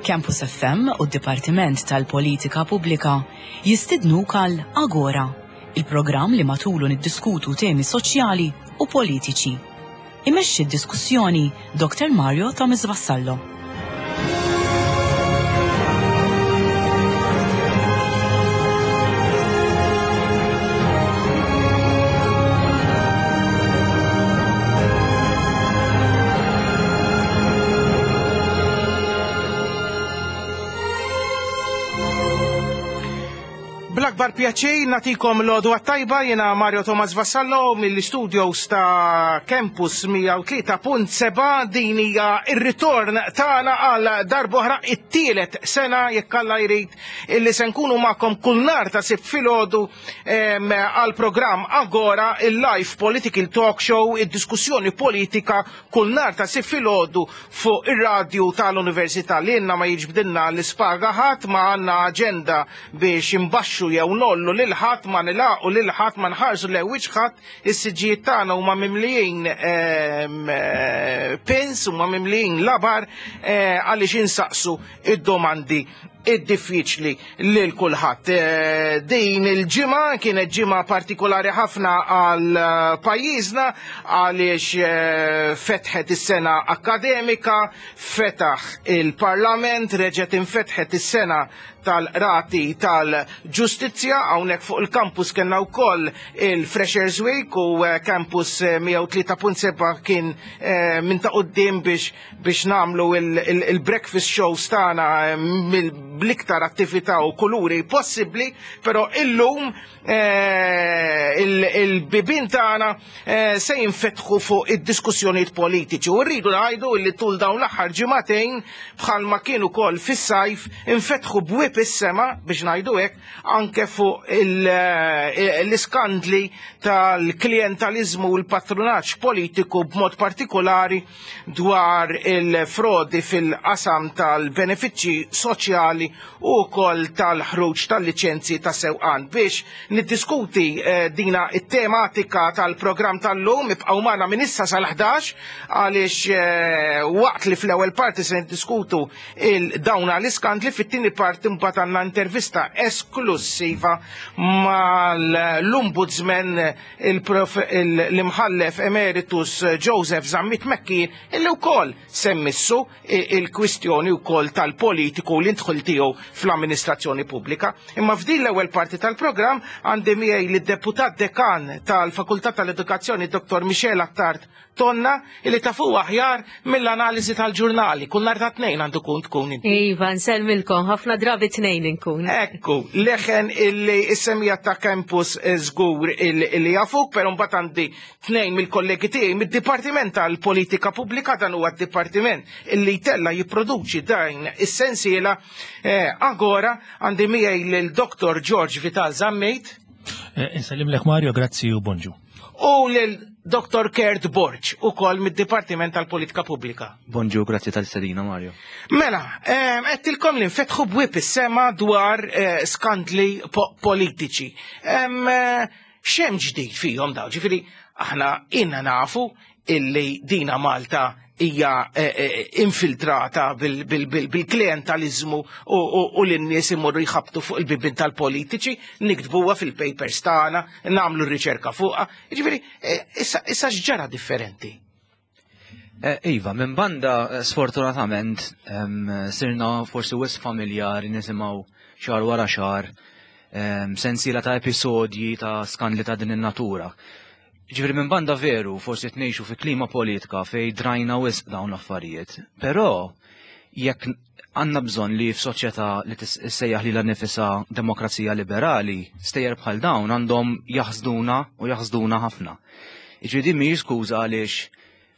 Campus FM u d-Dipartiment tal-Politika Pubblika jistidnuk għal Agora, il-programm li matulu niddiskutu temi soċjali u politiċi. Imexxi d-diskussjoni Dr. Mario Thomas Vassallo. Bl-akbar pjaċir natikom l-għodwa tajba jena Mario Thomas Vassallo mill-studios ta' Campus 103.7 din hija ir-ritorn tagħna għal darbohra it-tielet sena jekk Alla jrid illi se nkunu magħkom kull nhar ta' Sibt filgħodu għal programm Agora il-live political talk show id-diskussjoni politika kull nhar ta' Sibt filgħodu fuq ir-radju tal-Università li għandna ma jiġbdilna l-ispaga ħadd ma għandna aġenda biex imbaxxu jew nollu lil ħadd ma nilaqu lil ħadd ma nħarsu lejn wiċċ ħadd is-siġġijiet tagħna huma mimlijin ehm, eh, pins huma mimlijin labar eh, għaliex insaqsu id-domandi id-diffiċli lil kulħadd. Eh, din il-ġimgħa kienet ġimgħa partikolari ħafna għal eh, pajjiżna għaliex eh, fetħet is-sena akademika, fetaħ il-Parlament, reġgħet infetħet is-sena tal-qrati tal-ġustizzja hawnhekk fuq il-campus kellna wkoll il-Freshers Week u campus 103.7 kien minn ta' quddiem biex biex nagħmlu il-breakfast shows tagħna eh, bl-iktar attività u kuluri possibbli, però illum eh, il-bibin tagħna eh, se jinfetħu fuq id-diskussjonijiet politiċi u rridu ngħidu li tul dawn l-aħħar ġimagħtejn bħalma kienu kol fis-sajf infetħu bwieb is-sema biex ngħidu hekk anke fuq l-iskandli tal-klientalizmu u l-patrunaġġ politiku b'mod partikolari dwar il-frodi fil-qasam tal-benefiċċji soċjali u wkoll tal-ħruġ tal-liċenzji ta' sewqan. Biex niddiskuti eh, dina it-tematika tal-programm tal-lum ibqgħu magħna minn issa sal-11 għaliex eh, waqt li fl-ewwel parti se niddiskutu il-dawna l-iskandli fit-tieni parti mbagħad għandna intervista esklusiva mal-Ombudsman l-imħallef emeritus Joseph Zammit Mekkin illi wkoll semmissu il-kwistjoni wkoll tal-politiku li ndħul tiegħu fl-amministrazzjoni pubblika. Imma f'din l-ewwel parti tal-programm għandi miegħi lid-deputat dekan tal-Fakultà tal-Edukazzjoni Dr. Michel Attard Tonna illi tafu aħjar mill-analiżi tal-ġurnali. Kull nhar ta' tnejn għandu kun tkun inti. Iva, nsellmilkom, ħafna drabi tnejn inkun. Ekku, leħen illi s-semija ta' campus żgur illi jafuk, però mbagħad għandi tnejn mill-kollegi tiegħi mid-Dipartiment tal-Politika Pubblika dan huwa d-dipartiment illi jtella jipproduċi dan is-sensiela eh, Agora għandi miegħi lil Dr. George Vital Zammit. Eh, insellimlek Mario, grazzi u bonġu. U lil Dr. Kurt Borg, ukoll mid-Dipartiment tal-Politika Pubblika. Bonġu, grazzi tal-istedina, Mario. Mela, għedtilkom li nfetħu bwieb is-sema dwar eh, skandli politiċi. Eh, x'hemm ġdid fihom daw? Ġifieri, aħna inna nafu illi dina Malta hija eh, eh, infiltrata bil-klientalizmu u l-nies imorru jħabtu fuq il-bibin tal-politiċi, niktbuha fil-papers tagħna, nagħmlu r-riċerka fuqha. Jiġifieri, eh, issa x'ġara differenti? Iva, minn banda sfortunatament sirna forsi wis familjari nisimgħu xahar wara xahar sensiela ta' episodji ta' skandli ta' din in-natura. Ġifieri minn banda veru, forsi qed ngħixu fi klima politika fejn drajna wisq dawn l-affarijiet, però jekk għandna bżonn li f'soċjetà li tissejjaħ lilha nifisha demokrazija liberali, stejjer bħal dawn għandhom jaħsduna u jaħsduna ħafna. Jiġifieri din mhijiex skuża għaliex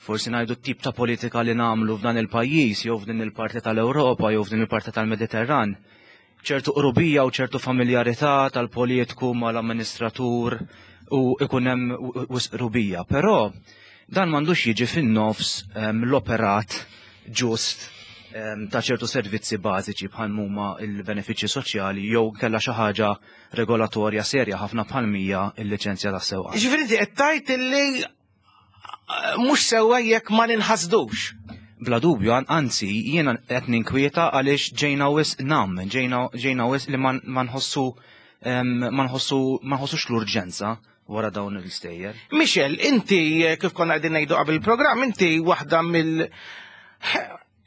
forsi ngħidu t-tip ta' politika li nagħmlu f'dan il-pajjiż jew f'din il-parti tal-Ewropa jew f'din il-parti tal-Mediterran. ċertu qrubija u ċertu familjarità tal-politiku mal-amministratur u ikun hemm wisq qrubija. Però dan m'għandux jiġi fin-nofs l-operat ġust ta' ċertu servizzi bażiċi bħal huma l-benefiċċji soċjali jew kellha xi ħaġa regolatorja serja ħafna bħal mija l-liċenzja tas sewqan. Ġifieri inti qed tgħid illi mhux sewwa jekk ma ninħasdux. Bla dubju, anzi, jiena qed ninkwieta għaliex ġejna wisq nam, ġejna wisq li ma nħossu ma nħossu ma nħossux l-urġenza wara dawn l-istejjer. Michel, inti kif konna qegħdin ngħidu qabel il-programm, inti waħda mill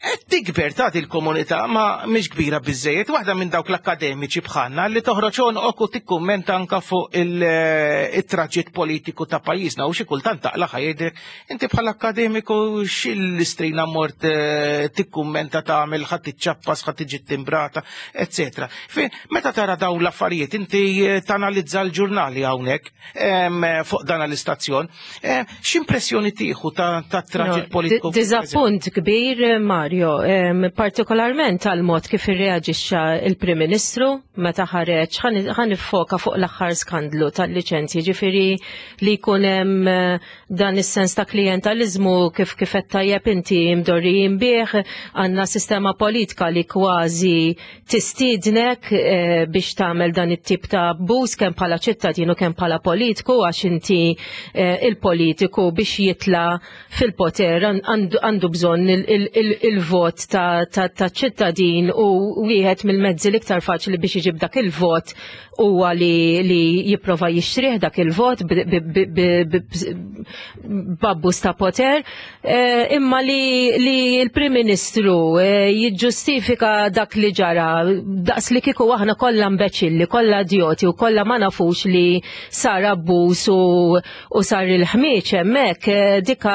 qed tikber tagħti l-komunità ma mhix kbira biżejjed, waħda minn dawk l-akkademiċi bħalna li toħroġ għonqok u tikkummenta anka fuq il-traġitt politiku ta' pajjiżna u xi kultant taqla' ħajdek inti bħala akkademiku x'il-istrina mort tikkummenta tagħmel ħadd tiċċappas, ħadd tiġi timbrata, eccetera. Meta tara dawn l-affarijiet inti tanalizza l-ġurnali hawnhekk fuq dan l-istazzjon. X'impressjoni tieħu ta' traġit politiku? Diżappunt kbir, Mario, partikolarment tal-mod kif irreaġixxa il-Prim Ministru meta ħareġ ħa niffoka fuq l-aħħar skandlu tal-liċenzji, ġifieri li jkun hemm dan is-sens ta' klijentaliżmu kif kif qed tajjeb inti mdorrijin bih, għandna sistema politika li kważi tistiednek biex tagħmel dan it-tip ta' abbuż kemm bħala ċittadin u kemm bħala politiku, għax inti il-politiku biex jitla fil-poter għandu bżonn il-vot ta' ċittadin, u wieħed mill-mezzi l-iktar faċli biex iġib dak il-vot huwa li jipprova jixtrih dak il-vot b'abbuż ta' poter, imma li l-Prim Ministru jiġġustifika dak li ġara daqs li kieku aħna kollha imbeċilli, kollha idjoti u kollha ma nafux li sar abbuż u sar il-ħmieġ hemmhekk, dika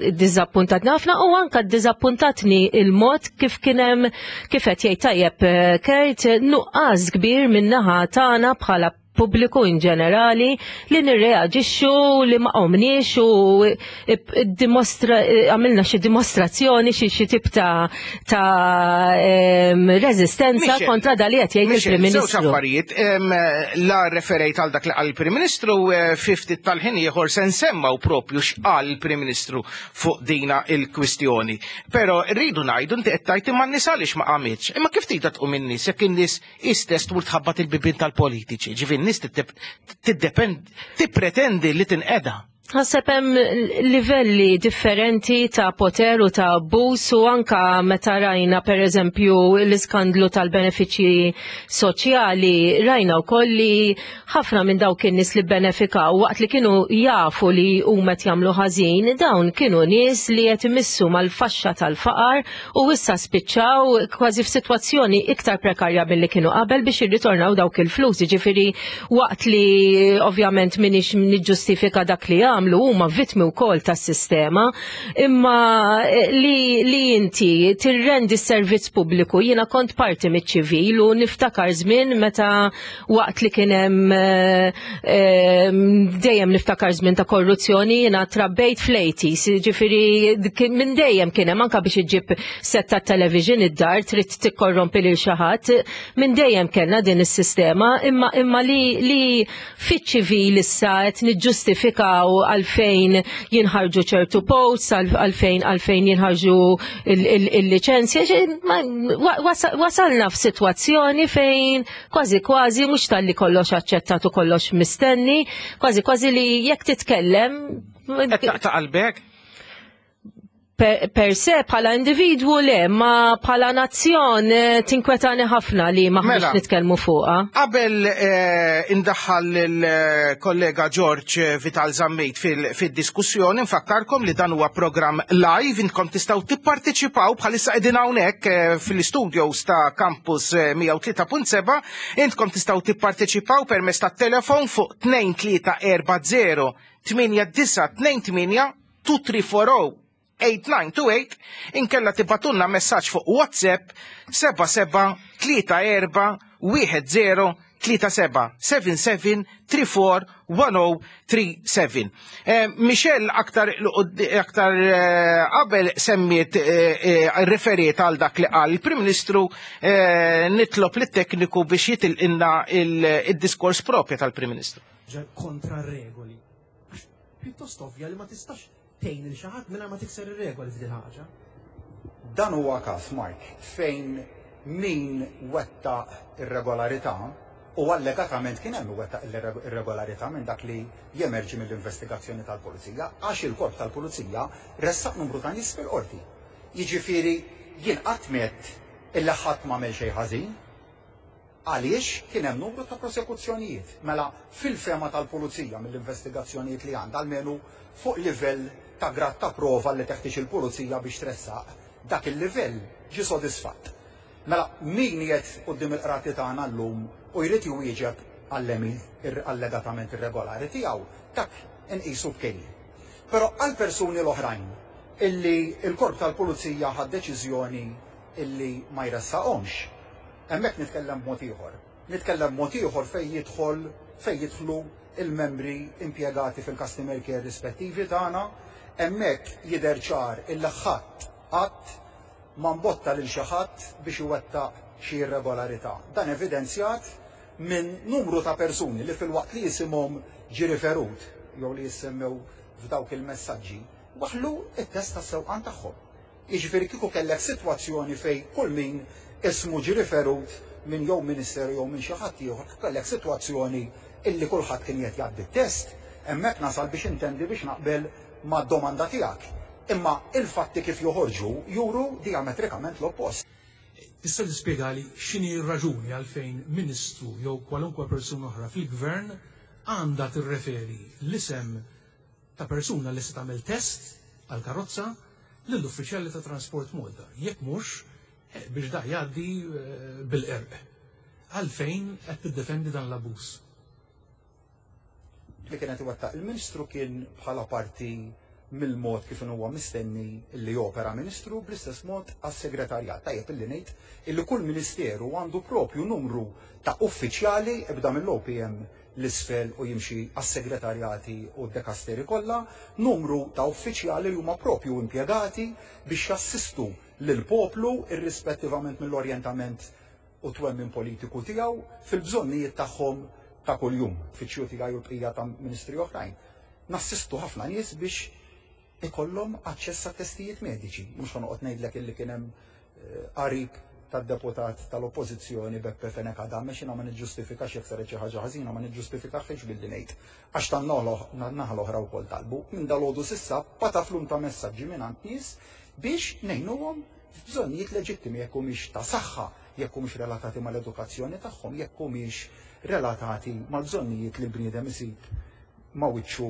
ddiżappuntatni ħafna, u anka ddiżappuntatni il-mod kif kien hemm, kif qed jgħid tajjeb Kurt, nuqqas kbir min-naħa tagħna bħala pubbliku in ġenerali li nirreaġixxu, li ma qomniex u għamilna xi dimostrazzjoni, xi tip ta' reżistenza kontra dak li qed jgħid Michel, il-Prim żewġ Ministru. affarijiet, la referejt għal dak li qal il-Prim Ministru, fi ftit tal-ħin ieħor se nsemmaw propju x'qal il-Prim Ministru fuq dina il-kwistjoni. Però rridu ngħidu inti qed tgħid imma n-nies għaliex ma qamitx. Imma kif tgħidha tqum in-nies jekk in-nies istess tmur tħabbat il-bibien tal-politiċi? Ġifieri n-nies tippretendi li tinqeda. Ħaseb hemm livelli differenti ta' poter u ta' abbuż, u anka meta rajna pereżempju l-iskandlu tal-benefiċċji soċjali, rajna wkoll li ħafna minn dawk in-nies li benefikaw waqt li kienu jafu li huma qed jagħmlu ħażin, dawn kienu nies li qed imissu mal-faxxa tal-faqar u issa spiċċaw kważi f'sitwazzjoni iktar prekarja milli kienu qabel biex jirritornaw dawk il-flus. Jiġifieri waqt li ovvjament m'iniex niġġustifika dak li għamlu, huma vittmi wkoll tas-sistema, imma li inti tirrendi s-servizz pubbliku. Jiena kont parti miċ-ċivil u niftakar żmien meta waqt li kien hemm dejjem niftakar żmien ta' korruzzjoni, jiena trabbejt fl-80s, ġifieri minn dejjem kien hemm, anke biex iġib set ta' television id-dar trid tikkorrompi lil xi ħadd, minn dejjem kellna din is-sistema, imma li fiċ-ċivil issa qed niġġustifikaw għalfejn jinħarġu ċertu posts, għalfejn jinħarġu il-liċenzja, wasalna f'sitwazzjoni fejn kważi kważi mhux talli kollox aċċettat u kollox mistenni, kważi kważi li jekk titkellem Qed taqta' qalbek? Per se bħala individwu le, ma bħala nazzjon tinkwetani ħafna li maħniex Mela. nitkellmu fuqha. Qabel indaħħal il-kollega George Vital Zammit fil-diskussjoni, nfakkarkom li dan huwa programm live, intkom tistgħu tipparteċipaw bħalissa qegħdin hawnhekk fil-studios ta' Campus 103.7, intkom tistgħu tipparteċipaw permezz tat-telefon fuq tnejn tlieta erba' zero tmienja disa' tnejn tmienja two three four oh eight nine two eight, inkella tibatunna messaġġ fuq WhatsApp seba' seba' tlieta erba' wieħed zero 37 77 34 1037. Michelle aktar aktar eh, qabel semmiet eh, eh, referiet għal dak li qal il-Prim Ministru nitlob lit-tekniku biex jitilqinna il-diskors propja tal-Prim Ministru. Kontra regoli. Pjuttost ovvja li ma tistax tgħin lil xi ħadd mingħajr ma tikser ir-regoli f'dil ħaġa. Dan huwa każ, Mark, fejn min wettaq irregolarità, u allegatament kien hemm min wettaq irregolarità minn dak li jemerġi mill-investigazzjoni tal-Pulizija, għax il-Korp tal-Pulizija ressaq numru ta' nies fil-Qorti. Jiġifieri jien qatt m'għedt illi ħadd m'għamel xejn ħażin. Għaliex kien hemm numru ta' prosekuzzjonijiet. Mela, fil-fehma tal-Pulizija mill-investigazzjonijiet li għandha, almenu fuq livell ta' grad ta' prova li teħtieġ il-Pulizija biex tressaq, dak il-livell ġie sodisfatt. Mela, min qiegħed quddiem il-qrati tagħna llum u jrid iwieġeb għall-għemil allegatament irregolari tiegħu, dak inqisu b'kejl. Però għall-persuni l-oħrajn illi l-Korp tal-Pulizija ħa d-deċiżjoni illi ma jressaqhomx, Hemmhekk nitkellem b'mod ieħor. Nitkellem b'mod ieħor fejn jidħol fejn jidħlu l-membri impjegati fil-customer care rispettivi tagħna. Hemmhekk jidher ċar illi ħadd qatt ma mbotta lil xi ħadd biex iwettaq xi irregolarità. Dan evidenzjat minn numru ta' persuni li filwaqt li isimhom ġie riferut jew li jissemmew f'dawk il-messaġġi, waħħlu t-test tas-sewqan tagħhom. Jiġifieri kieku kellek sitwazzjoni fejn kull min ismu ġie riferut minn jew ministeru jew minn xi ħadd ieħor, kieku kellek sitwazzjoni illi kulħadd kien qiegħed jgħaddi t-test, hemmhekk nasal biex intendi biex naqbel mad-domanda tiegħek. Imma il-fatti kif joħorġu juru dijametrikament l-oppost. Tista' tispjegali x'inhi r-raġuni għalfejn Ministru jew kwalunkwe persuna oħra fil-Gvern għandha tirreferi l-isem ta' persuna li se tagħmel test għall-karozza lill-uffiċjali ta' Transport Malta, jekk mhux biex da jgħaddi bil-qerq. Għalfejn qed tiddefendi dan l-abbuż? Li kien qed iwettaq il-Ministru kien bħala parti mill-mod kif inhu huwa mistenni li jopera Ministru bl-istess mod għas-Segretarjat. Tajjeb illi ngħid illi kull Ministeru għandu propju numru ta' uffiċjali ibda mill-OPM 'l isfel u jimxi għas-segretarjati u d-dekasteri kollha, numru ta' uffiċjali li huma propju impjegati biex jassistu lill-poplu irrispettivament mill-orjentament u t-twemmin politiku tiegħu fil-bżonnijiet tagħhom ta' kuljum. Uffiċċju tiegħi u l-bqija ta' ministri oħrajn nassistu ħafna nies biex ikollhom aċċess għat-testijiet mediċi. Mhux ħa noqgħod ngħidlek illi kien hemm qarib tad-deputat tal-Oppożizzjoni Beppe Fenech Adame x'jiena ma niġġustifikax jekk saret xi ħaġa ħażina ma niġġustifikahiex billi ngħid għax tan-naħa l-oħra wkoll talbu. Minn dalgħodu s'issa pataflum ta' messaġġi mingħand nies biex ngħinuhom f'bżonnijiet leġittimi jekk humiex ta' saħħa, jekk humiex relatati mal-edukazzjoni tagħhom, jekk humiex relatati mal-bżonnijiet li l-bniedem isib ma' wiċċu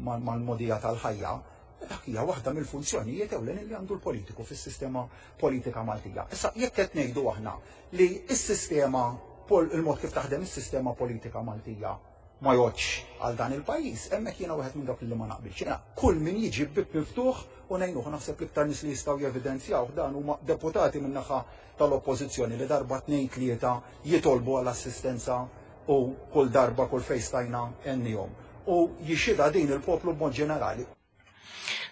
mal-mogħdija tal-ħajja, dak hija waħda mill-funzjonijiet ewlenin li għandu l-politiku fis-sistema politika Maltija. Issa jekk qed ngħidu aħna li s-sistema il-mod kif taħdem is-sistema politika Maltija ma jgħoddx għal dan il-pajjiż, hemmhekk jiena wieħed minn dawk li ma naqbilx. Jiena kull min jiġi b'bieb miftuħ u ngħinuh naħseb l-iktar nies li jistgħu jevidenzjawh dan huma deputati min-naħa tal-Oppożizzjoni li darba tnejn tlieta jitolbu għal assistenza u kull darba kull fejn stajna għennihom u jixhidha din il-poplu b'mod ġenerali.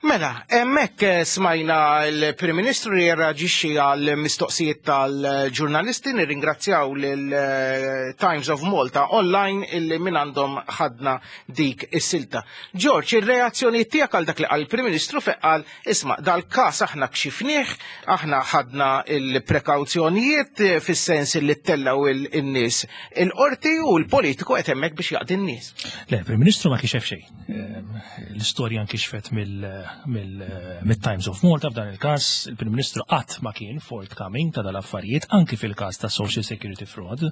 Mela, hemmhekk eh, smajna l-Prim Ministru li jirraġixxi għal mistoqsijiet tal-ġurnalisti, nirringrazzjaw lil eh, Times of Malta online illi minn għandhom ħadna dik is-silta. George, ir-reazzjoni tiegħek għal dak li qal il-Prim Ministru fejn qal isma' dal-każ aħna kxifnieh, aħna ħadna il-prekawzjonijiet eh, fis-sens li ttellaw il-nies il-qorti u l-politiku qed hemmhekk biex jaqdi n-nies. Le, Prim Ministru ma kixef xejn. Ehm, l-istorja nkixfet mill-Times of Malta f'dan il-każ, il-Prim Ministru qatt ma kien forthcoming ta' dal-affarijiet anki fil-każ ta' Social Security Fraud.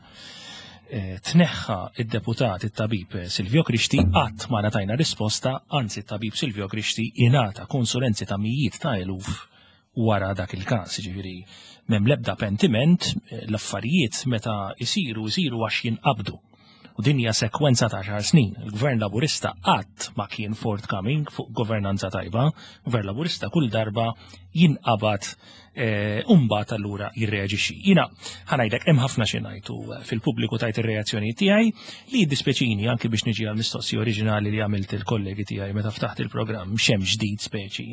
Eh, tneħħa id-deputat it-tabib Silvio Grixti qatt ma ngħatajna risposta, anzi t-tabib Silvio Grixti ingħata konsulenzi ta' mijiet ta' eluf wara dak il-każ, jiġifieri m'hemm l-ebda pentiment, eh, l-affarijiet meta jsiru jsiru għax jinqabdu. U din hija sekwenza ta' xar snin. Il-Gvern Laburista qatt ma kien forthcoming fuq governanza tajba. Gvern Laburista kull darba jinqabad eh, u mbagħad allura jirreaġixxi. Jiena ħanajdlek hemm ħafna xi ngħid u eh, fil-pubbliku tajt ir-reazzjoni tiegħi li jiddispjaċini anki biex niġi għal mistoqsija oriġinali li għamilt il-kollegi tiegħi meta ftaħt il-programm x'hemm ġdid speċi.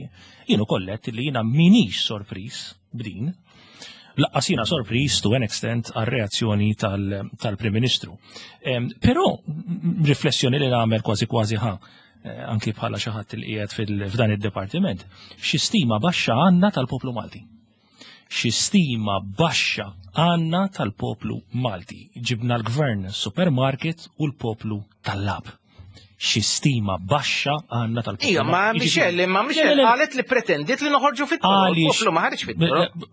Jien ukoll għedt li jiena minix sorpriż b'din. Laqqas jiena sorpriż to an extent għar-reazzjoni tal-Prim Ministru. Però riflessjoni li nagħmel kważi kważi ħa eh, anki bħala xi ħadd li qiegħed f'dan id-dipartiment, xi stima baxxa għandna tal-poplu Malti. Xi stima baxxa għandna tal-poplu Malti. Ġibna l-gvern supermarket u l-poplu tal-lab. Xi stima baxxa għandna tal-poplu. Ija, ma Michelle, ma Michelle qalet li pretendiet li noħorġu fit-toroq. Il-poplu ma ħareġ fit-toroq.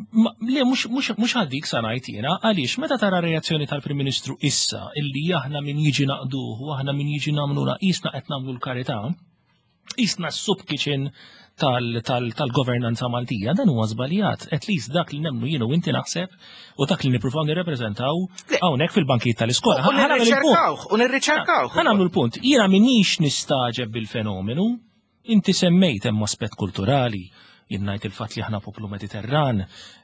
Le, mhux għal dik sa ngħid jiena, għaliex meta tara reazzjoni tal-Prim Ministru issa illi aħna min jiġi naqduh u aħna min jiġi nagħmlu qisna qed nagħmlu l-karità, qisna s-soup kitchen tal-governanza Maltija, dan huwa żbaljat. At least dak li nemmnu jienu inti naħseb u dak li nippruvaw nirrepreżentaw hawnhekk fil-bankijiet tal-iskola. U nirriċerkawh, u nirriċerkawh. Ħa nagħmlu l-punt. Jiena minix nistaġeb bil-fenomenu, inti semmejt hemm aspett kulturali, jien ngħid il-fatt li aħna poplu Mediterran,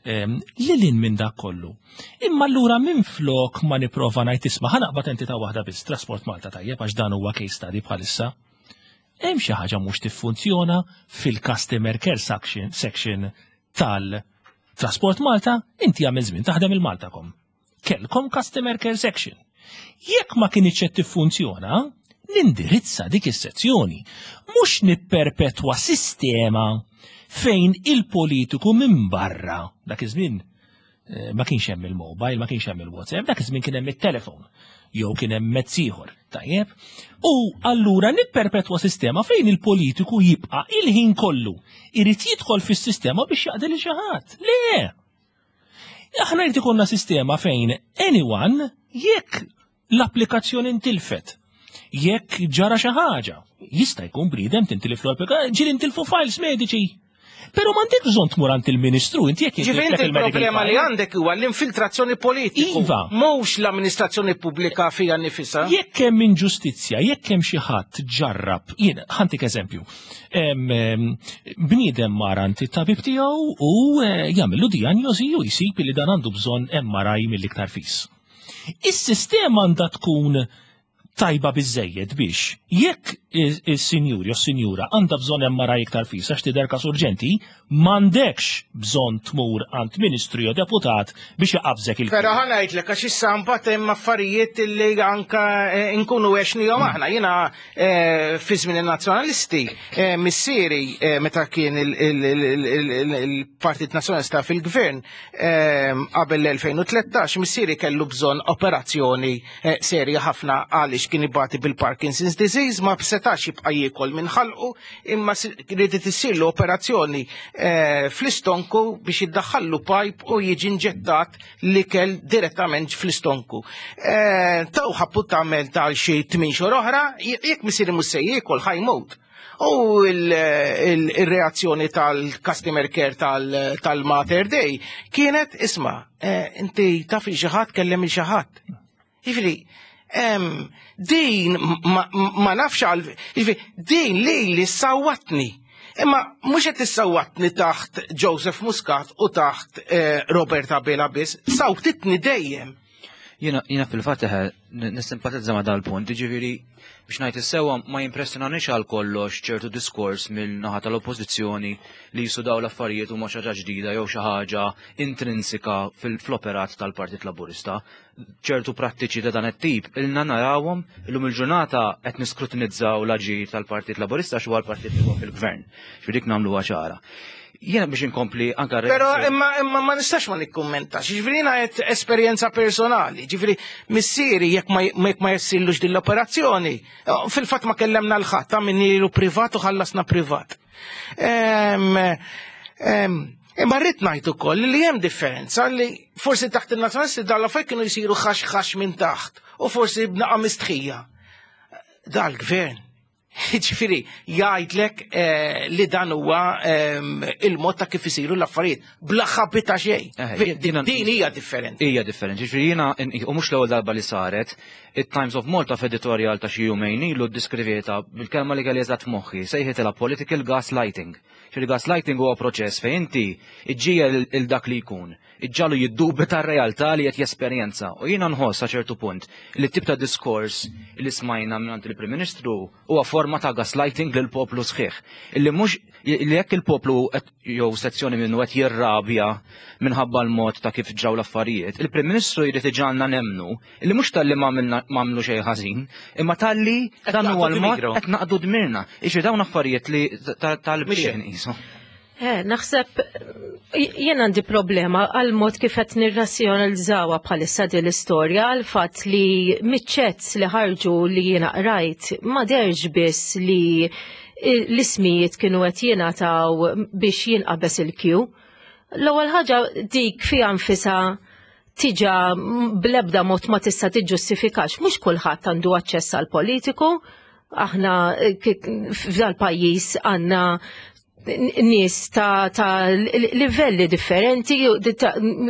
li lin minn dak kollu. Imma allura minn flok ma nipprova ngħid isma' ħa naqbad entità waħda biss, Trasport Malta tajjeb għax dan huwa case study bħalissa. Hemm xi ħaġa mhux tiffunzjona fil-customer care section tal-Trasport Malta, inti għamil żmien taħdem il-Maltacom. Kellkom customer care section. Jekk ma kienx qed tiffunzjona, nindirizza dik is-sezzjoni, mhux nipperpetwa sistema fejn il-politiku minn barra dak iż-żmien eh, ma kienx hemm il-mobile, ma kienx hemm il-WhatsApp, dak iż-żmien kien hemm it-telefon jew kien hemm mezz ieħor, tajjeb. U allura nipperpetwa sistema fejn il-politiku jibqa' il-ħin kollu irid jidħol fis-sistema biex jaqdi lil xi ħadd. Le! Aħna jrid ikollna sistema fejn anyone jekk l-applikazzjoni intilfet, jekk ġara xi ħaġa, jista' jkun bniedem tintilif l-applikazzjoni, ġieli intilfu files mediċi. Però m'għandek bżonn tmur għand il-Ministru, inti jekk Ġifieri inti il-problema li għandek huwa l-infiltrazzjoni politiku. Iva. Mhux l-amministrazzjoni pubblika fija nifisha. Jekk hemm inġustizzja, jekk hemm xi ħadd ġarrab, jien ħa ntik eżempju. Bniedem mar għand it-tabib tiegħu u eh, jagħmillu dijanjosi u jsib li dan għandu bżonn MRI mill-iktar fis. Is-sistema għandha tkun tajba biżejjed biex jekk is-sinjur jew sinjura għandha bżonn MRI iktar fis għax tidher każ urġenti, m'għandekx bżonn tmur għand ministru jew deputat biex jaqabżek il Però ħa ngħidlek għax issa mbagħad hemm affarijiet li anka eh, nkunu għexnihom aħna. Jiena eh, fi żmien in-nazzjonalisti eh, missieri meta kien il-Partit Nazzjonalista fil-Gvern qabel l-2013 missieri kellu bżonn operazzjoni serja ħafna għaliex kien ibati bil-Parkinson's disease ma setax jibqa' jiekol minn ħalqu imma ridet issirlu operazzjoni fl-istonku biex jiddaħħallu pipe u jiġi inġettat l-ikel direttament fl-istonku. Taw appuntament tal xi 8 xhur oħra, jekk missieri mhux se jiekol ħa jmut. U il-reazzjoni tal-customer care tal-Mater Dei kienet isma' inti taf il xi ħadd kellem il xi ħadd. Jiġifieri, din ma nafx għal, jiġifieri, din li li sawatni. Imma mhux qed issawatni taħt Joseph Muscat u taħt Robert Abela biss, sawtitni dejjem. Jiena fil-fatt nissimpatizza ma' dal-punt, ġifieri biex ngħid is-sewwa ma jimpressjonanix għal kollox ċertu diskors mill-naħa tal-oppożizzjoni li jisu daw l-affarijiet huma xi ħaġa ġdida jew xi ħaġa intrinsika fil-operat tal-Partit Laburista. Ċertu prattiċi ta' dan it-tip ilna narawhom illum il-ġurnata qed niskrutinizzaw l-aġir tal-Partit Laburista għax huwa l-partit li huwa fil-gvern. Ġifieri dik nagħmluha ċara. Jiena biex inkompli anka Però imma ma nistax ma nikkummentax. Ġifieri jiena qed esperjenza personali. Ġifieri missieri jekk ma jekk ma jessillux din l-operazzjoni, fil-fatt ma kellemna l-ħadd ta' min ilu privat u ħallasna privat. Imma rrid ngħid ukoll li hemm differenza li forsi taħt il-nazzjonalisti dan l-affarijiet kienu jsiru ħax ħax minn taħt u forsi b'naqa' mistħija. Dal-gvern. Ġifieri jgħidlek eh, li dan huwa ehm, il-mod ta' kif isiru l-affarijiet bla ħabbi ta' xejn. Eh, din hija differenti. Hija differenti. Ġifieri jiena u mhux l-ewwel darba li saret, it-Times of Malta f'editorjal ta' xi jumejn ilu ddeskrivietha bil-kelma li kelli eżatt f'moħħi, sejħitilha political gaslighting. Ġifieri gaslighting huwa proċess fejn inti iġġiegħel il dak li jkun iġġagħlu jiddubita r-realtà li qed jesperjenza. U jiena nħoss sa ċertu punt li t-tip ta' diskors li smajna mingħand il-Prim Ministru huwa forma ta' gaslighting lil poplu sħiħ. Illi mhux li jekk il-poplu jew sezzjoni minnu qed jirrabja minħabba l-mod ta' kif ġraw l-affarijiet, il-Prim Ministru jrid iġagħalna nemmnu li mhux talli ma għamlu xejn ħażin, imma talli dan huwa l-mod qed naqdu dmirna. Iġri dawn affarijiet li tal-bxejn qisu. Eh, naħseb jien għandi problema għal mod kif qed nirrazzjonalizzawha bħalissa din l-istorja għal fatt li miċ-chats li ħarġu li jiena qrajt ma derx biss li l-ismijiet kienu qed jingħataw biex jinqabeż il-kju. L-ewwel ħaġa dik fiha nfisha tiġa bl-ebda mod ma tista' tiġġustifikax mhux kulħadd għandu aċċess għal politiku, aħna eh, f'dal pajjiż għandna nies ta', ta livelli differenti,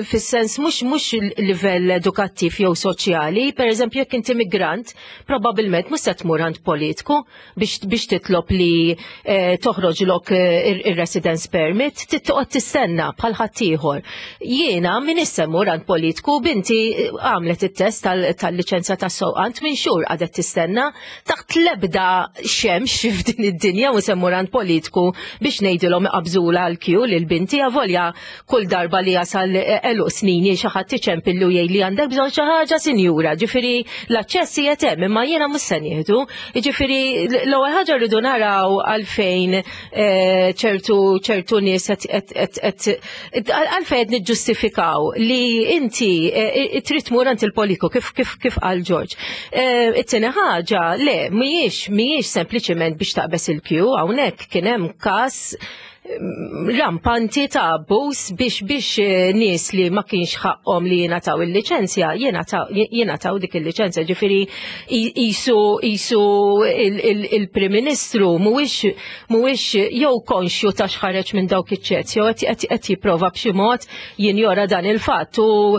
fis-sens mhux mhux livell edukattiv jew soċjali, per eżempju jekk inti migrant, probabbilment mhux se tmur għand politiku biex, biex titlob li eh, toħroġlok eh, ir-residence permit, tittoqgħod tistenna bħal ħaddieħor. Jiena min issa mur għand politiku binti eh, għamlet it-test tal-liċenzja tas-sewqan minn xhur għadet tistenna taħt l-ebda xemx f'din id-dinja u semmur għand politiku biex ngħidilhom iqabżula għal kju lil binti avolja kull darba li jasal eluq snini xi ħadd iċempillu jgħid li għandek bżonn xi ħaġa sinjura, ġifieri l-aċċess qiegħed hemm imma jiena mhux se nieħdu. Ġifieri l-ewwel ħaġa rridu naraw għalfejn eh, ċertu ċertu nies għalfejn qed niġġustifikaw li inti eh, trid tmur għand il-politiku kif kif kif qal George. Eh, it-tieni ħaġa, le, mhijiex mhijiex sempliċement biex taqbeż il-kju, hawnhekk kien hemm każ mm, rampanti ta' abbuż biex biex eh, nies li ma kienx ħaqhom li jingħataw il-liċenzja, jingħataw dik il-liċenzja, ġifieri jisu jisu il-Prim Ministru mhuwiex mhuwiex jew konxju ta' x'ħareġ minn dawk iċ-ċezz, jew qed jipprova b'xi mod jinjora dan il-fatt u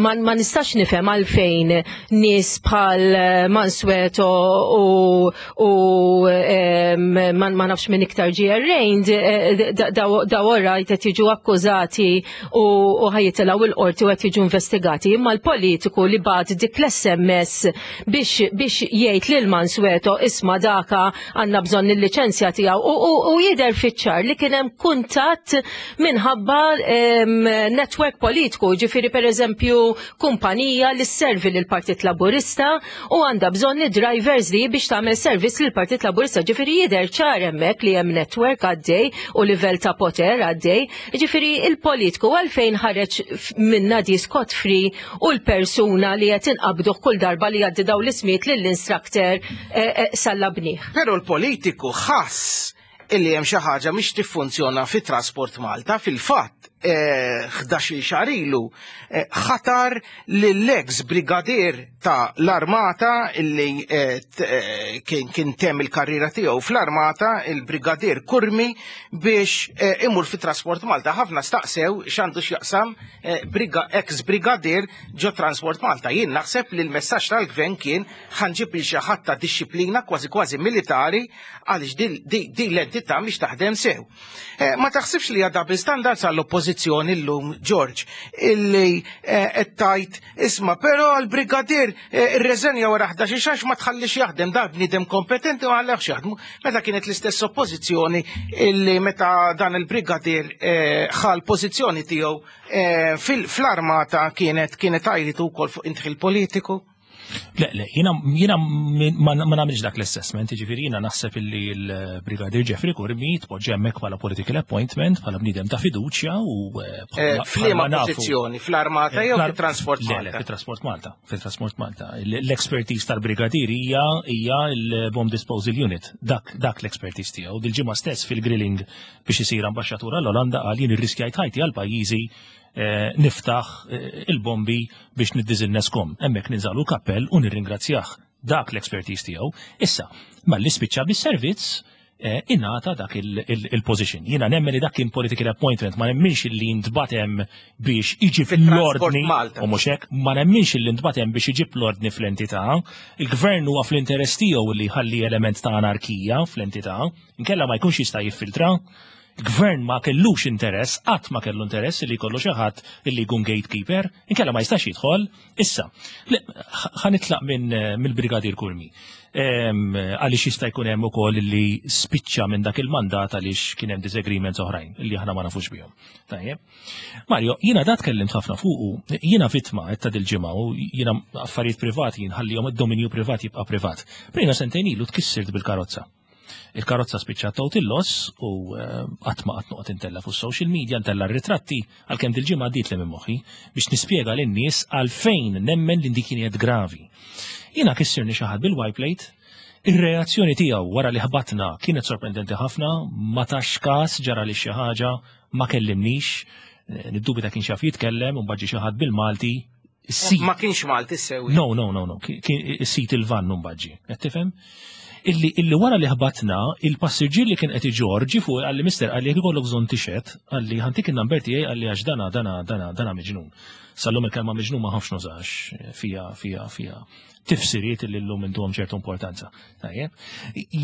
ma nistax nifhem għalfejn nies bħal Mansueto u ma nafx minn iktar ġie arraigned eh, daw orajt qed jiġu akkużati u ħajitilgħu il-qorti u qed jiġu investigati imma l-politiku li bagħat dik l-SMS biex biex jgħid lil Mansueto isma' daka għandna bżonn il-liċenzja tiegħu u jidher fiċ-ċar li kien hemm kuntatt minħabba network politiku, ġifieri pereżempju kumpanija li sservi lil Partit Laburista u għandha bżonn id-drivers li biex tagħmel servizz lil Partit Laburista, ġifieri jidher ċar hemmhekk li hemm network għaddej u livell ta' poter għaddej, ġifieri il-politiku għalfejn ħareġ minna di scot free u l-persuna li qed inqabduh kull darba li jgħaddi dawn l-ismijiet lill-instructor eh, eh, sallabnih. Però l-politiku ħass illi hemm xi ħaġa mhix tiffunzjona fi Trasport Malta fil-fatt 11 eh, xahar ilu ħatar lill-ex brigadier ta' l-armata illi kien temm il-karriera tiegħu fl-armata il-brigadier Kurmi biex imur fi Trasport Malta. Ħafna staqsew x'għandu x'jaqsam Eh, ex brigadier ġo Transport Malta. Jien naħseb li l-messaġġ tal-gvern kien ħanġib il xi ħadd ta' dixxiplina kważi kważi militari għaliex din l-entità mhix taħdem sew. Eh, ma taħsibx li għadha standards għall-oppożizzjoni llum George illi eh, qed tajt isma' però l-brigadier irreżenja wara 11 xax ma tħallix jaħdem da bniedem kompetenti u għalleħx jaħdmu. Meta kienet l-istess oppożizzjoni illi meta dan il-brigadier ħal pożizzjoni tiegħu Eh, fl-armata kienet kienet għajritu wkoll fuq intħil politiku. Le, le, jina, jina ma nagħmilx dak l-assessment, ġifieri jina naħseb illi l-Brigadier Jeffrey Curmi tpoġġi hemmhekk bħala political appointment, bħala bniedem ta' fiduċja u eh, eh, f'liema pożizzjoni, fl-armata jew fit-Transport Malta? Le, fit-Transport Malta, fit-Transport Malta. L-expertise tal-Brigadier hija hija l-Bomb Disposal Unit, dak dak l-expertise tiegħu. Dil-ġimgħa stess fil-grilling biex isir ambaxxatur għall-Olanda qal jien irriskjajt ħajti għal pajjiżi eh, niftaħ eh, il-bombi biex niddiżinneskom. Hemmhekk ninżalu kappell u nirringrazzjah. Dak l-expertise tiegħu. Issa, malli spiċċa bis-servizz, eh, ingħata dak il-position. Jiena nemmen li dak kien political appointment, ma nemminx li ntbagħat hemm biex iġib l-ordni, u mhux hekk, ma nemminx li ntbagħat hemm biex iġib l-ordni fl-entità. Il-gvern huwa fl-interess tiegħu li jħalli element ta' anarkija fl-entità, inkella ma jkunx jista' jiffiltra. Il-gvern ma kellux interess, qatt ma kellu interess li jkollu xi ħadd li jkun gatekeeper, inkella ma jistax jidħol. Issa, ħa nitlaq minn mill-Brigadier Curmi. Għaliex jista' jkun hemm ukoll li spiċċa minn dak il-mandat għaliex kien hemm disagreements oħrajn li aħna ma nafux bihom. Tajjeb. Mario, jiena da tkellimt ħafna fuqu, jiena vittma ta' dil-ġimgħa u jiena affarijiet privati nħallihom id-dominju privat jibqa' privat. Prina sentejn ilu tkissirt bil-karozza. Il-karozza spiċċat total loss u qatt ma qatt noqgħod intella fuq social media, ntella r-ritratti għalkemm dil-ġimgħa għaddiet li minn moħħi biex nispjega lin-nies għalfejn nemmen li dik kienet gravi. Jiena kissirni xi ħadd bil-Y plate, ir-reazzjoni tiegħu wara li ħbatna kienet sorprendenti ħafna, ma tax każ ġara li xi ħaġa, ma kellimnix, niddubita kien xaf jitkellem, u mbagħad ġie xi ħadd bil-Malti. Ma kienx Malti sewi. No, no, no, no, kien is-sit il-van mbagħad qed tifhem? Illi wara li ħbatna, il-passiġġier li kien qed iġorr ġie fuq qalli mister qalli jekk ikollok bżonn tixhed, qalli ħa ntik in-number tiegħi qalli għax dana dana dana dana miġnun. Sallum il-kelma miġnun ma ħafx nużax fija fija fija tifsiriet li llum intuhom ċertu importanza. Tajjeb.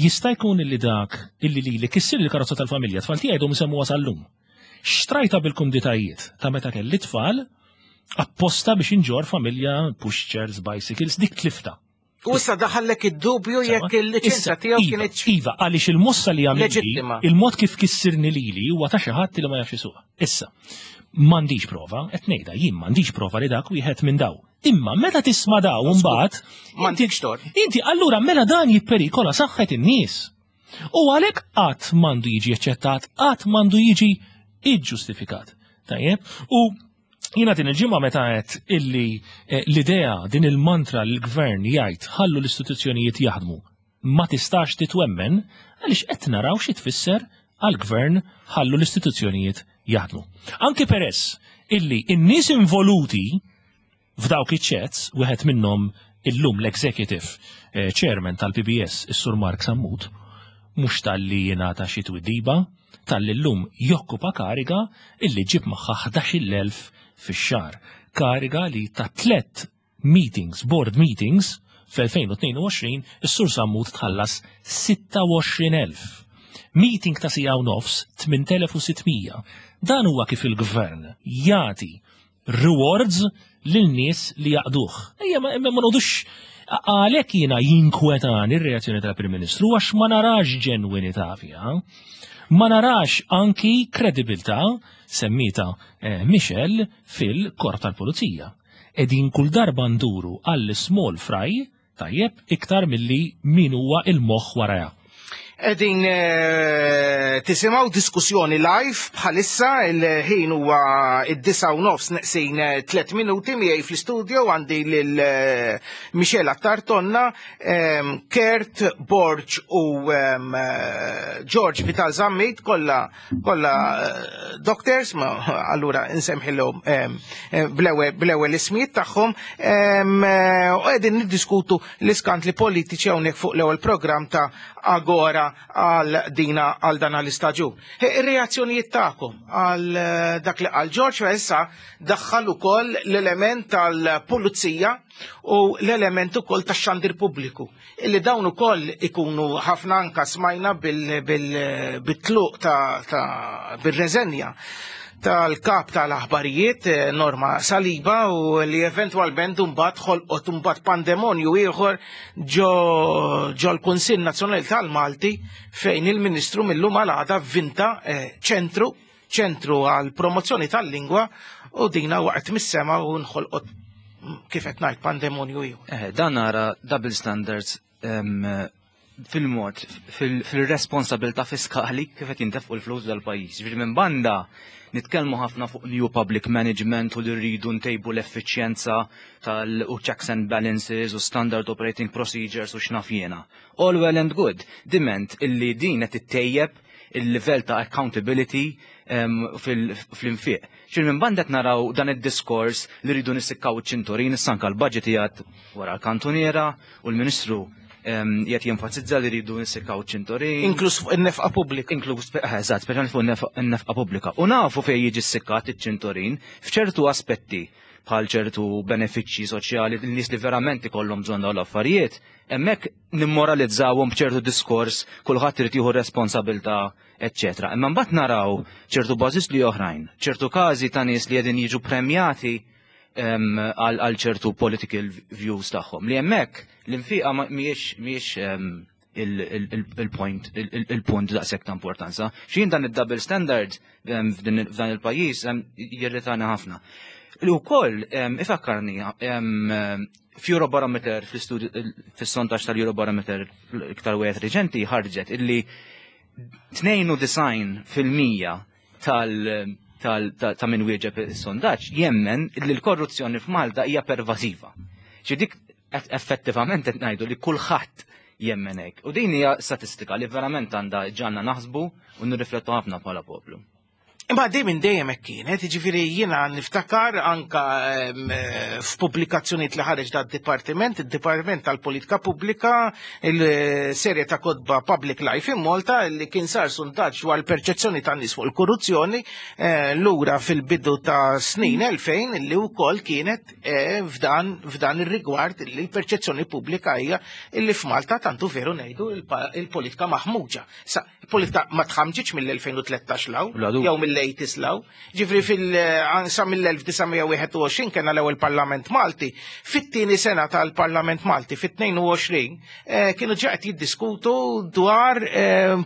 Jista' jkun illi dak illi li li kissir il-karozza tal-familja tfal tiegħi dhom isemmuha sal-lum. Xtrajta bil-kumditajiet ta' meta kelli tfal apposta biex inġor familja pushchairs, bicycles, dik tlifta. U issa daħallek id-dubju jekk il-liċenzja tiegħu Iva, kienet Iva, għaliex il-mossa li għamilli, Leġittima. il-mod kif kissirni lili huwa ta' xi ħadd li ma jafx isuq. Issa, m'għandix prova, qed ngħidha jien m'għandix prova li dak wieħed minn daw. Imma meta tisma' daw mbagħad, M'għandekx tort. Inti allura mela dan jipperikola saħħet in-nies. U għalhekk qatt m'għandu jiġi eċċettat, qatt m'għandu jiġi iġġustifikat. Tajjeb? U jiena din il-ġimgħa meta qed illi l-idea din il-mantra li l-gvern jgħid ħallu l-istituzzjonijiet jaħdmu ma tistax titwemmen għaliex qed naraw xi tfisser għall-gvern ħallu l-istituzzjonijiet jaħdmu. Anki peress illi n-nies involuti f'dawk iċ-chats, wieħed minnhom illum l-executive chairman tal-PBS, is-Sur Mark Sammut, mhux talli jingħata xi twiddiba, talli llum jokkupa kariga illi ġib magħha 11,000 fix-xahar. Kariga li ta' tlet meetings, board meetings, fl-2022, is-Sur Sammut tħallas 26,000. Meeting ta' siegħa u nofs 8,600. Dan huwa kif il-gvern jagħti rewards lil nies li jaqduh. Ejja, ma noqogħdux għalhekk jiena jinkwetani ir-reazzjoni tal-Prim Ministru għax ma narax ġenwinità fiha. Ma narax anki kredibilità semmita Michelle fil-korp tal-Pulizija. Edin kull darba nduru għall small fry tajjeb iktar milli min huwa il-moħħ waraja. Edin tisimgħu diskussjoni live bħalissa il-ħin huwa id-9:30 neqsin 3 minuti miegħi fl-istudio għandi lil Michelle Attard Tonna, Kurt Borg u George Vital Zammit, kollha doctors, ma allura nsemħilhom bl-ewwel ismijiet tagħhom, u qegħdin niddiskutu l-iskandli politiċi hawnhekk fuq l-ewwel programm ta' Agora għal dina għal dan l-istaġun. Ir-reazzjonijiet tagħkom għal dak li qal George issa daħħal ukoll l-element tal-pulizija u l-element ukoll tax-xandir pubbliku. Illi dawn ukoll ikunu ħafna anka smajna bil-tluq ta' bil-reżenja tal-kap tal-aħbarijiet Norma Saliba u li eventwalment mbagħad ħolqot mbagħad pandemonju ieħor ġo l-Kunsill Nazzjonali tal-Malti fejn il-Ministru mill-lum għal għada vinta ċentru għal promozzjoni tal-lingwa u dina waqt mis-sema u nħolqot kif qed ngħid pandemonju ieħor. Dan nara double standards fil-mod, fil-responsabilta fiskali kif qed jintefqu l-flus dal-pajjiż. Ġifieri minn banda nitkellmu ħafna fuq new public management u li rridu ntejbu l-effiċjenza tal u checks and balances u standard operating procedures u x'naf jiena. All well and good, diment illi din qed ittejjeb il-livell ta' accountability fl-infiq. Xil minn banda qed naraw dan id-diskors li rridu nissikkaw iċ-ċinturin, issa anke l-budget qiegħed wara l-kantuniera u l-Ministru qiegħed jenfasizza li rridu nissikkaw iċ-ċinturin. Inkluż fuq in-nefqa pubblika. Inkluż, eżatt, speċjalment fuq in-nefqa pubblika. U nafu fejn jiġi ssikkat iċ-ċinturin f'ċertu aspetti bħal ċertu benefiċċji soċjali, n-nies li verament ikollhom bżonn dawn l-affarijiet, hemmhekk nimmoralizzawhom b'ċertu diskors, kulħadd irid jieħu responsabilità, eċċetera. Imma mbagħad naraw ċertu bażisli oħrajn, ċertu każi ta' nies li qegħdin jiġu premjati għal ċertu political views tagħhom. Li hemmhekk l-infiqa mhijiex il-point, il-punt daqshekk ta' importanza. X'jien dan id-double standard f'dan il-pajjiż jirritana ħafna. Li wkoll ifakkarni f'Eurobarometer, fl-istudju, fis-sondaġġ tal-Eurobarometer iktar wieħed reċenti, ħarġet illi 92% ta' min wieġeb is-sondaġġ jemmen li l-korruzzjoni f'Malta hija pervasiva. Xi dik effettivament qed ngħidu li kulħadd jemmen hekk. U din hija statistika li verament għandha ġanna naħsbu u nirriflettu ħafna bħala poplu. Imma di minn dejjem hekk kienet, jiġifieri jiena niftakar anka f'pubblikazzjonijiet li ħareġ da dipartiment, id-Dipartiment tal-Politika Pubblika, il-serje ta' kotba Public Life in Malta, li kien sar sondaġġ dwar il-perċezzjoni tan-nies fuq il-korruzzjoni lura fil-bidu ta' snin 2000, li wkoll kienet f'dan ir-rigward li l-perċezzjoni pubblika hija li f'Malta tantu veru ngħidu il-politika maħmuġa. Sa il-politika ma tħamġitx mill-2013 law, La dubju. jew mill-80s law. Ġifri sa mill-1921 kena l-ewwel Parlament Malti. Fit-tieni sena tal-Parlament Malti, fit-22, kienu ġa qed jiddiskutu dwar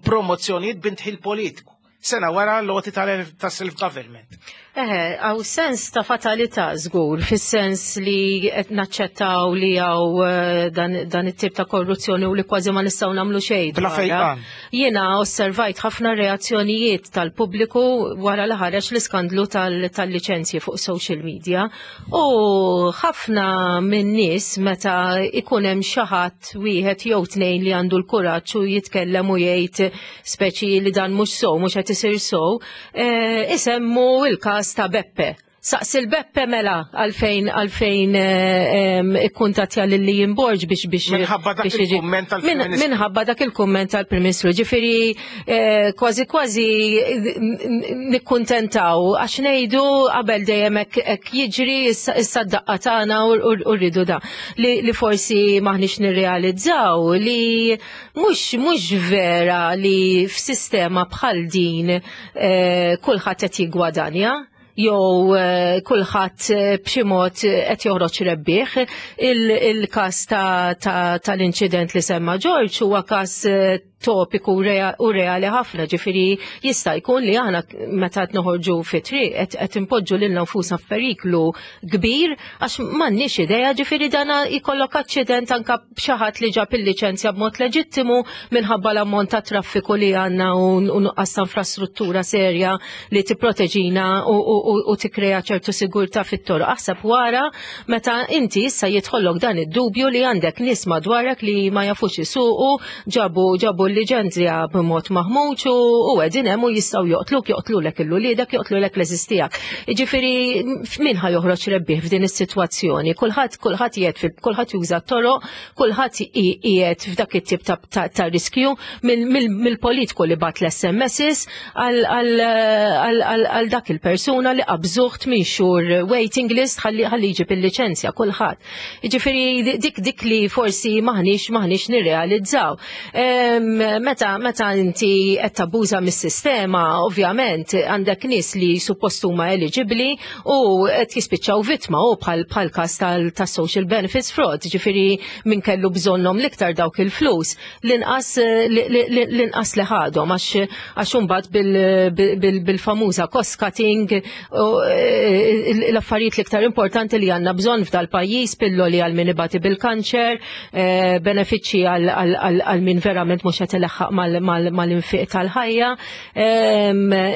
promozzjonijiet b'indħil politiku. Sena wara l-għoti tas-self-government. Eħe, għaw sens ta' fatalità żgur, fis-sens li qed naċċettaw li għaw dan it-tip ta' korruzzjoni u li kważi ma nistgħu nagħmlu xejn Bla dwarha. fejqan. Jiena osservajt ħafna reazzjonijiet tal-pubbliku wara li ħareġ l-iskandlu tal-liċenzji fuq social media, u ħafna minn nies meta ikun hemm xi ħadd wieħed jew tnejn li għandu l-kuraġġ u jitkellem u jgħid speċi li dan mhux sow, mhux qed isir sow, isemmu il-każ ta' Beppe. Saqs il-Beppe mela għalfejn ikkuntattja lil Ian Borg biex Minħabba dak biex jiġi- il-kumment tal-Prim Ministru. Minħabba dak il-kumment tal-Prim Ministru. Ġifieri kważi kważi nikkuntentaw għax ngħidu qabel dejjem hekk jiġri issa d-daqqa tagħna u rridu da. Li forsi maħniex nirrealizzaw li mhux vera li f'sistema bħal din kulħadd qed jiggwadanja jew kulħadd b'xi mod qed joħroġ rebbieħ. Il-każ tal-inċident li semma George huwa każ topiku u reali ħafna, ġifieri jista' jkun li aħna meta qed noħorġu fi triq qed impoġġu lilna nfusna f'periklu kbir għax m'għandniex idea, ġifieri dana jkollok aċċident anke b'xi ħadd li ġab il-liċenzja b'mod leġittimu minħabba l-ammont ta' traffiku li għandna u nuqqas ta' infrastruttura serja li tipproteġina u tikkrea ċertu sigurtà fit-toroq. Aħseb wara meta inti issa jidħollok dan id-dubju li għandek nies madwarek li ma jafux isuqu, ġabu l-liċenzja b'mod maħmuġ u qegħdin hemm u jistgħu joqtluk, joqtlulek il-uliedek, joqtlulek l-għeżież tiegħek. Jiġifieri min ħa joħroġ rebbieħ f'din is-sitwazzjoni? Kulħadd, kulħadd qiegħed fil-, kulħadd juża t-toroq, kulħadd qiegħed f'dak it-tip ta' riskju mill-politiku li bat l-S M Ss għal dak il-persuna li qabżuh 8 xhur waiting list ħalli jġib il-liċenzja kulħadd. Jiġifieri dik li forsi maħniex nirrealizzaw. Meta inti qed tabbuża mis-sistema, ovvjament għandek nies li suppost huma eligibbli u qed jispiċċaw vittma u bħal każ tas-social benefits fraud, ġifieri min kellu bżonnhom l-iktar dawk il-flus, l-inqas li ħadhom għax imbagħad bil-famuża cost cutting eh, l-affarijiet l-iktar importanti li għandna bżonn f'dal-pajjiż, pilloli għal min ibati bil-kanċer, eh, benefiċċji għal min verament mhux qed ilaħħaq mal-infiq tal-ħajja,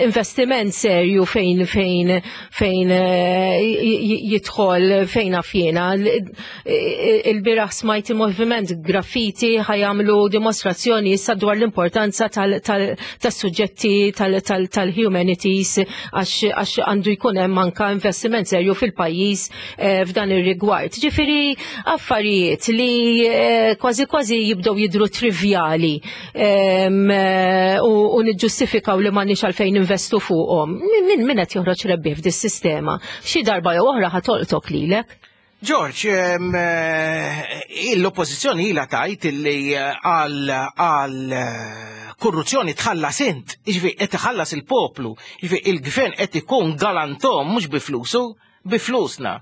investiment serju fejn fejn fejn eh, jidħol fejn naf jiena. Il-bieraħ smajt il-moviment graffiti ħajamlu dimostrazzjoni issa dwar l-importanza tas-suġġetti tal-humanities għax għandu jkun hemm anka investiment serju fil-pajjiż eh, f'dan ir-rigward. Ġifieri affarijiet li eh, kważi kważi jibdew jidru trivjali eh, u niġġustifikaw li m'għandniex għalfejn investu fuqhom. Min min qed joħroġ rebbieħ f'dis-sistema? Xi darba jew oħra ħatolqtok lilek. George, eh, l-oppozizjoni ila tajt li eh, għal eh, korruzzjoni tħallas int, jiġifieri qed iħallas il-poplu, jiġifieri il-gvern qed ikun galantom mhux bi flusu, bi flusna.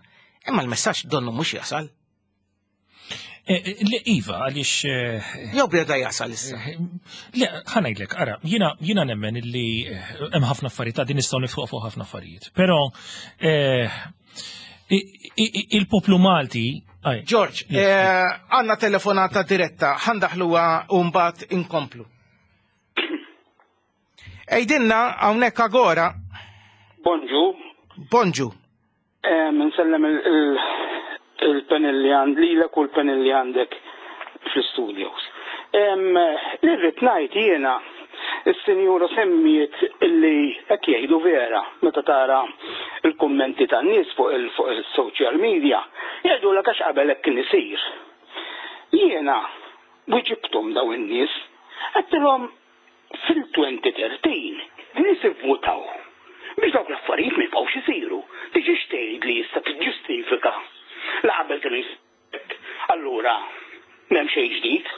Imma l-messaġġ donnu mhux jasal. Le, iva, għaliex. Jew beda jasal issa. Le, ħanajdlek, ara, jiena nemmen illi hemm ħafna affarijiet, din nistgħu niftuq fuq ħafna affarijiet. Però il-poplu Malti. George, eh, għanna telefonata diretta, ħandaħluha u mbagħad inkomplu. Ejdinna hawnhekk agora. Bonġu. Bonġu. Eh, nsellem il-panel li għand lilek u l-panel li għandek fl-studios. Li rrid ngħid jiena is-sinjura semmiet illi hekk jgħidu vera meta tara l-kummenti tan-nies fuq il-social media, jgħidulek għax qabel hekk kien isir. Jiena wiġibthom dawn in-nies, għedtilhom fil-2013 nies ivvutaw biex dawk l-affarijiet ma jibqgħux isiru. Tiġix tgħid li issa tiġġustifika li qabel kienu jsiru hekk, allura m'hemm xejn ġdid.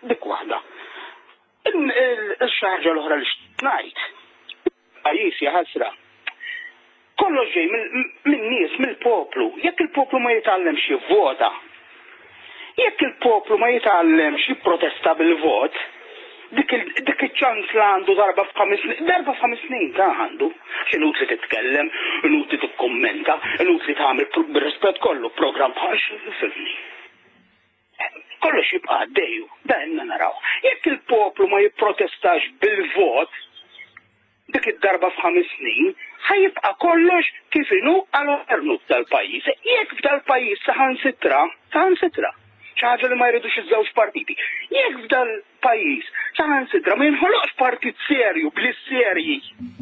Dik waħda. Ix-xi ħaġa l-oħra li xtaqt ngħid, il-pajjiż jaħasra. Kollox ġej min-nies, mill-poplu. Jekk il-poplu ma jitgħallemx jivvota, jekk il-poplu ma jitgħallemx jipprotesta bil-vot, dik iċ-ċans li għandu darba f'ħames snin, darba f'ħames snin ta' għandu. Għax inutli titkellem, inutli tikkummenta, inutli tagħmel bir-rispett kollu programm bħal fimni. Kollox jibqa' għaddej u dan ilna narawh. Jekk il-poplu ma jipprotestax bil-vot dik id-darba f'ħames snin, ħa jibqa' kollox kif inhu għal għernu f'dal-pajjiż. Jekk f'dal-pajjiż saħansitra, saħansitra, xi ħaġa li ma jridux iż-żewġ partiti, jekk f'dal-pajjiż saħansitra ma jinħoloqx partit serju b'nies serji,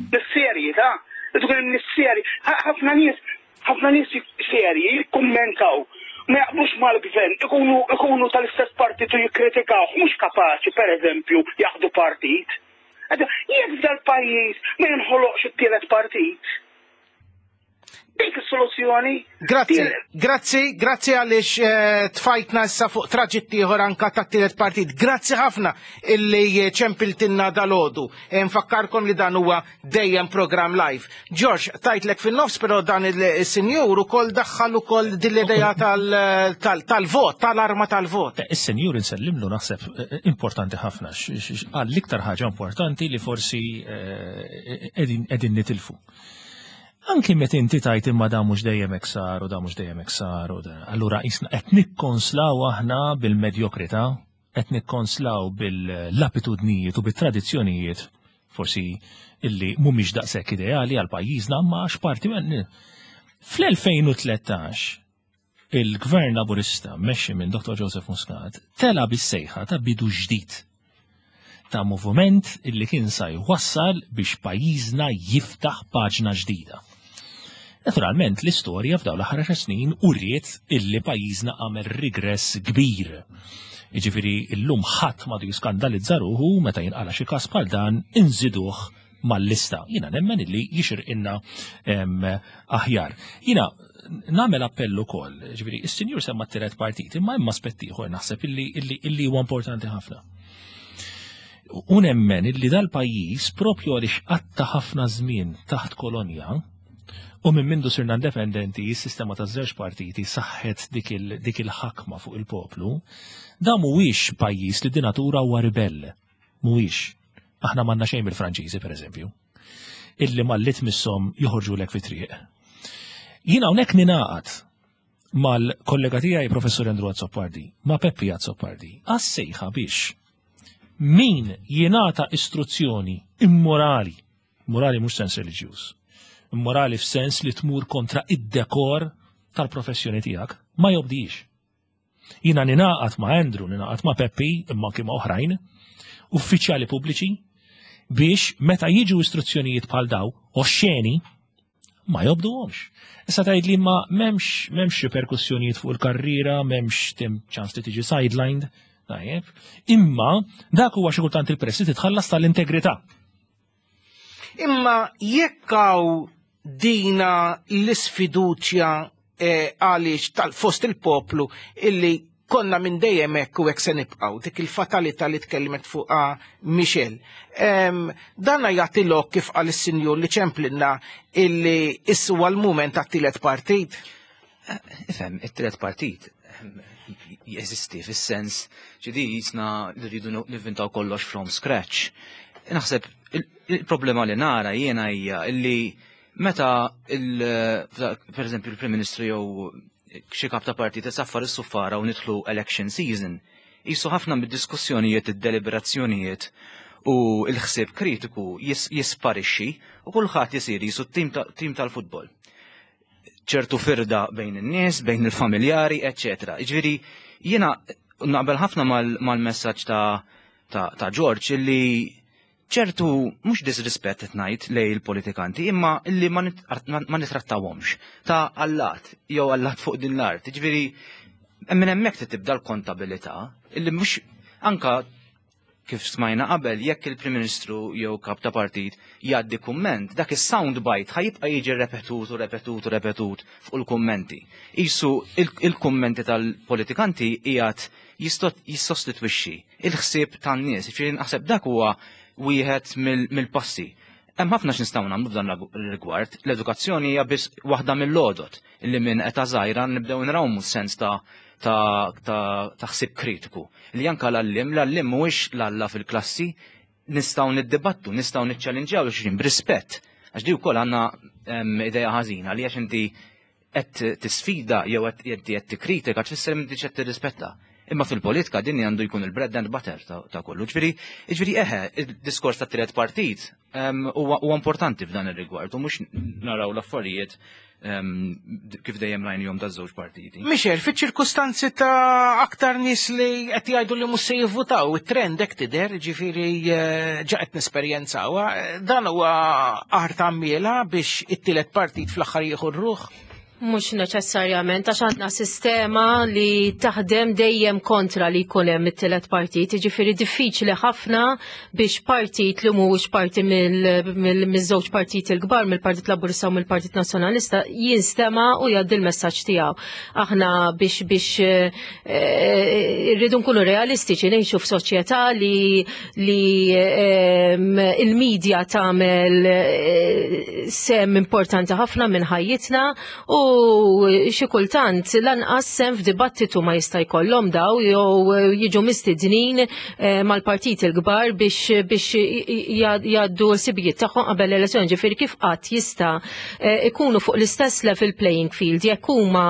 nies serji ta', irid ikun hemm nies serji, ħafna nies Ħafna nies serji jikkummentaw, ma jaqblux mal-gvern, ikunu ikunu tal-istess partit u jikkritikawh, mhux kapaċi, pereżempju, jaħdu partit. Jekk f'dal-pajjiż ma jinħoloqx it-tielet partit, dik is-soluzzjoni. Grazzi, grazzi, grazzi għaliex eh, tfajtna issa fuq traġitt ieħor anka tat-tielet partit. Grazzi ħafna illi ċempiltinna dalodu. Eh, nfakkarkom li dan huwa dejjem programm live. George, tajtlek fin-nofs, però dan il-sinjur ukoll daħħal ukoll din l-idea tal-vot, tal-arma tal-vot. Eh, is-sinjur insellimlu naħseb eh, eh, importanti ħafna, għal l-iktar ħaġa importanti li forsi qegħdin nitilfu. Anki meta inti tajt imma da mhux dejjem hekk sar u da mhux dejjem hekk sar u allura qisna qed nikkonslaw aħna bil-medjokrità qed nikkonslaw bil-lapitudnijiet u bit-tradizzjonijiet forsi illi mhumiex daqshekk ideali għal pajjiżna imma għax parti Fl-2013 il-Gvern Laburista mmexxi minn Dr. Joseph Muscat tela' bis-sejħa ta' bidu ġdid ta' moviment illi kien sa jwassal biex pajjiżna jiftaħ paġna ġdida. Naturalment l-istorja f'dawn l-aħħar għaxar snin uriet illi pajjiżna għamel rigress kbir. Jiġifieri llum ħadd m'għadu jiskandalizza ruħu meta jinqala xi każ bħal dan inżiduh mal-lista. Jiena nemmen illi jixirqilna aħjar. Jiena nagħmel appell ukoll, ġifieri is-sinjur semma t-tielet partit, imma hemm aspett ieħor naħseb illi illi huwa importanti ħafna. U nemmen illi dal-pajjiż propju għaliex qatta ħafna żmien taħt kolonja, u minn mindu sirna independenti, s-sistema ta' żewġ partiti saħħet dik il-ħakma fuq il-poplu, da mhuwiex pajjiż li di natura huwa ribell. Mhuwiex. Aħna m'għandna xejn mill-Franċiżi, pereżempju. illi malli tmisshom joħorġulek fit-triq. Jien hawnhekk ningħaqad mal-kollega tiegħi Professur Andrew Azzopardi, ma' Peppi Azzopardi, għas-sejħa biex min jingħata istruzzjoni immorali, morali mhux sens reliġjuż, immorali f'sens li tmur kontra id-dekor tal-professjoni tiegħek, ma jobdix. Jiena ningħaqad ma' Andrew, ningħaqad ma' Peppi, imma anki ma' oħrajn, uffiċjali pubbliċi, biex meta jiġu istruzzjonijiet bħal daw, oxxeni, ma jobduhomx. Issa tgħid li ma m'hemmx m'hemmx riperkussjonijiet fuq il-karriera, m'hemmx tim ċans li tiġi sidelined, tajjeb. Imma dak huwa xi kultant il-prezz li titħallas tal-integrità. Imma jekk hawn dina l-isfiduċja eh, għaliex tal-fost il-poplu illi konna minn dejjem hekk u hekk se nibqgħu, dik il-fatalità li tkellimet fuqha Michel. Dana jagħti lok kif qal is-sinjur li ċemplinna illi issu huwa l-mument tat-tielet partit. Eh, ifhem, it-tielet partit jeżisti fis-sens ġidi jisna li rridu nivvintaw kollox from scratch. Naħseb il-problema li nara jiena hija illi meta per eżempju il-Prim Ministru jew xi kap ta' partit isaffar is-suffara u nidħlu election season, jisu ħafna mid-diskussjonijiet, id-deliberazzjonijiet u l-ħsieb kritiku jisparixxi u kulħadd isir jisu tim tal-futbol. ċertu firda bejn in-nies, bejn il-familjari, eċċetera. Jiġifieri jiena naqbel ħafna mal-messaġġ ta' ta' George illi ċertu mhux disrispett qed ngħid lej il-politikanti, imma illi ma nitrattawhomx ta' allat jew allat fuq din l-art. Jiġifieri minn hemmhekk tibda l-kontabilità illi mhux anka Kif smajna qabel, jekk il-Prim Ministru jew kap ta' partit jgħaddi kumment, dak is-sound bite ħa jibqa' jiġi repetut u repetut u repetut fuq il-kummenti. Qisu il-kummenti tal-politikanti qiegħed jissostitwixxi il-ħsieb tan-nies. Jiġifieri naħseb dak huwa wieħed mill-passi. Hemm ħafna x'nistgħu nagħmlu f'dan ir-rigward. L-edukazzjoni hija biss waħda mill-għodod li minn età żgħira nibdew nrawmu s-sens ta' ta' ta' ħsieb kritiku. Li anka l-għalliem, l-għalliem mhuwiex l-alla fil-klassi, nistgħu niddibattu, nistgħu niċċellinġjaw xulxin b'rispett. Għax di wkoll għandna idea ħażina li għax inti qed tisfida jew qed inti qed tikkritika tfisser inti qed tirrispetta. Imma fil-politika din għandu jkun il-bread and butter ta' kollu. Ġifieri, ġifieri eħe, il-diskors ta' tielet partit huwa importanti f'dan ir-rigward u mhux naraw l-affarijiet kif dejjem rajnihom daż-żewġ partiti. Michel, fiċ-ċirkustanzi ta' aktar nies li qed jgħidu li mhux se jivvutaw, it-trend hekk tidher, ġifieri eh, ġa qed nesperjenzawha, dan huwa aħar ta' miela biex it-tielet partit fl-aħħar jieħu r-ruħ. Mhux neċessarjament, għax għandna sistema li taħdem dejjem kontra li jkun hemm it-tielet partit, jiġifieri diffiċli ħafna biex partit li mhuwiex parti mill-żewġ partit il-kbar, mill-Partit Laburista u mill-Partit Nazzjonalista, jinstema' u jgħaddi l-messaġġ tiegħu. Aħna biex biex eh, rridu nkunu realistiċi ngħixu f'soċjetà li li ehm, il-medja tagħmel eh, sem importanti ħafna minn ħajjitna u xi kultant lanqas sem f'dibattitu ma jista' jkollhom daw jew jiġu mistednin eh, mal-partit il-kbar biex biex jgħaddu l-sibijiet tagħhom qabel l-elezzjoni ġifieri kif qatt jista' eh, ikunu fuq l-istess level playing field jekk huma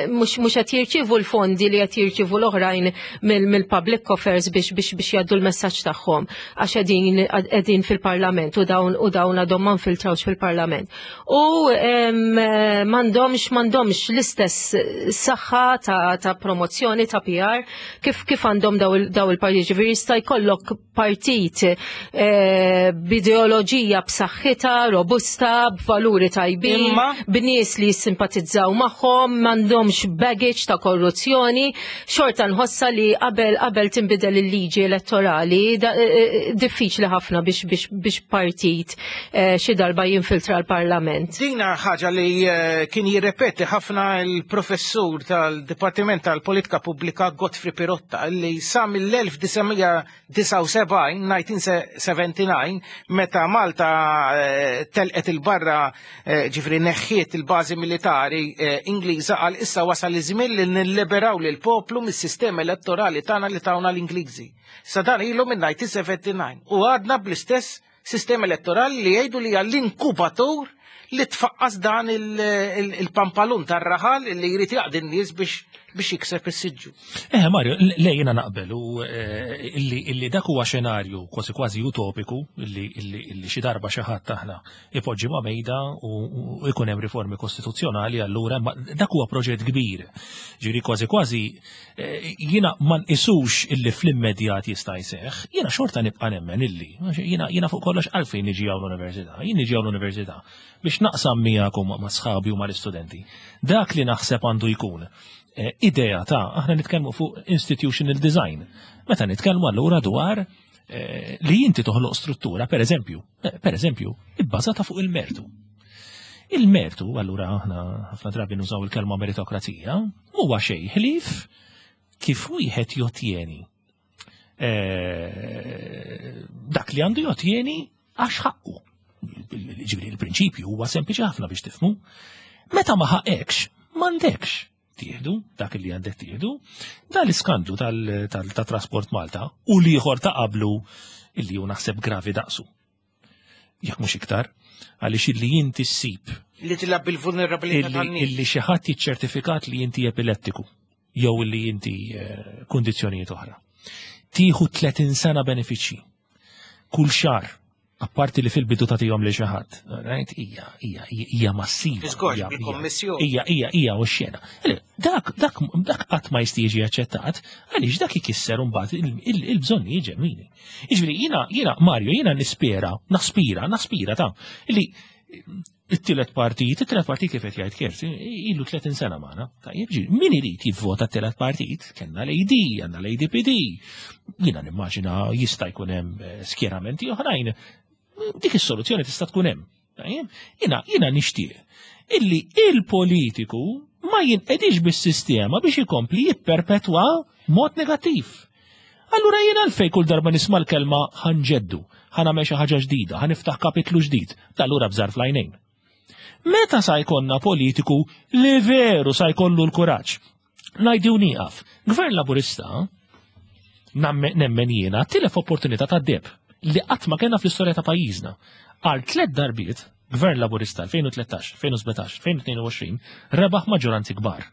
mhux qed jirċievu l-fondi li qed jirċievu l-oħrajn mill-public coffers biex biex biex jgħaddu l-messaġġ tagħhom għax qegħdin qegħdin fil-parlament u dawn u dawn għadhom ma nfiltrawx fil-parlament. U m'għandhomx m'għandhomx l-istess saħħa ta', ta promozzjoni ta' PR kif kif għandhom daw il-partiti ġifieri jista' jkollok partit eh, b'ideoloġija b'saħħitha, robusta, b'valuri tajbin, b'nies li jissimpatizzaw magħhom, m'għandhomx baggage ta' korruzzjoni, xorta nħossa li qabel qabel tinbidel il-liġi elettorali eh, eh, diffiċli ħafna biex biex biex partit eh, xi darba jinfiltra l-Parlament. Dina ħaġa li kien jirrepeti ħafna il-professur tal-Dipartiment tal-Politika Pubblika Godfrey Pirotta li sa mill-1900 79, 1979, meta Malta eh, telqet il-barra eh, ġifri neħħiet il-bażi militari eh, Ingliża għal issa wasal iż-żmien li nilliberaw lil poplu mis-sistema elettorali tagħna li tawna l-Ingliżi. Sa dan ilu minn 1979 u għadna bl-istess Sistema elettorali li jgħidu li hija l-inkubatur li tfaqqas dan il-pampalun tar-raħal li jrid jaqdi n-nies biex jikseb is-siġġu. Eh Mario, le jiena naqbel u eh, illi dak huwa xenarju kważi kważi utopiku illi xi darba xi ħadd aħna ipoġġi ma' mejda u jkun hemm riformi kostituzzjonali allura dak huwa proġett kbir. Ġifieri kważi kważi eh, jiena ma nqisux illi fl-immedjat jista' jseħħ, jiena xorta nibqa' nemmen illi jiena jiena fuq kollox għalfejn niġi hawn l-università, jien niġi hawn l-università biex naqsam miegħek u ma' sħabi u mal-istudenti. Dak li naħseb għandu jkun eh, idea ta' aħna nitkellmu fuq institutional design. Meta nitkellmu allura dwar eh, li inti toħloq struttura, per eżempju, eh, per eżempju, ibbażata fuq il-mertu. Il-mertu, allura aħna ħafna drabi nużaw il-kelma meritokrazija, huwa xejn ħlief kif wieħed jotjeni eh, dak li għandu jotjeni għax ħaqqu. Ġifieri il-prinċipju huwa sempliċi ħafna biex tifhmu. Meta ma ħaqekx, m'għandekx tieħdu dak li għandek tieħdu, dan l-iskandlu tal-Trasport Malta u l-ieħor ta' qablu illi hu naħseb gravi daqsu. Jekk mhux iktar, għaliex illi inti ssib. Li tilab bil-vulnerabilità tan-nies. Illi xi ħadd jiċċertifikat li inti epilettiku jew illi inti eh, kundizzjonijiet oħra. Tieħu 30 sena benefiċċji. Kull xahar apparti li fil-bidu tagħtihom li xi ħadd, right? Hija hija hija massiva. Iżgorġ bil-kommissjoni. Hija hija hija u xena. Dak dak dak qatt ma jista' jiġi aċċettat għaliex dak ikisser imbagħad il-bżonnijiet ġenwini. Jiġifieri jiena jiena Mario jiena nispera, naspira, naspira ta' li it-tielet partit, it-tielet partit kif qed jgħid Kert, ilu 30 sena magħna. Tajjeb ġi, min irid jivvota t-tielet partit? Kellna l-AD, għandna l-ADPD. Jiena nimmaġina jista' jkun hemm eh, skjeramenti oħrajn. Dik is-soluzzjoni tista' tkun hemm. Tajjeb, jiena jiena nixtieq illi il-politiku ma jinqedix bis-sistema biex ikompli jipperpetwa mod negattiv. Allura jien għalfejn kull darba nisma' l-kelma ħanġeddu, ħanagħmel xi ħaġa ġdida, ħaniftaħ kapitlu ġdid, allura bżar fl-għajnejn. Meta sa jkollna politiku li veru sa jkollu l-kuraġġ? Ngħidu nieqaf. Gvern Laburista nemmen jiena tilef opportunità ta' deb li qatt ma kellna fl-istorja ta' pajjiżna. Għal tliet darbiet, Gvern Laburista 2013, 2017, 2022 rebaħ maġġoranzi kbar.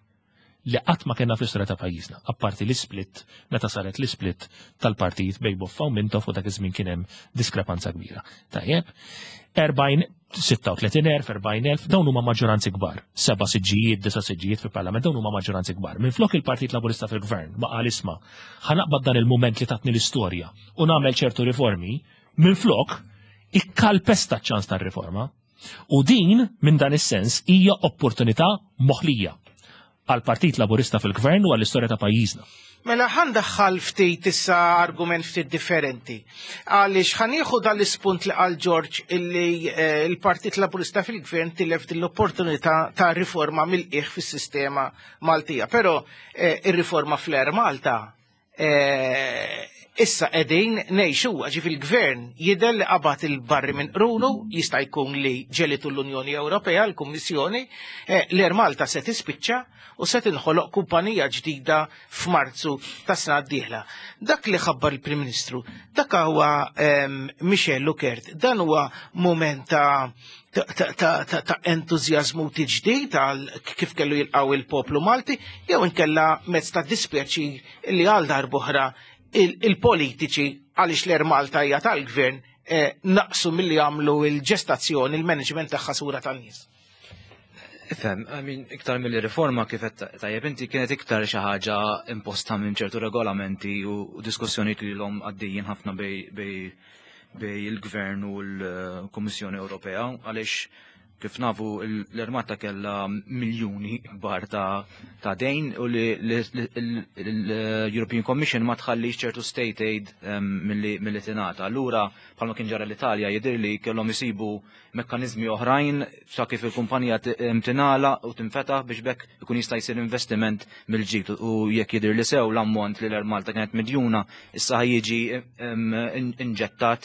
li qatt ma kellna fl-istorja ta' pajjiżna, apparti l-isplit meta saret l-isplit tal-partit bejn Boffa u Mintoff u dak iż-żmien kien hemm diskrepanza kbira. Tajjeb, 36,000, 40,000, dawn huma maġġoranzi kbar. Seba' siġġijiet, disa' siġġijiet fil-Parlament, dawn huma maġġoranzi kbar. Minflok il-Partit Laburista fil-Gvern ma qal isma' ħanaqbad dan il-mument li tatni l-istorja u nagħmel ċertu riformi, minflok ikkalpesta ċ-ċans tar-riforma. U din, minn dan is-sens, hija opportunità moħlija għall-Partit Laburista fil-Gvern u għall-istorja ta' pajjiżna. Mela ħa ndaħħal ftit issa argument ftit differenti. Għaliex ħa nieħu dal-ispunt li qal George illi eh, l-Partit Laburista fil-Gvern tilef din l-opportunità ta' riforma mill-qiegħ fis-sistema Maltija. Però eh, ir-riforma fl-Air Malta Eh, issa qegħdin ngħixu ġif il-gvern jidher li qabad il-barri minn qrunu, jista' jkun li ġelitu l-Unjoni Ewropea, l-Kummissjoni, eh, l-Air Malta se tispiċċa u se tinħoloq kumpanija ġdida f'Marzu tas-sena d-dieħla. Dak li ħabbar il-Prim Ministru, dak huwa ehm, Michel Lukert, dan huwa mument ta' ta' entużjażmu tiġdid għal kif kellu jilqaw il-poplu Malti, jew inkella mezz ta' dispjaċir li għal darb'oħra il-politiċi għaliex l-Air Malta hija tal-gvern eh, naqsu milli jagħmlu il-ġestazzjoni, il-management tagħha sura tan-nies. Ifhem, I mean, iktar mill-riforma kif qed tajjeb inti kienet iktar xi ħaġa imposta minn ċertu regolamenti u diskussjonijiet li l-om għaddejjin ħafna bej bej il-Gvern u l-Kummissjoni Ewropea għaliex kif nafu l-Armata kellha miljuni kbar ta' dejn u li l-European Commission ma tħallix ċertu state aid ehm, milli tingħata. Allura bħalma kien ġara l-Italja jidher li kellhom isibu mekkaniżmi oħrajn sa kif il-kumpanija tingħalaq u tinfetaħ biex bekk ikun jista' jsir investiment mill-ġdid u jekk jidher li sew l-ammont li l-Air Malta kienet midjuna issa jiġi inġettat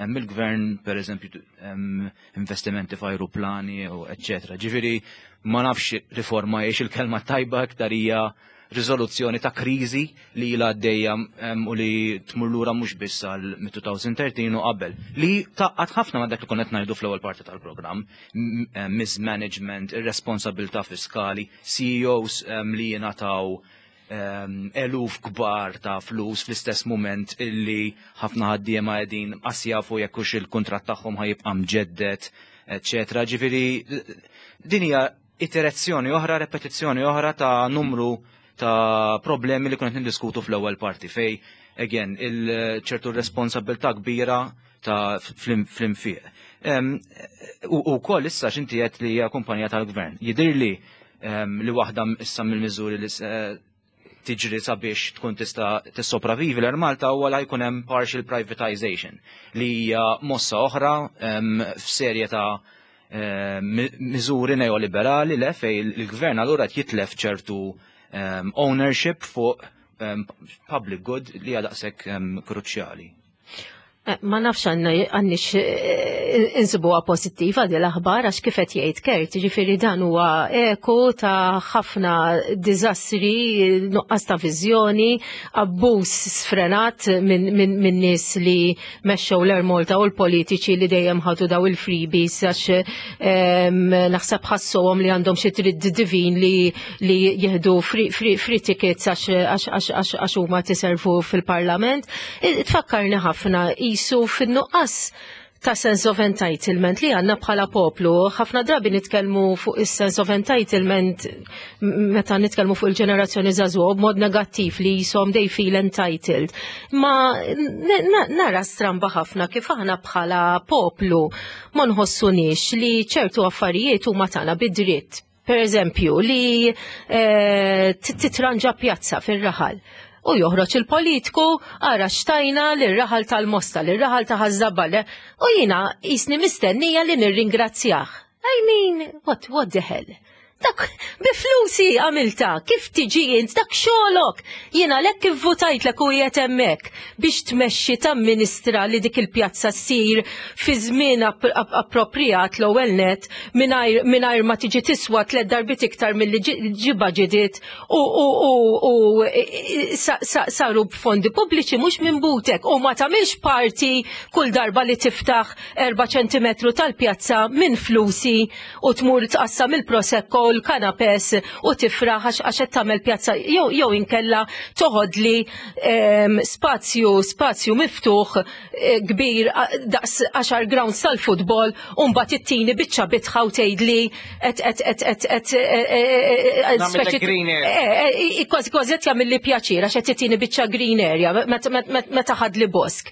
mill-gvern pereżempju investimenti f'ajruplani u eċċetera. Ġifieri ma nafx riforma hiex il-kelma tajba iktar hija riżoluzzjoni ta' kriżi li ilha għaddejja u li tmur lura mhux biss għal mit-2013 u qabel, li tgħaqqad ħafna ma' dak li konna qed ngħidu fl-ewwel parti tal-programm, mismanagement, irresponsabilità fiskali, CEOs li jingħataw eluf kbar ta' flus fl-istess mument illi ħafna ħaddiema qegħdin qas jafu jekk hux il-kuntratt tagħhom ħajibqa' mġedded, eċċetera. Ġifieri din hija iterazzjoni oħra, repetizzjoni oħra ta' numru ta' problemi li konna niddiskutu fl-ewwel parti fej again il-ċertu responsabilità kbira ta' fl-infiq. U wkoll issa x'inti qed li hija kumpanija tal-gvern. Jidhirli li waħda issa mill-miżuri li tiġri sabiex tkun tista' tissopravivi l-Air Malta huwa la jkun hemm partial privatization li hija mossa oħra f'serje ta' miżuri neoliberali le fej il-gvern allura qed jitlef ċertu ownership fuq public good li hija daqshekk kruċjali. Eh, ma nafx għandix eh, insibuha pożittiva di l-aħbar għax kif qed jgħid Kert, ġifieri dan huwa eku ta' ħafna diżastri, nuqqas ta' viżjoni, abbuż sfrenat minn min, min nies li mexxew l-Air Malta u l-politiċi li dejjem ħadu daw il-freebies għax naħseb ħassuhom li għandhom xi tridd divin li li jieħdu free, free, free tickets għax huma tiservu fil-parlament. Tfakkarni ħafna jisu fin-nuqqas ta' sense of entitlement li għanna bħala poplu. ħafna drabi nitkellmu fuq is-sense of entitlement meta nitkellmu fuq il-ġenerazzjoni żagħżugħa b'mod negattiv li jisom they feel entitled. Ma nara stramba ħafna kif aħna bħala poplu ma nħossunix li ċertu affarijiet huma tagħna bid-dritt. Per eżempju, li eh, titranġa pjazza fir-raħal u joħroġ il-politku ara xtajna l-raħal tal-Mosta, l-raħal ta' Ħaż-Żabbar, u jina jisni mistennija li nirringrazzjah. I mean, what, what the hell? Dak bi flusi għamilta, kif tiġi int, dak xogħolok. Jiena lek kif votajtlek u qiegħed hemmhekk biex tmexxi tamministra li dik il-pjazza ssir fi żmien appropriat l-ewwel net mingħajr ma tiġi tiswa tliet darbiet iktar milli ġi baġitit u saru b'fondi pubbliċi mhux minn butek u ma tagħmilx parti kull darba li tiftaħ 4 ċentimetru tal-pjazza minn flusi u tmur tqassam il-prosecco u l-kanapes u tifraħ għax qed tagħmel pjazza jew inkella toħodli ehm, spazju spazju miftuħ eh, kbir daqs 10 grounds tal-futbol u mbagħad ittini biċċa bitħa u tgħidli qed qed qed qed qed eh, eh, kważi kważi qed jagħmilli pjaċir għax qed ittini biċċa green area meta ħadli bosk.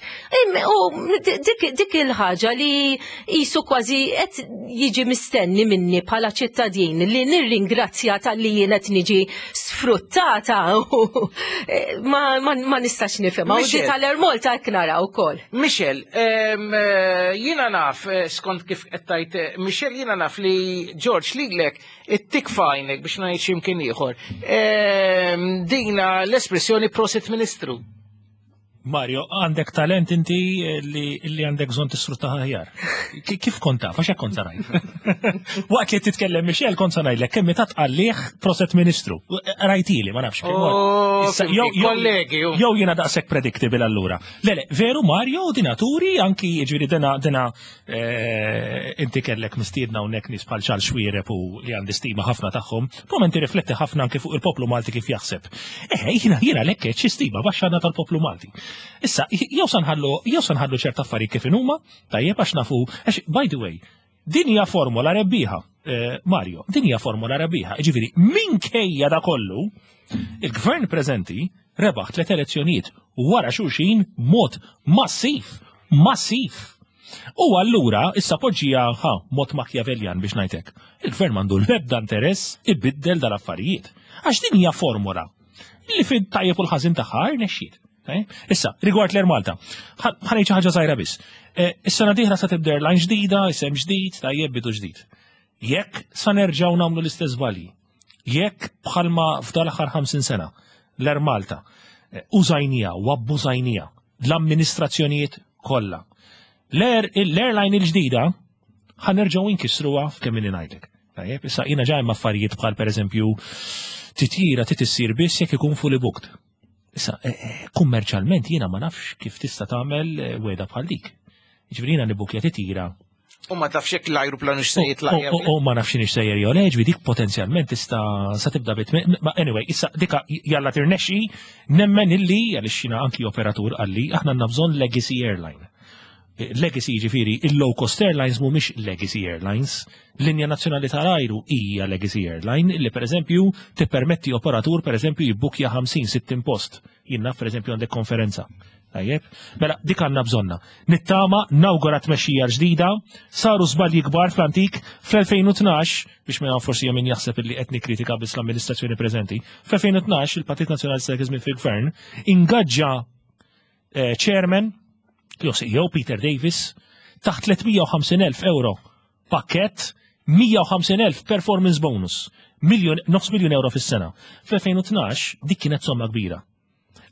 U dik il-ħaġa li jisu kważi qed jiġi mistenni minni bħala ċittadin li nirringrazzja tal-li jien qed niġi sfruttata eh, ma, ma, ma nistax nifhimha. U di tal-Air Malta hekk nara wkoll. Michel, eh, jiena naf eh, skont kif qed tajt Michel jiena naf li George lilek it-tik fajnek biex ngħid x'imkien ieħor. Dina l-espressjoni prosit Ministru. Mario, għandek talent inti li, li għandek bżonn tisfrutta aħjar. Kif kont taf, għax kont ngħid. Waqt li titkellem Michel kont se ngħidlek kemm ta' tqallih proset ministru. Rajtili, ma nafx. Oh, kollegi. Jew jiena daqshekk predictable allura. Le, le, veru Mario, dinaturi, anki ġifieri dina dina eh, inti kellek mistiedna hawnhekk nies bħal Charles Xuereb u li għandi stima ħafna tagħhom, Moment rifletti ħafna anke fuq il-poplu Malti kif jaħseb. Eħe, jiena jiena lekk xi stima baxxa għandna tal-poplu Malti. Issa, jew sanħallu jew sanħallu ċerta affarijiet kif inhuma, tajjeb għax nafu, għax by the way, din hija formola rebbieħa, eh, Mario, din hija formola rebbieħa. Ġifieri, minkejja da kollu, il-gvern preżenti rebaħ tliet elezzjonijiet wara xulxin mod massiv, massiv. U allura issa poġġija ħa mod Machiavellian biex ngħidlek. Il-gvern m'għandu l-ebda interess ibiddel dal-affarijiet. Għax din hija formula li fid tajjeb u l-ħażin tagħha rnexxiet. Eh? Issa, rigward l-Air Malta, ħanejt xi ħaġa żgħira biss. Eh, is-sena dieħla sa tibda airline ġdida, isem ġdid, tajjeb bidu ġdid. Jekk sa nerġgħu nagħmlu l-istess żbalji, jekk bħalma f'dal-aħħar 50 sena l-Air Malta eh, użajnija u abbużajnija l-amministrazzjonijiet kollha. L-airline il-ġdida ħanerġgħu inkissruha f'kemm inni ngħidlek. Tajjeb, issa jiena ġa hemm affarijiet bħal pereżempju Titjira trid issir biss jekk ikun fully booked. Issa, eh, eh, kummerċjalment jiena ma nafx kif tista' tagħmel eh, weda bħal dik. Ġifieri jiena nibukja titjira U ma tafx jekk l-ajruplan se jitlaq. U ma nafx x'inhi sejjer jew le, ġifieri dik potenzjalment tista' sa tibda bit. Ma anyway, issa dika jalla tirnexxi nemmen illi għaliex jiena anki operatur qalli aħna għandna bżonn legacy airline. Legacy jiġifieri il-low cost airlines mhumiex legacy airlines. Linja nazzjonali tal-ajru hija legacy airline li pereżempju tippermetti operatur pereżempju jibbukja 50-60 post. Jien naf pereżempju għandek konferenza. Tajjeb? Mela dik għandna bżonna. Nittama nawgura tmexxija ġdida, saru żbalji kbar fl-antik fl-2012 biex minn forsi hemm min jaħseb illi qed nikkritika biss l-amministrazzjoni preżenti. Fl-2012 il-Partit Nazzjonalista dak iż-żmien fil-Gvern ingaġġa eh, chairman, jew CEO Peter Davis, taħt 350.000 euro pakket, 150.000 performance bonus, miljon, nofs miljon euro fis-sena. Fl-2012 dik kienet somma kbira.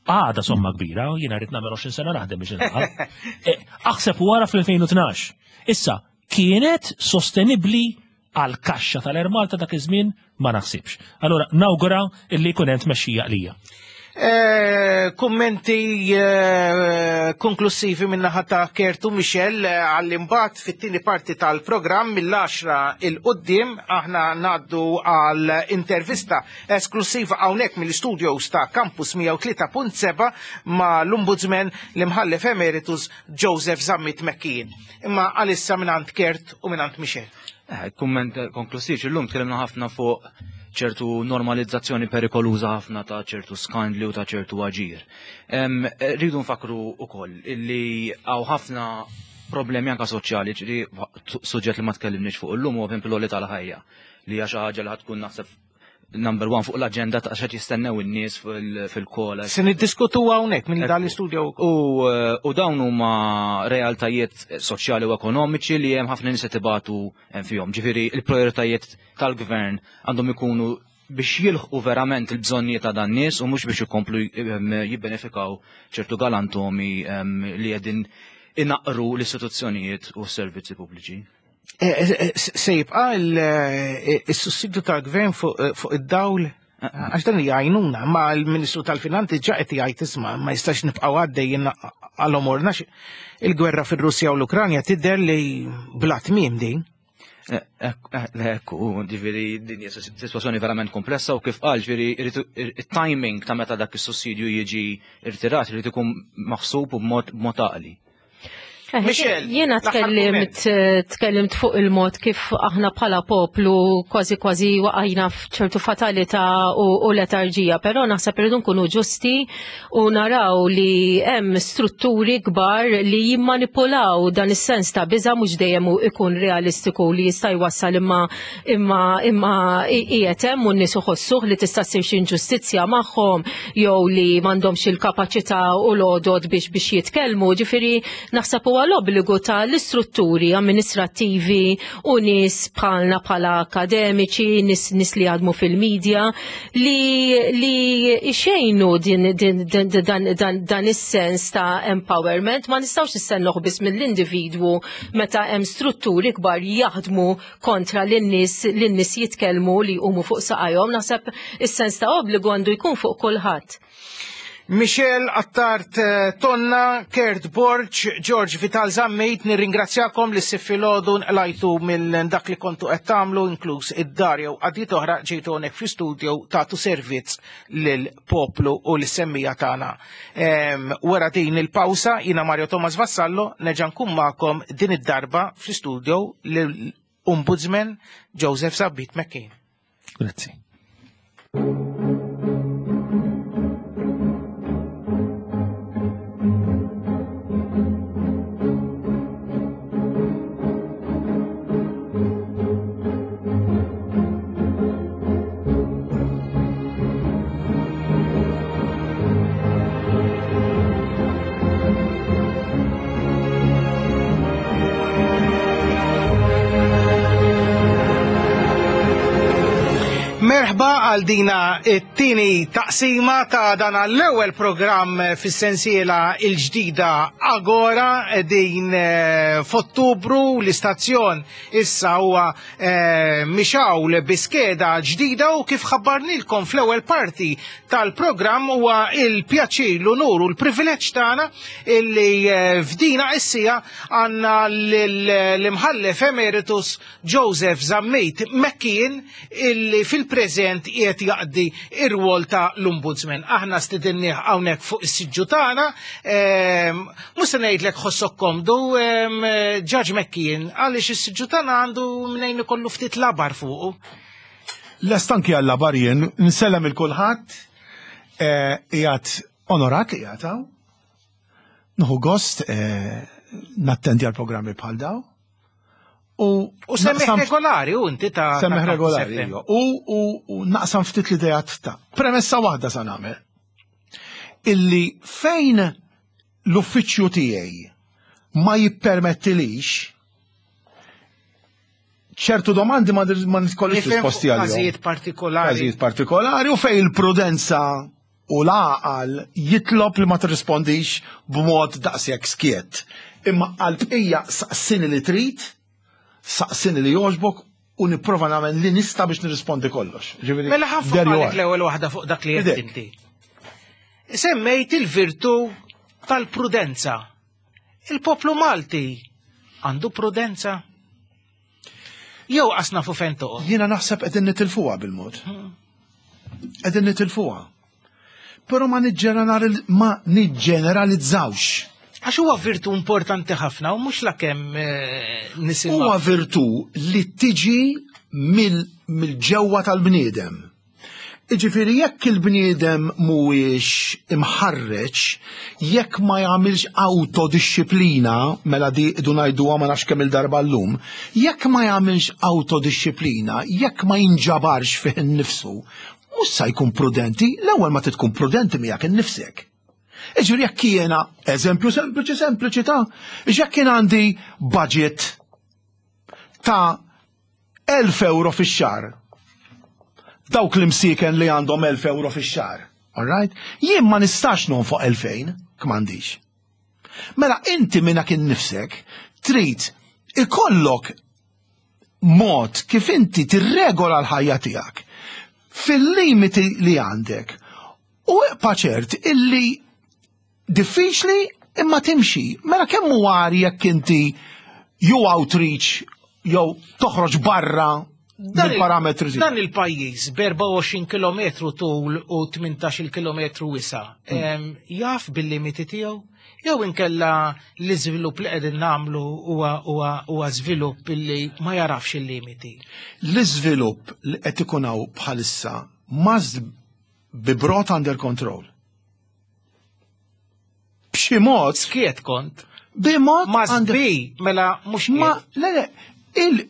Għada somma kbira, jiena rrid nagħmel 20 sena naħdem biex nilħaq. Eh, aħseb wara fl-2012. Issa, kienet sostenibbli għal kaxxa tal-Air Malta dak iż-żmien ma naħsibx. Allura nawgura illi jkun hemm tmexxija qlija. Eh, kummenti eh, konklusivi minna ta' Kertu Michel eh, għall-imbat fit-tieni parti tal-programm mill-10 il-qoddim aħna naddu għal intervista esklusiva hawnhekk mill-studios ta' Campus 103.7 ma' l-Ombudsman l-Imħallef Emeritus Joseph Zammit McKean. Imma għalissa mingħand Kert u mingħand Michel. Eh, kumment konklusiv, illum tkellimna ħafna fuq ċertu normalizzazzjoni perikoluża ħafna ta' ċertu skandli u ta' ċertu aġir. Rridu nfakru ukoll illi hawn ħafna problemi anka soċjali, ġiri suġġett li ma tkellimniex fuq illum huwa l tal-ħajja li hija xi ħaġa li ħatkun naħseb number one fuq l-agenda ta' xed jistennew in-nies fil-kola. Se niddiskutu hawnhekk minn dan l-istudju. Eh, u dawn huma realtajiet soċjali u ekonomiċi li hemm ħafna nies qed ibatu fihom. Ġifieri il-prioritajiet tal-gvern għandhom ikunu biex jilħqu verament il-bżonnijiet ta' dan nies u mhux biex ikomplu jibbenefikaw ċertu galantomi li qegħdin inaqru l-istituzzjonijiet u s-servizzi pubbliċi. Eh, eh, eh, se jibqa il-sussidju tal-gvern fuq id-dawl għax dan hija għajnuna, ma l-Ministru tal-Finanzi ġa qed jgħid isma' ma jistax nibqgħu għaddejjin għal omorna il-gwerra fir-Russja u l-Ukranja tidher li bla tmiem din. Ekku, ġifieri din hija sitwazzjoni verament komplessa u kif qal ġifieri it-timing ta' meta dak is-sussidju jiġi irtirat irid ikun maħsub u b'mod għaqli. Eh, Michelle, Jiena tkellimt tkellimt fuq il-mod kif aħna bħala poplu kważi kważi waqajna f'ċertu fatalità u, u letarġija, però naħseb irridu nkunu ġusti u naraw li hemm strutturi kbar li jimmanipulaw dan is-sens ta' biża' mhux dejjem ikun realistiku li jista' jwassal imma imma imma qiegħed hemm u n-nies iħossuh li tista' ssir xi inġustizzja magħhom jew li m'għandhomx il-kapaċità u l-għodod biex biex jitkellmu, ġifieri naħseb huwa l-obbligu tal-istrutturi amministrattivi u nies bħalna bħala akademiċi, nies nies li jaħdmu fil-medja li li xejnu din, din, din, dan, dan, dan is-sens ta' empowerment ma nistgħux nistennuh biss mill-individwu meta hemm strutturi kbar jaħdmu kontra lin-nies li n-nies jitkellmu li jqumu fuq saqajhom, naħseb is-sens ta' obbligu għandu jkun fuq kulħadd. Michel Attard eh, Tonna, Kurt Borg, George Vital Zammit, nirringrazzjakom li s-sifilodu nqlajtu minn dak li kontu qed tagħmlu inkluż id-dar jew qadiet oħra ġejtu hawnhekk fl-istudio tagħtu servizz lill-poplu u l-semmija tagħna. Wara din il-pawsa jiena Mario Thomas Vassallo nerġa' nkun magħkom din id-darba fl-istudio l-Ombudsman Joseph Zabbit McCain. Grazzi. Merħba. Merħba għal dina it-tieni taqsima ta' dan l-ewwel programm fis-sensiela il-ġdida Agora din eh, f'Ottubru l-istazzjon issa huwa eh, mixawl bi skeda ġdida u kif ħabbarnilkom fl-ewwel parti tal-programm huwa il-pjaċir, l-unur u l-privileġġ tagħna illi eh, f'dina issija għandna l-imħallef emeritus Joseph Zammit McKeon illi fil-preżent qiegħed jaqdi ir-rwol ta' l-Ombudsman. Aħna stidinnieh hawnhekk fuq is-siġġu tagħna, ehm, mhux se ngħidlek ħossok komdu, ehm, Judge McKeon, għaliex is-siġġu tagħna għandu mnejn ikollu ftit labar fuqu. Lest anki għal labar jien, nsellem il kulħadd, eh, qiegħed onorat li qiegħed hawn. Nieħu gost eh, nattendi għal programmi bħal daw. U, u semmiħ regolari, u inti ta' Semmiħ regolari, iva. U, u, u naqsam ftit l-idejat ta' premessa waħda sa nagħmel. Illi fejn l-uffiċċju tiegħi ma jippermettilix ċertu domandi ma nitkollix risposti għalihom. Każijiet partikolari. Każijiet partikolari u fejn il-prudenza u l-għaqal jitlob li ma tirrispondix b'mod daqshekk skjett. Imma għall-bqija saqsini li trid, saqsini li jogħġbok u nipprova nagħmel li nista' biex nirrispondi kollox. Ġifieri, mela ħafna l-ewwel waħda fuq dak li qed inti. Semmejt il-virtu tal-prudenza. Il-poplu Malti għandu prudenza? Jew qas nafu fejn toqgħod. Jiena naħseb qegħdin nitilfuha bil-mod. Qegħdin nitilfuha. Però ma ma niġġeneralizzawx. Għax huwa virtu importanti ħafna u mhux lakemm eh, nisimgħu. Huwa virtu li tiġi mill-ġewwa tal-bniedem. Jiġifieri jekk il-bniedem mhuwiex imħarreġ, jekk ma jagħmilx awtodixxiplina, mela di idu ngħiduha ma nafx kemm-il darba llum, jekk ma jagħmilx awtodixxiplina, jekk ma jinġabarx fih innifsu, mhux sa jkun prudenti, l-ewwel ma trid tkun prudenti miegħek innifsek. Jiġifieri jekk jiena, eżempju sempliċi sempliċi ta' jekk jien għandi budget ta' 1000 euro fix-xahar. Dawk l-imsieken li għandhom 1000 euro fix-xahar. All right? Jien ma nistax nonfoq 2000 k'm'għandix. Mela inti minnak innifsek trid ikollok mod kif inti tirregola l-ħajja tiegħek fil-limiti li għandek u ibqa' ċert illi Diffiċli imma timxi. Mela kemm hu għar jekk inti you outreach jew toħroġ barra mill-parametri. Dan il-pajjiż b'24 kilometru tul u 18 kilometru wisa' hmm. jaf bil-limiti tiegħu? Jew inkella l-iżvilupp li qegħdin nagħmlu huwa żvilupp li ma jarafx il-limiti. L-iżvilupp li qed ikun hawn bħalissa must be brought under control. B'xi mod. Skiet kont. B'mod. Ma bi, mela mhux Ma le le, il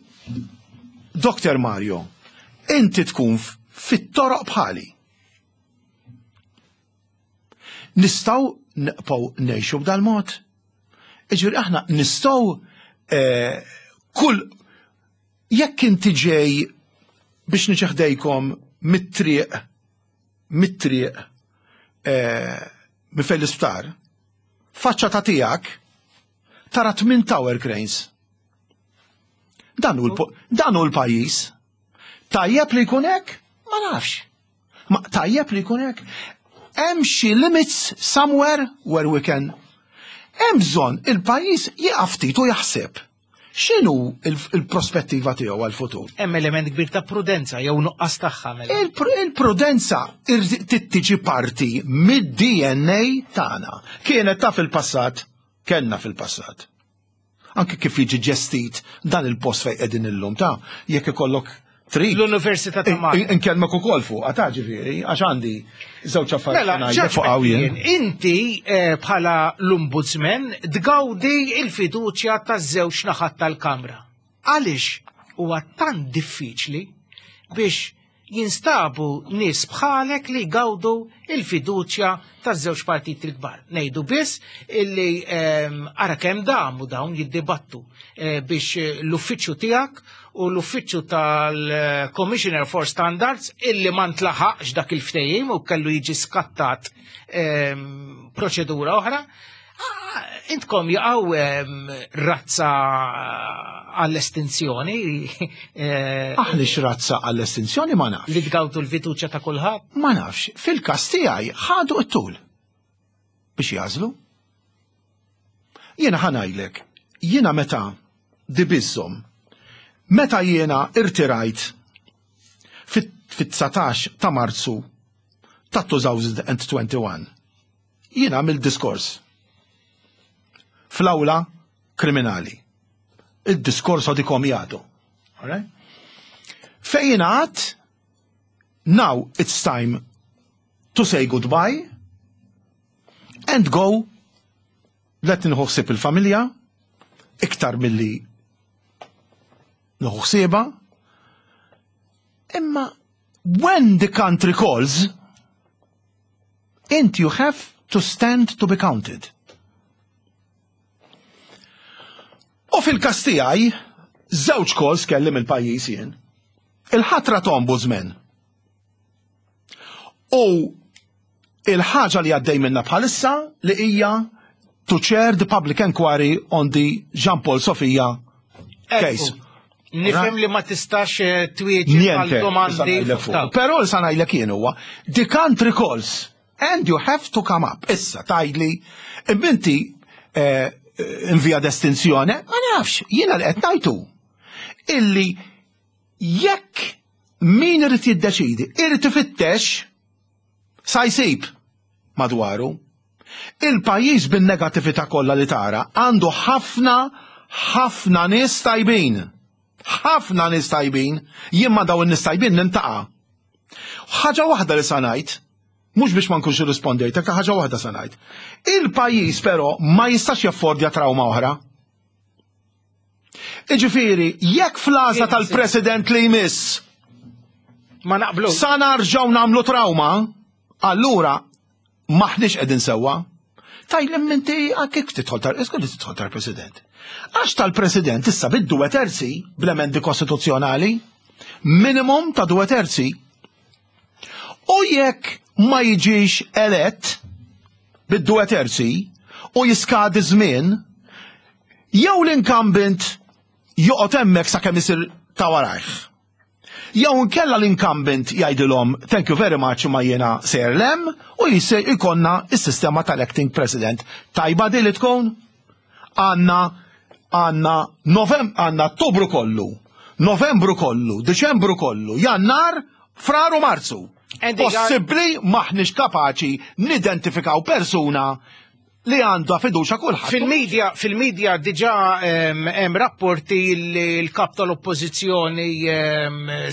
Dr. Mario, inti tkun fit-toroq bħali. Nistgħu nibqgħu ngħixu b'dal-mod. Iġifieri aħna nistgħu eh, kull jekk inti ġej biex niċeħdejkom mit-triq mit-triq eh, minn fejn l-isptar, faċċata tiegħek tara tmien tower cranes. Dan hu l-pajjiż. Tajjeb li jkun hekk? Ma nafx. Ma tajjeb li jkun hekk? Hemm xi limits somewhere where we can. Hemm bżonn il-pajjiż jieqaf ftit u jaħseb. X'inhu il-prospettiva tiegħu għall-futur? Hemm element kbir ta' prudenza jew nuqqas tagħha mela. Il-prudenza tiġi parti mid-DNA tagħna. Kienet ta' fil-passat, kellna fil-passat. Anke kif jiġi ġestit dan il-post fejn qegħdin illum ta' jekk ikollok Trid. L-Università ta' Malta. Inkellmek ukoll fuqha ta' ġifieri, għax għandi żewġ affarijiet mela, ngħidlek fuq hawn jien. Inti eh, bħala l-Ombudsman tgawdi il-fiduċja taż-żewġ naħat tal-Kamra. Għaliex huwa tant diffiċli biex jinstabu nies bħalek li jgawdu il-fiduċja taż-żewġ partiti l-kbar. Ngħidu biss illi ara kemm damu dawn jiddibattu biex l-uffiċċju tiegħek u l-uffiċċju tal-Commissioner for Standards illi ma ntlaħaqx dak il-ftehim u kellu jiġi skattat proċedura oħra. Intkom jaqgħu razza għall-estinzjoni. Aħniex razza għall-estinzjoni ma nafx. Li tgawdu l-fiduċja ta' kulħadd? Ma nafx. Fil-każ tiegħi ħadu t-tul biex jażlu. Jiena ħa ngħidlek, jiena meta dibiżhom, meta jiena irtirajt fit-19 ta' Marzu ta' 2021, jiena għamilt diskors fl-awla kriminali. Il-diskorso di commiato. Fejn jiena għedt, now it's time to say goodbye and go let nieħu ħsieb il-familja iktar milli nieħu ħsiebha. Imma when the country calls, int you have to stand to be counted. U fil-każ tiegħi, żewġ calls kellim il-pajjiż jien. Il-ħatra ta' ombudsman. U il-ħaġa li għaddej minna bħalissa li hija to chair the public inquiry on the Jean Paul Sofia case. Nifhem li ma tistax twieġeb Niente, għal domandi. Però l sanajlek jien huwa, the country calls and you have to come up. Issa tgħidli, inti in via d'estinzjoni, ma nafx, jiena li qed ngħidu illi jekk min irid jiddeċidi, irid ifittex sa jsib madwaru. Il-pajjiż bin-negattività kollha li tara għandu ħafna ħafna nies tajbin. Ħafna nies tajbin, jien ma daw in-nies tajbin nintaqa'. Ħaġa waħda li sa ngħid, mhux biex ma nkunx irrispondejtek, ta' ħaġa waħda sa ngħid. Il-pajjiż però ma jistax jaffordja trauma oħra. Iġifieri, jekk fl-għażla tal-President li jmiss ma naqblu. Sa narġgħu nagħmlu trauma, allura maħniex qegħdin sewwa. Tajlem inti kif tidħol tal iskun tidħol tal-President. Għax tal-President issa bid-due terzi bl-emendi kostituzzjonali, minimum ta' 2/3. U jekk ma jiġix elett bid-2/3 u jiskadi żmien, jew l-incumbent joqgħod hemmhekk sakemm isir ta' warajh. Jew inkella l-incumbent jgħidilhom thank you very much ma jiena sejjer lem u jisir ikonna is-sistema tal-acting president. Tajba di li tkun? Għandna Novem għandna Ottubru kollu, Novembru kollu, Diċembru kollu, Jannar, Frar u Marzu. Possibbli maħniex kapaċi nidentifikaw persuna li għandha fiduċa kulħadd. Fil-media diġà hemm rapporti li l-kap tal-oppożizzjoni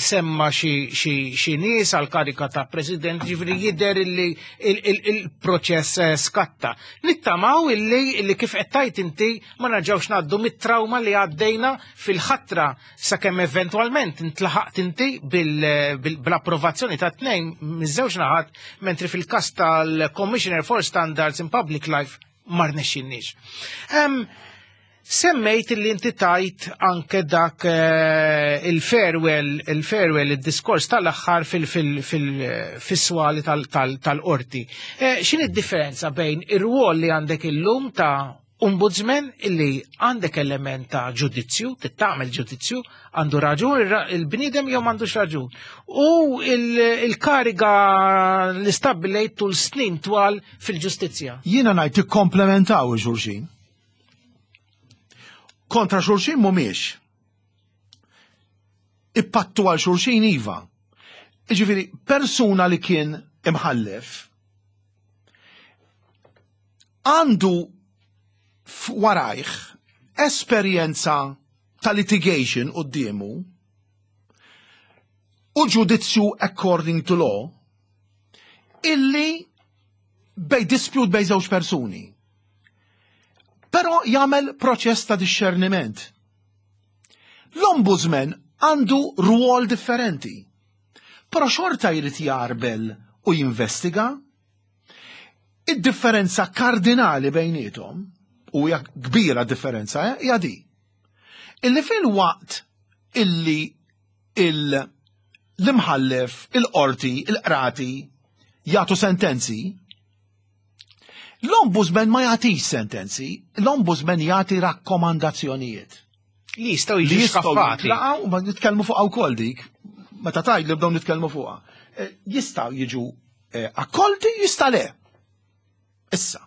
semma xi nies għal karika ta' president, ġifieri jidher li il-proċess skatta. Nittamaw illi kif qed tgħid inti ma nerġgħux ngħaddu mit-trauma li għaddejna fil-ħatra sakemm eventwalment intlaħaqt inti bl-approvazzjoni ta' tnejn miż-żewġ naħat, mentri fil-każ tal-Commissioner for Standards in Public Life ma rnexxinniex. Semmejt li inti tajt anke dak il-farewell, il-diskors tal-aħħar fis-swali tal-qorti. X'inhi d-differenza bejn ir-rwol li għandek illum ta' ombudsman illi għandek element ta' ġudizzju, tittamel ġudizzju, għandu raġun il-bniedem jew m'għandux raġun. U il-kariga li stabbilejt tul snin twal fil-ġustizzja. Jiena ngħid tikkomplementaw xulxin. Kontra xulxin mhumiex. Ippattu għal xulxin iva. Jiġifieri, persuna li kien imħallef għandu warajh esperjenza ta' litigation quddiemu u ġudizzju according to law illi bej dispute bej żewġ persuni. Però jagħmel proċess ta' discerniment. L-ombudsman għandu rwol differenti. Però xorta jrid jarbel u jinvestiga. Id-differenza kardinali bejniethom, u hija kbira differenza, eh, hija di. Illi fil-waqt illi l-imħallef, il-qorti, il-qrati jagħtu sentenzi, l-ombudsman ma jagħtix sentenzi, l-ombudsman jagħti rakkomandazzjonijiet. Li jistgħu jiġu skaffati. Laqgħu ma nitkellmu fuqha wkoll dik, meta tgħid li bdew nitkellmu fuqha. Eh, jistgħu jiġu eh, akkolti, jista' le. Issa,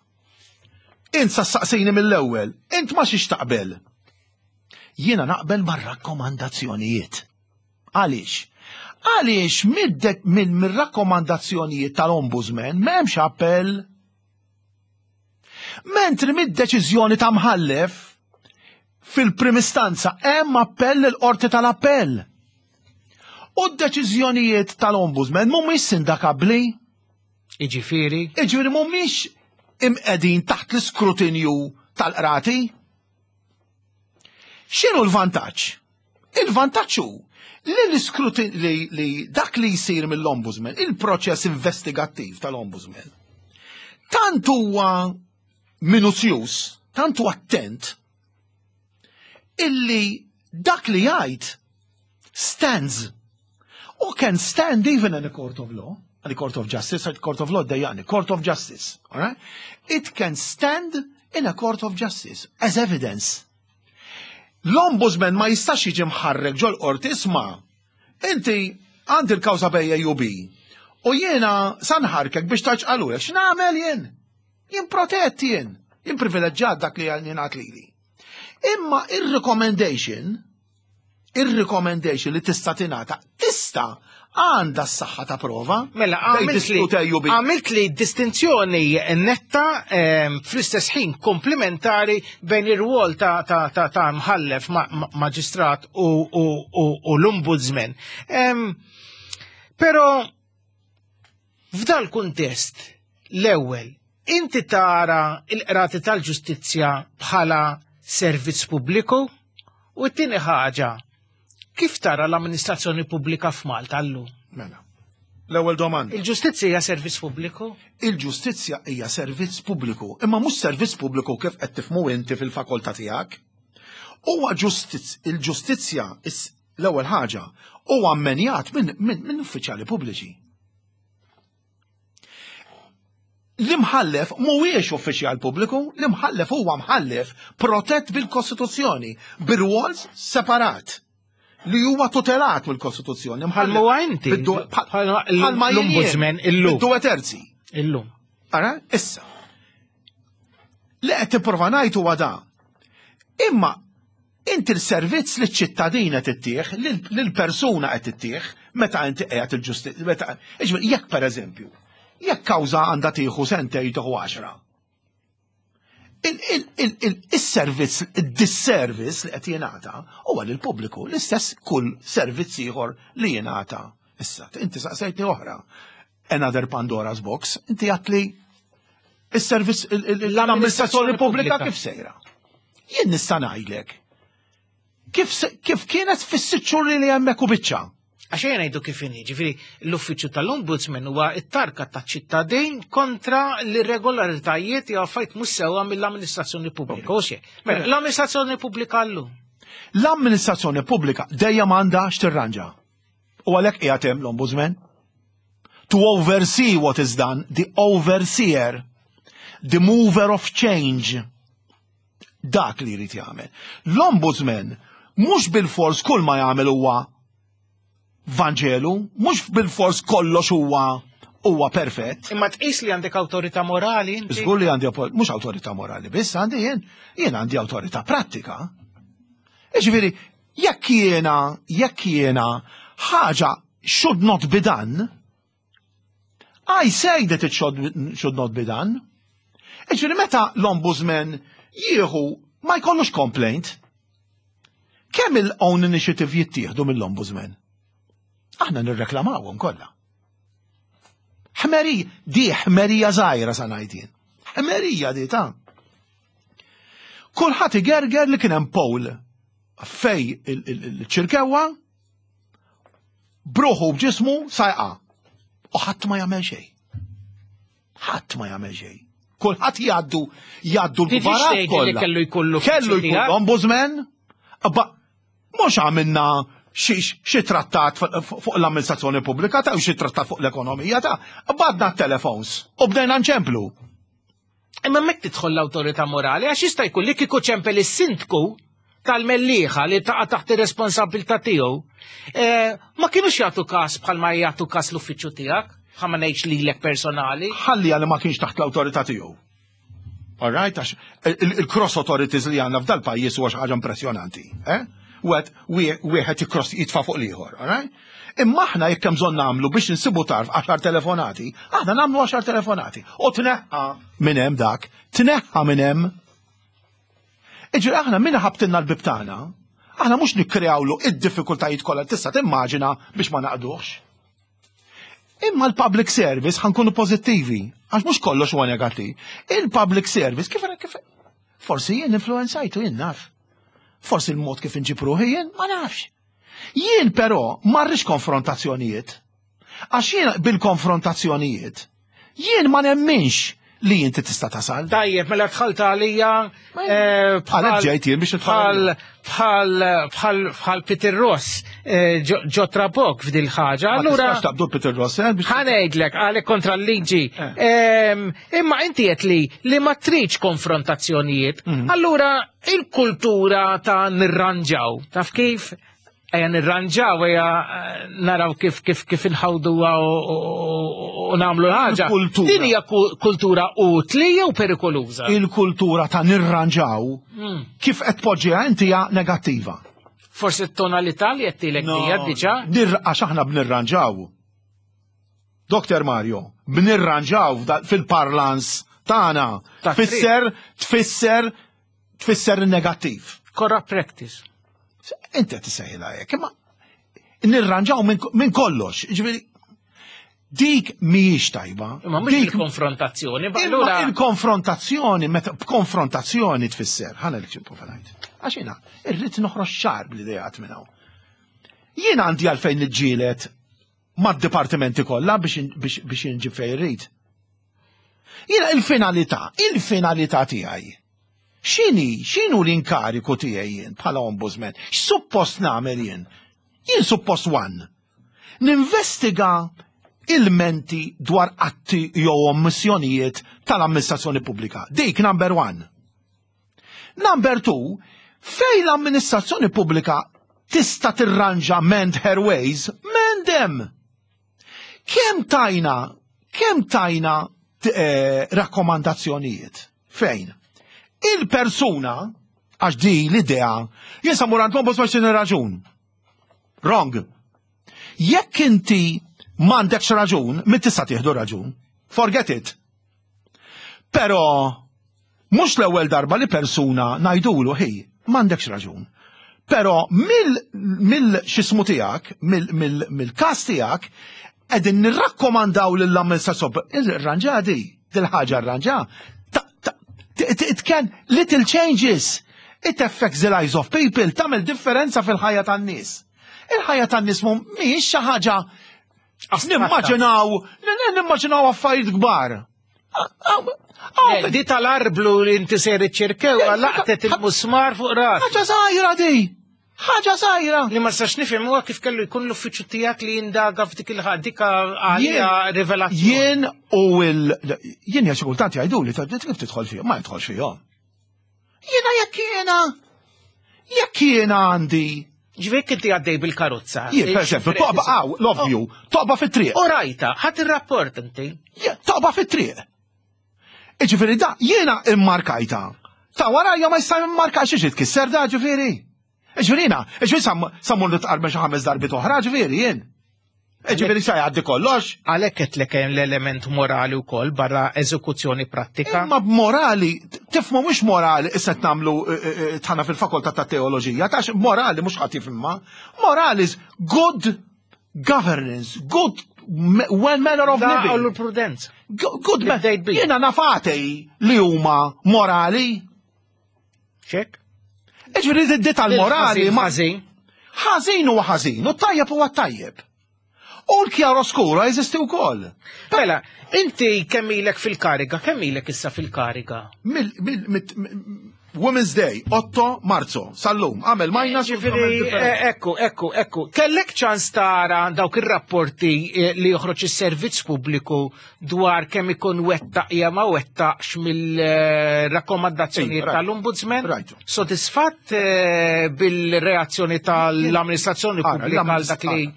int sa saqsejni mill-ewwel, int ma xiex taqbel. Jiena naqbel mar-rakkomandazzjonijiet. Għaliex? Għaliex minn rakkomandazzjonijiet tal-Ombudsman m'hemmx appell. Mentri mid-deċiżjoni ta' mħallef fil-prim istanza hemm appell il-qorti tal-appell. U d-deċiżjonijiet tal-Ombudsman mhumiex sindakabbli. Iġifieri? Iġifieri mhumiex imqegħdin taħt l-iskrutinju tal-qrati. X'inhu l-vantaġġ? Il-vantaġġ hu li l-iskrutin li, li dak li jsir mill-ombudsman, il-proċess investigattiv tal-ombudsman, tant huwa minuzjuż, tant huwa attent, illi dak li jgħid stands u can stand even in a court of law, in a court of justice, a court of law dejjani, court of justice, all right? It can stand in a court of justice as evidence. L-ombudsman ma jistax jiġi mħarrek ġol qorti isma' inti għandi l-kawża bejn A u B u jiena sa nħarkek biex taċqalulek x'nagħmel jien? Jien protett jien, jien privileġġjat dak li jingħad lili. Imma ir-recommendation, ir-recommendation li tista' tingħata tista' għandha s-saħħa ta' prova. Mela, għamilt li distinzjoni netta fl-istess ħin komplementari bejn ir-rwol ta', ta, ta, ta mħallef maġistrat u, u, u, u l-ombudsman. Pero f'dal kuntest l-ewwel inti tara il-qrati tal-ġustizzja bħala servizz pubbliku u t-tieni ħaġa kif tara l-amministrazzjoni pubblika f'Malta llum? Mela. L-ewwel domanda. Il-ġustizzja hija servizz pubbliku? Il-ġustizzja hija servizz pubbliku, imma mhux servizz pubbliku kif qed tifhmu inti fil-fakoltà tiegħek. Huwa il-ġustizzja l-ewwel ħaġa huwa ammenjat minn min, min uffiċjali pubbliċi. L-imħallef mhuwiex uffiċjal pubbliku, l-imħallef huwa mħallef protett bil-Kostituzzjoni, bir-rwol separat li huwa tutelat mill-Kostituzzjoni. Bħalma huwa inti. Bħalma l-ombudsman illum. Due terzi. Illum. Ara, issa. Li qed tipprova ngħid huwa da. Imma inti l-servizz li ċ-ċittadin qed ittieħ, lill-persuna qed ittieħ, meta inti qiegħed il-ġustizzja, meta jekk pereżempju, jekk kawża għandha tieħu sentejn tieħu għaxra. Il-servizz, il-disservice li qed jingħata huwa lill-pubbliku, l-istess kull servizz ieħor li jingħata. Issa, inti saqsejtni oħra. Another Pandora's box, inti għedtli il-servizz, l-amministrazzjoni pubblika kif sejra. Jien nista' ngħidlek kif, kif kienet fis-sitt xhur li hemmhekk u biċċa. Għax ejja ngħidu kif inhi, ġifieri l-uffiċċju tal-Ombudsman huwa t-tarka taċ-ċittadin kontra l-irregolaritajiet jew affarijiet mhux sewwa mill-amministrazzjoni pubblika. U xejn. Mela, l-amministrazzjoni pubblika llum. L-amministrazzjoni pubblika dejjem għandha x'tirranġa. U għalhekk qiegħed hemm l-Ombudsman. To oversee what is done, the overseer, the mover of change. Dak li jrid jagħmel. L-Ombudsman mhux bil-fors kull ma jagħmel huwa Vanġelu, mhux bil-fors kollox huwa huwa perfett. Imma tqis li għandek awtorità morali inti? Żgur li għandi mhux awtorità morali biss għandi jien, jien għandi awtorità prattika. Jiġifieri, jekk jiena, jekk jiena ħaġa should not be done, I say that it should not be done. Jiġifieri meta l-ombudsman jieħu ma jkollux complaint, kemm il-own initiative jittieħdu mill-ombudsman? Aħna nirreklamawhom kollha. Ħmeri, di ħmerija żgħira sa ngħid jien. Ħmerija di ta' Kulħadd igerger li kien hemm poll fejn il-Ċirkewwa. Bruħu b'ġismu sajqa. U ħadd ma jagħmel xejn. Ħadd ma jagħmel xejn. Kulħadd jgħaddu jgħaddu l-kbarat kollha. Kellu jkollu kellu jkollu ombudsman. Mhux għamilna xi trattat fuq l-amministrazzjoni pubblika ta' xi trattat fuq l-ekonomija ta' badna t-telefons u bdejna nċemplu. Imma mek tidħol l-awtorità morali għax jista' jkun li kieku ċempel is-sindku tal-Mellieħa li taqa' taħt ir-responsabbiltà tiegħu, eh, ma kienux jagħtu każ bħalma jagħtu każ l-uffiċċju tiegħek, bħal ma ngħidx lilek personali. Ħalli għalli ma kienx taħt l-awtorità tiegħu. All right, għax il-cross authorities li għandna f'dal pajjiż huwa xi ħaġa impressjonanti. Eh? Wet wieħed ikross jitfa' fuq l-ieħor, all right? Imma aħna jekk hemm bżonn nagħmlu biex insibu tarf għaxar telefonati, aħna nagħmlu għaxar telefonati. U tneħħa minn hemm dak, tneħħa minn hemm. Iġri aħna min ħabtilna l-bib tagħna, aħna mhux nikkreawlu id-diffikultajiet kollha tista' timmaġina biex ma naqduhx. Imma l-public service ħankunu pożittivi, għax mhux kollox huwa negattiv. Il-public service kif kif forsi jien influenzajtu jien naf. Forsi l-mod kif inġib ruħi jien ma nafx. Jien però ma rridx konfrontazzjonijiet. Għax jien bil-konfrontazzjonijiet jien ma nemminx li inti tista' tasal. Tajjeb, mela dħalt għalija eh, bħal ġejt jien biex bħal bħal bħal bħal Peter Ross eh, ġo trabok f'dil ħaġa. Allura taqbdu Peter Ross eh, biex ħanejdlek għalek kontra l-liġi. Ehm, imma inti qed li li ma tridx konfrontazzjonijiet. Mhm. Allura il-kultura ta' nirranġaw, taf kif? Ejja nirranġaw, ejja eh, naraw kif kif kif inħawduha u nagħmlu l-ħaġa. Din hija kultura utli jew perikoluża? Il-kultura ta' nirranġaw hmm. kif qed tpoġġiha inti hija negattiva. Forsi t-tonalità li qed tilek hija diġà? Għax aħna b'nirranġaw. Dr. Mario, b'nirranġaw fil-parlans tagħna tfisser tfisser tfisser negattiv. Corrupt practice. Inti qed tissejħilha hekk, imma nirranġaw minn kollox. Ġifieri dik mhijiex tajba. Imma mhux il-konfrontazzjoni, allura il-konfrontazzjoni, meta b'konfrontazzjoni tfisser, ħana li ċimpu ngħid. Għax jiena irrid noħroġ ċar bl-idejat minn hawn. Jien għandi għalfejn niġġieled mad-dipartimenti kollha biex inġib fejn irrid. Jiena il-finalità, il-finalità tiegħi. X'inhi, x'inhu l-inkariku tiegħi jien bħala ombudsman? X'suppost nagħmel jien? Jien suppost one. Ninvestiga ilmenti dwar atti jew ommissjonijiet tal-amministrazzjoni pubblika. Dik number one. Number two, fejn l-amministrazzjoni pubblika tista' tirranġa mend her ways, mend them. Kemm tajna, kemm tajna eh, rakkomandazzjonijiet? Fejn? Il-persuna, għax di l-idea, jien sa mur għand l-ombudsman raġun. Wrong. Jekk inti m'għandekx raġun, min tista' tieħdu raġun. Forget it. Però mhux l-ewwel darba li persuna ngħidulu ħi, m'għandekx raġun. Però mill mill x'ismu tiegħek, mill-każ tiegħek, qegħdin nirrakkomandaw lill-amministrazzjoni irranġa di, dil-ħaġa rranġa. It can little changes. It affects the lives of people, tagħmel differenza fil-ħajja tan-nies. Il-ħajja tan-nies mhijiex xi ħaġa Nimmaġinaw, nimmaġinaw affarijiet kbar. Di tal-arblu li inti ser iċċirkew laqtet il-musmar fuq ras. Ħaġa żgħira di. Ħaġa żgħira. Li ma sax nifhem huwa kif kellu jkun l-uffiċċju tiegħek li jindaga f'dik il-dik għalija rivelazzjoni. Jien u il jien xi kultant jgħiduli kif tidħol fihom, ma jidħolx fihom. Jiena jekk jiena jekk jiena għandi Ġvek inti għaddej bil-karozza. Jien, per eżempju, toqba għaw, love you, toqba fit-triq. U rajta, ħadd ir-rapport inti. Toqba fit-triq. Iġifieri da, jiena immarkajta. Ta' warajja ma jista' immarka xi tkisser da ġifieri. Ġifieri jiena, ġifieri sammur nitqarben xi ħames darbit oħra, ġifieri jien. Ġifieri sa jgħaddi kollox. Għalhekk qed lek hemm l-element morali wkoll barra eżekuzzjoni prattika. Imma b'morali, tifhmu mhux morali issa qed nagħmlu eh, eh, eh, tħana fil-fakultà ta' teoloġija, tax morali mhux ħadd jifhimha. Morali is good governance, good well manner of living. U l-prudenza. Good man. Jiena nafatej li huma morali. Ċek? Iġifieri di tal-morali ma. Ħażin. Ħażin huwa ħażin, u tajjeb huwa tajjeb. U l-chiaroscuro jeżisti wkoll. Mela, inti kemm ilek fil-kariga, kemm ilek issa fil-kariga? Women's Day, 8 Marzu, sal-lum, għamel minus. Ġifieri, eh, ekku, ekku, ekku. Kellek ċans tara dawk ir-rapporti eh, li joħroġ is-servizz pubbliku dwar kemm ikun wettaq jew ma wettaqx mill-rakkomandazzjonijiet tal-Ombudsman? Sodisfatt eh, bil-reazzjoni tal-amministrazzjoni pubblika għal dak li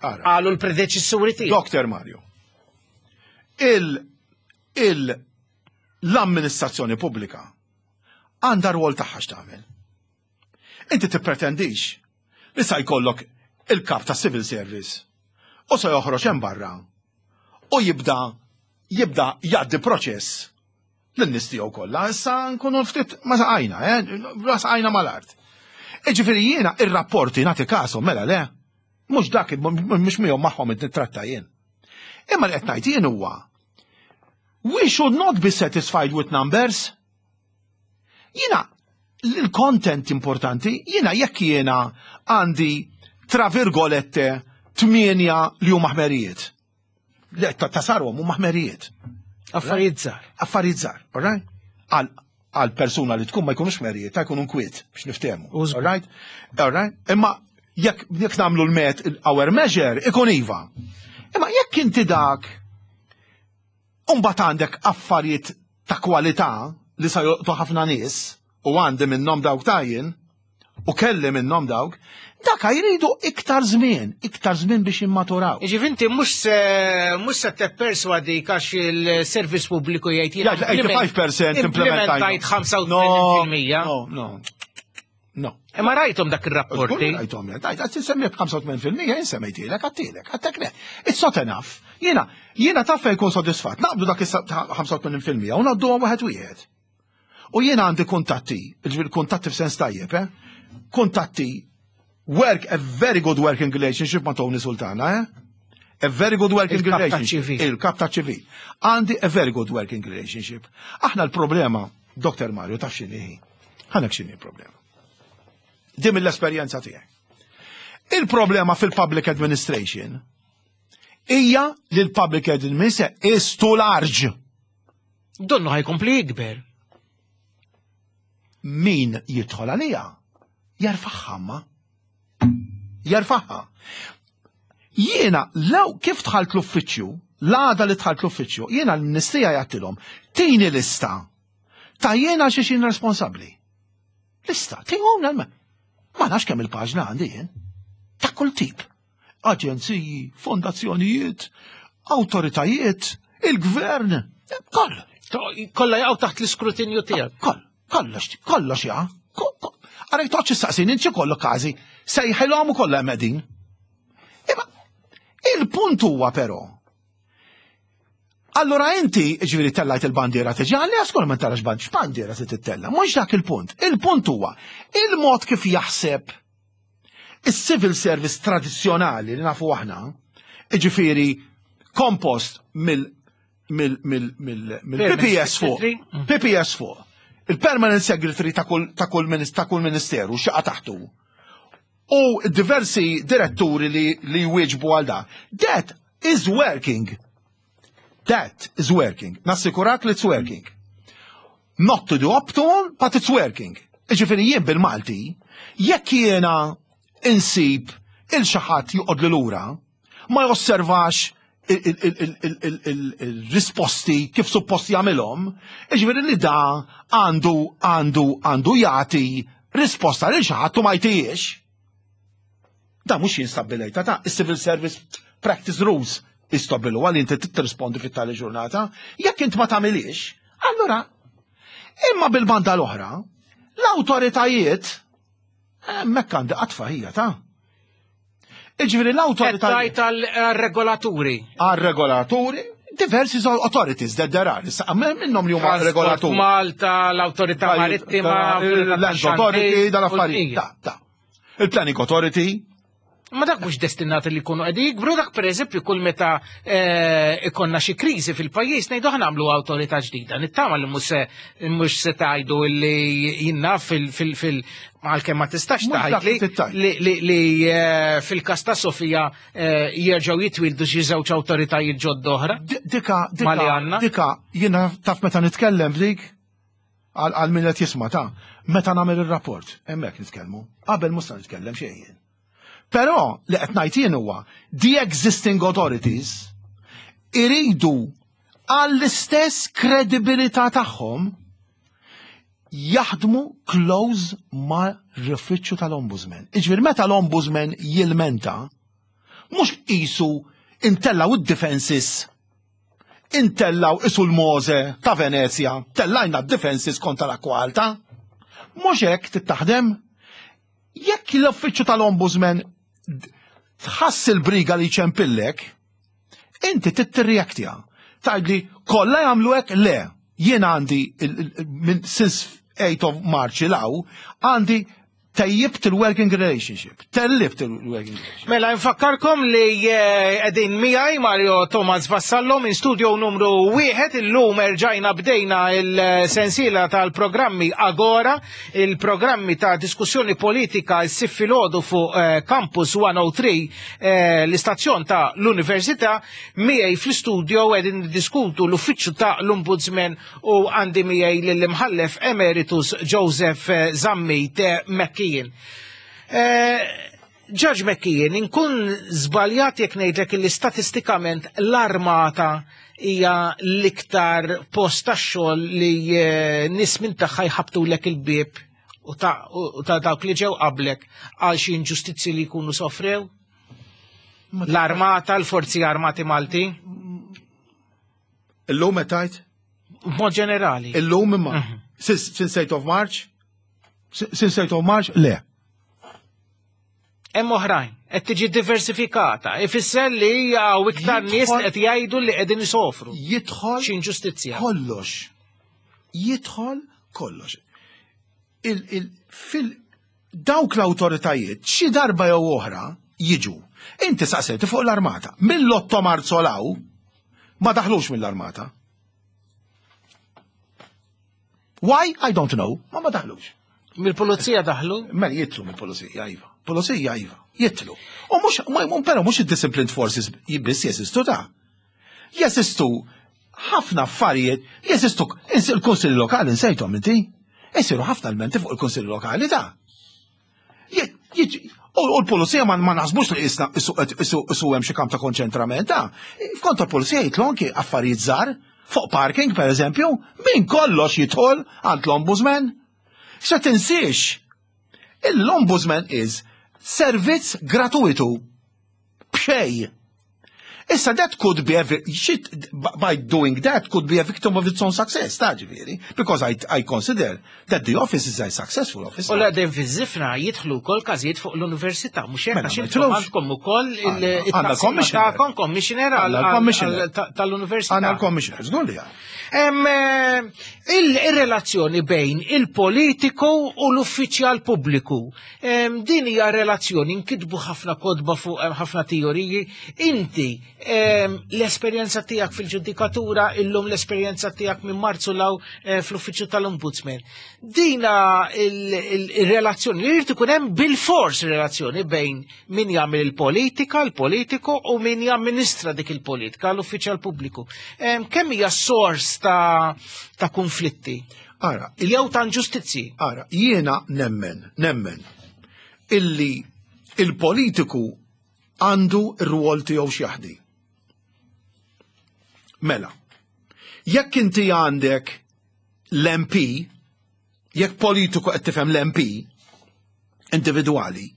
qalu l-predeċessuri tiegħek. Dr. Mario, il, il, l-amministrazzjoni pubblika għandha rwol tagħha x'tagħmel. Inti tippretendix li sa jkollok il-kap ta' civil service u sa joħroġ hemm barra u jibda jibda jgħaddi proċess lin-nies tiegħu kollha, issa nkunu ftit ma saqajna, eh, ma saqajna mal-art. Iġifieri jiena ir-rapporti nagħti kasom mela le, mhux dak mhux miegħu magħhom nittratta jien. Imma li qed ngħid jien huwa we should not be satisfied with numbers. Jiena l-content importanti, jiena jekk jiena għandi tra virgolette tmienja li huma ħmerijiet. Le, ta' sarhom huma ħmerijiet. Affarijiet żgħar. Affarijiet żgħar, all right? Għal persuna li tkun ma jkunux ħmerijiet, ta' jkunu nkwiet biex niftehmu. All right? All right? Imma jekk jekk nagħmlu l-met our measure ikun iva. Imma jekk inti dak Umbagħad għandek affarijiet ta' kwalità li sa jolqtu ħafna nies u għandi minnhom dawk tajjin u kelli minnhom dawk, daka jridu iktar żmien, iktar żmien biex jimmaturaw. Jiġifieri inti mhux se mhux se tipperswadik għax il-servizz pubbliku jgħid jiena 85% implementajt 85%. No, no. No. Imma rajthom dak ir-rapporti. Rajthom, rajt, għad tinsemmi 85% jien semmejtilek, għattilek, għattek le. It's not enough. Jiena, jiena taf fejn kun sodisfatt, naqbdu dak 85% u ngħaddu wieħed wieħed. U jiena għandi kuntatti, ġifieri kuntatti f'sens tajjeb, eh? Kuntatti work a very good working relationship ma' Tony Sultana, eh? A very good working relationship. Il-kap ta' ċivil. Għandi a very good working relationship. Aħna l-problema, Dr. Mario, taf x'inhi. Ħanek x'inhi l-problema. Din mill-esperjenza tiegħi. Il-problema fil-public administration hija li l-public administration is too large. Donnu ħajkompli jikber. Min jidħol għalija jarfaħħa ma. Jarfaħħa. Jiena lew kif dħalt l-uffiċċju, l-għada li dħalt l-uffiċċju, jiena l-ministrija jgħattilhom, tini lista ta' jiena xiex jien responsabbli. Lista, tihom ma nafx kemm il-paġna għandi jien. Ta' kull tip. Aġenziji, fondazzjonijiet, awtoritajiet, il-gvern, koll. Kollha jaqgħu taħt l-iskrutinju tiegħek. Koll, kollox, kollox jaqa'. Għarek toċ saqsin, inti kollu każi, sejħilhom u kollha hemm qegħdin. Imma il-punt huwa però Allura inti, ġifieri tellajt il-bandiera tiġi, għalli għaskol ma tarax band, x'bandiera se tittella? Mhux dak il-punt. Il-punt huwa il-mod kif jaħseb is-civil service tradizzjonali li nafu aħna, ġifieri kompost mill mill-PPS fuq, PPS fuq, il-permanent secretary ta' kull ministeru xaqa taħtu. U diversi diretturi li jwieġbu għal da. That is working. That is working. Nassikurak li it's working. Not to the optimum, but it's working. Ġifieri jien bil-Malti, jekk jiena insib il xi ħadd joqgħod li lura, ma josservax il-risposti kif suppost jagħmilhom, ġifieri li da għandu għandu għandu jagħti risposta lil xi ħadd u ma jtijiex. Da mhux jien stabbilejta ta' is-Civil Service Practice Rules istabilu għal inti tirrispondi fit-tali ġurnata, jekk int ma tagħmilix, allura imma bil-banda l-oħra, l-awtoritajiet hemmhekk għandi qatfa hija ta' Iġifieri l-awtoritajiet. għal-regolaturi. Għal-regolaturi, diversi authorities that there are. Issa minnhom li huma regolaturi. Malta, l-Awtorità Marittima, l-Land Authority, dal-affarijiet. Ta, ta. Il-Planning Authority. Ma dak mhux destinati li jkunu qegħdin jikbru dak pereżempju kull meta eh, ikonna xi kriżi fil-pajjiż ngħidu aħna nagħmlu awtorità ġdida. Nittama li mhux se mhux se tgħidu li jinnaf fil fil fil għalkemm ma tistax tgħid li li eh, fil-każ ta' Sofija eh, jerġgħu jitwildu xi żewġ awtoritajiet ġodda oħra. Dika dika dika jiena taf meta nitkellem f'dik għal min qed jisma' ta' meta nagħmel ir-rapport hemmhekk nitkellmu. Qabel mhux se nitkellem xejn jien. Però li qed ngħid jien huwa the existing authorities iridu għall-istess kredibilità tagħhom jaħdmu close ma' l-uffiċċju tal-Ombudsman. Iġifieri meta l-Ombudsman jilmenta, mhux qisu intellaw id-defenses intellaw isu l-Mose ta' Venezia, tellajna d-defenses kontra l-akwa alta. Mhux hekk tittaħdem. Jekk l-uffiċċju tal-Ombudsman tħass il-briga li ċempillek, inti tittirreaktja. Tgħidli kollha jagħmlu hekk le. Jien għandi minn since 8 of March il-hawn għandi tejjibt il-working relationship, tellibt il-working relationship. Mela, nfakkarkom li eh, qegħdin miegħi Mario Thomas Vassallo minn studio numru wieħed illum erġajna bdejna il-sensiela tal-programmi Agora, il-programmi ta' diskussjoni politika s-sif filgħodu fuq eh, Campus 103 eh, l-istazzjon ta' l-Università miegħi fl-istudio qegħdin niddiskutu l-uffiċċju ta' l-Ombudsman u għandi miegħi lill-imħallef emeritus Joseph eh, Zammit McKeon. Judge McKeon, inkun żbaljat jekk ngħidlek li statistikament l-armata hija l-iktar post tax-xogħol li nies minn tagħha jħabbtulek il-bieb u ta' dawk li ġew qablek għal xi inġustizzi li jkunu sofrew? L-armata, l-forzi armati Malti? Illum qed tgħid? B'mod ġenerali. Illum imma. Mhm. Since 8 of March? Since 8 of March? Le. Hemm oħrajn, qed tiġi diversifikata. Ifisser li hawn iktar nies qed jgħidu li qegħdin isofru. Jidħol xi inġustizzja. Kollox. Jidħol kollox. Fil dawk l-awtoritajiet xi darba jew oħra jiġu. Inti saqsejti fuq l-armata. Mill-8 Marzu law ma daħlux mill-armata. Why? I don't know. Ma ma daħlux. Mill-pulizija daħlu? Mela jitlu mill-pulizija, iva. Pulizija, iva. Jitlu. U mhux, però mhux id-disciplined forces biss jeżistu ta' Jeżistu ħafna affarijiet, jeżistu il-kunsilli lokali nsejthom inti. Isiru ħafna l-menti fuq il-kunsilli lokali ta' U l-pulizija ma naħsbux li isna isu hemm xi kamp ta' konċentrament, ta' f'kont tal-pulizija jitlu anki affarijiet żgħar fuq parking per eżempju, min kollox jidħol għand l-ombudsman. Se tinsiex, l-ombudsman is servizz gratuitu b'xejn. Issa that could be a shit, by doing that could be a victim of its own success, ta' ġifieri, because I, I consider that the office is a successful office. U l-għadem fiż-żifna jidħlu wkoll każijiet fuq l-università, mhux hekk għax intom għandkom ukoll il-commissioner commissioner tal-università. Għandna l-commissioner, żgur li eh, Il-relazzjoni bejn il-politiku u l-uffiċjal pubbliku Din hija relazzjoni nkitbu ħafna kotba fuq ħafna teoriji. Inti l-esperjenza tiegħek fil-ġudikatura illum l-esperjenza tiegħek minn Marzu law eh, fl-uffiċċju tal-Ombudsman. Dina il-relazzjoni li jrid ikun hemm bil-fors relazzjoni bejn min jagħmel il-politika, l-politiku u min jamministra dik il-politika, l-uffiċjal pubbliku. Kemm hija sors ta' ta' konflitti? Ara, jew ta' inġustizzi. Ara, jiena nemmen, nemmen illi il-politiku għandu r-rwol tiegħu x'jaħdi. Mela, jekk inti għandek l-MP, jekk politiku qed tifhem l-MP individwali,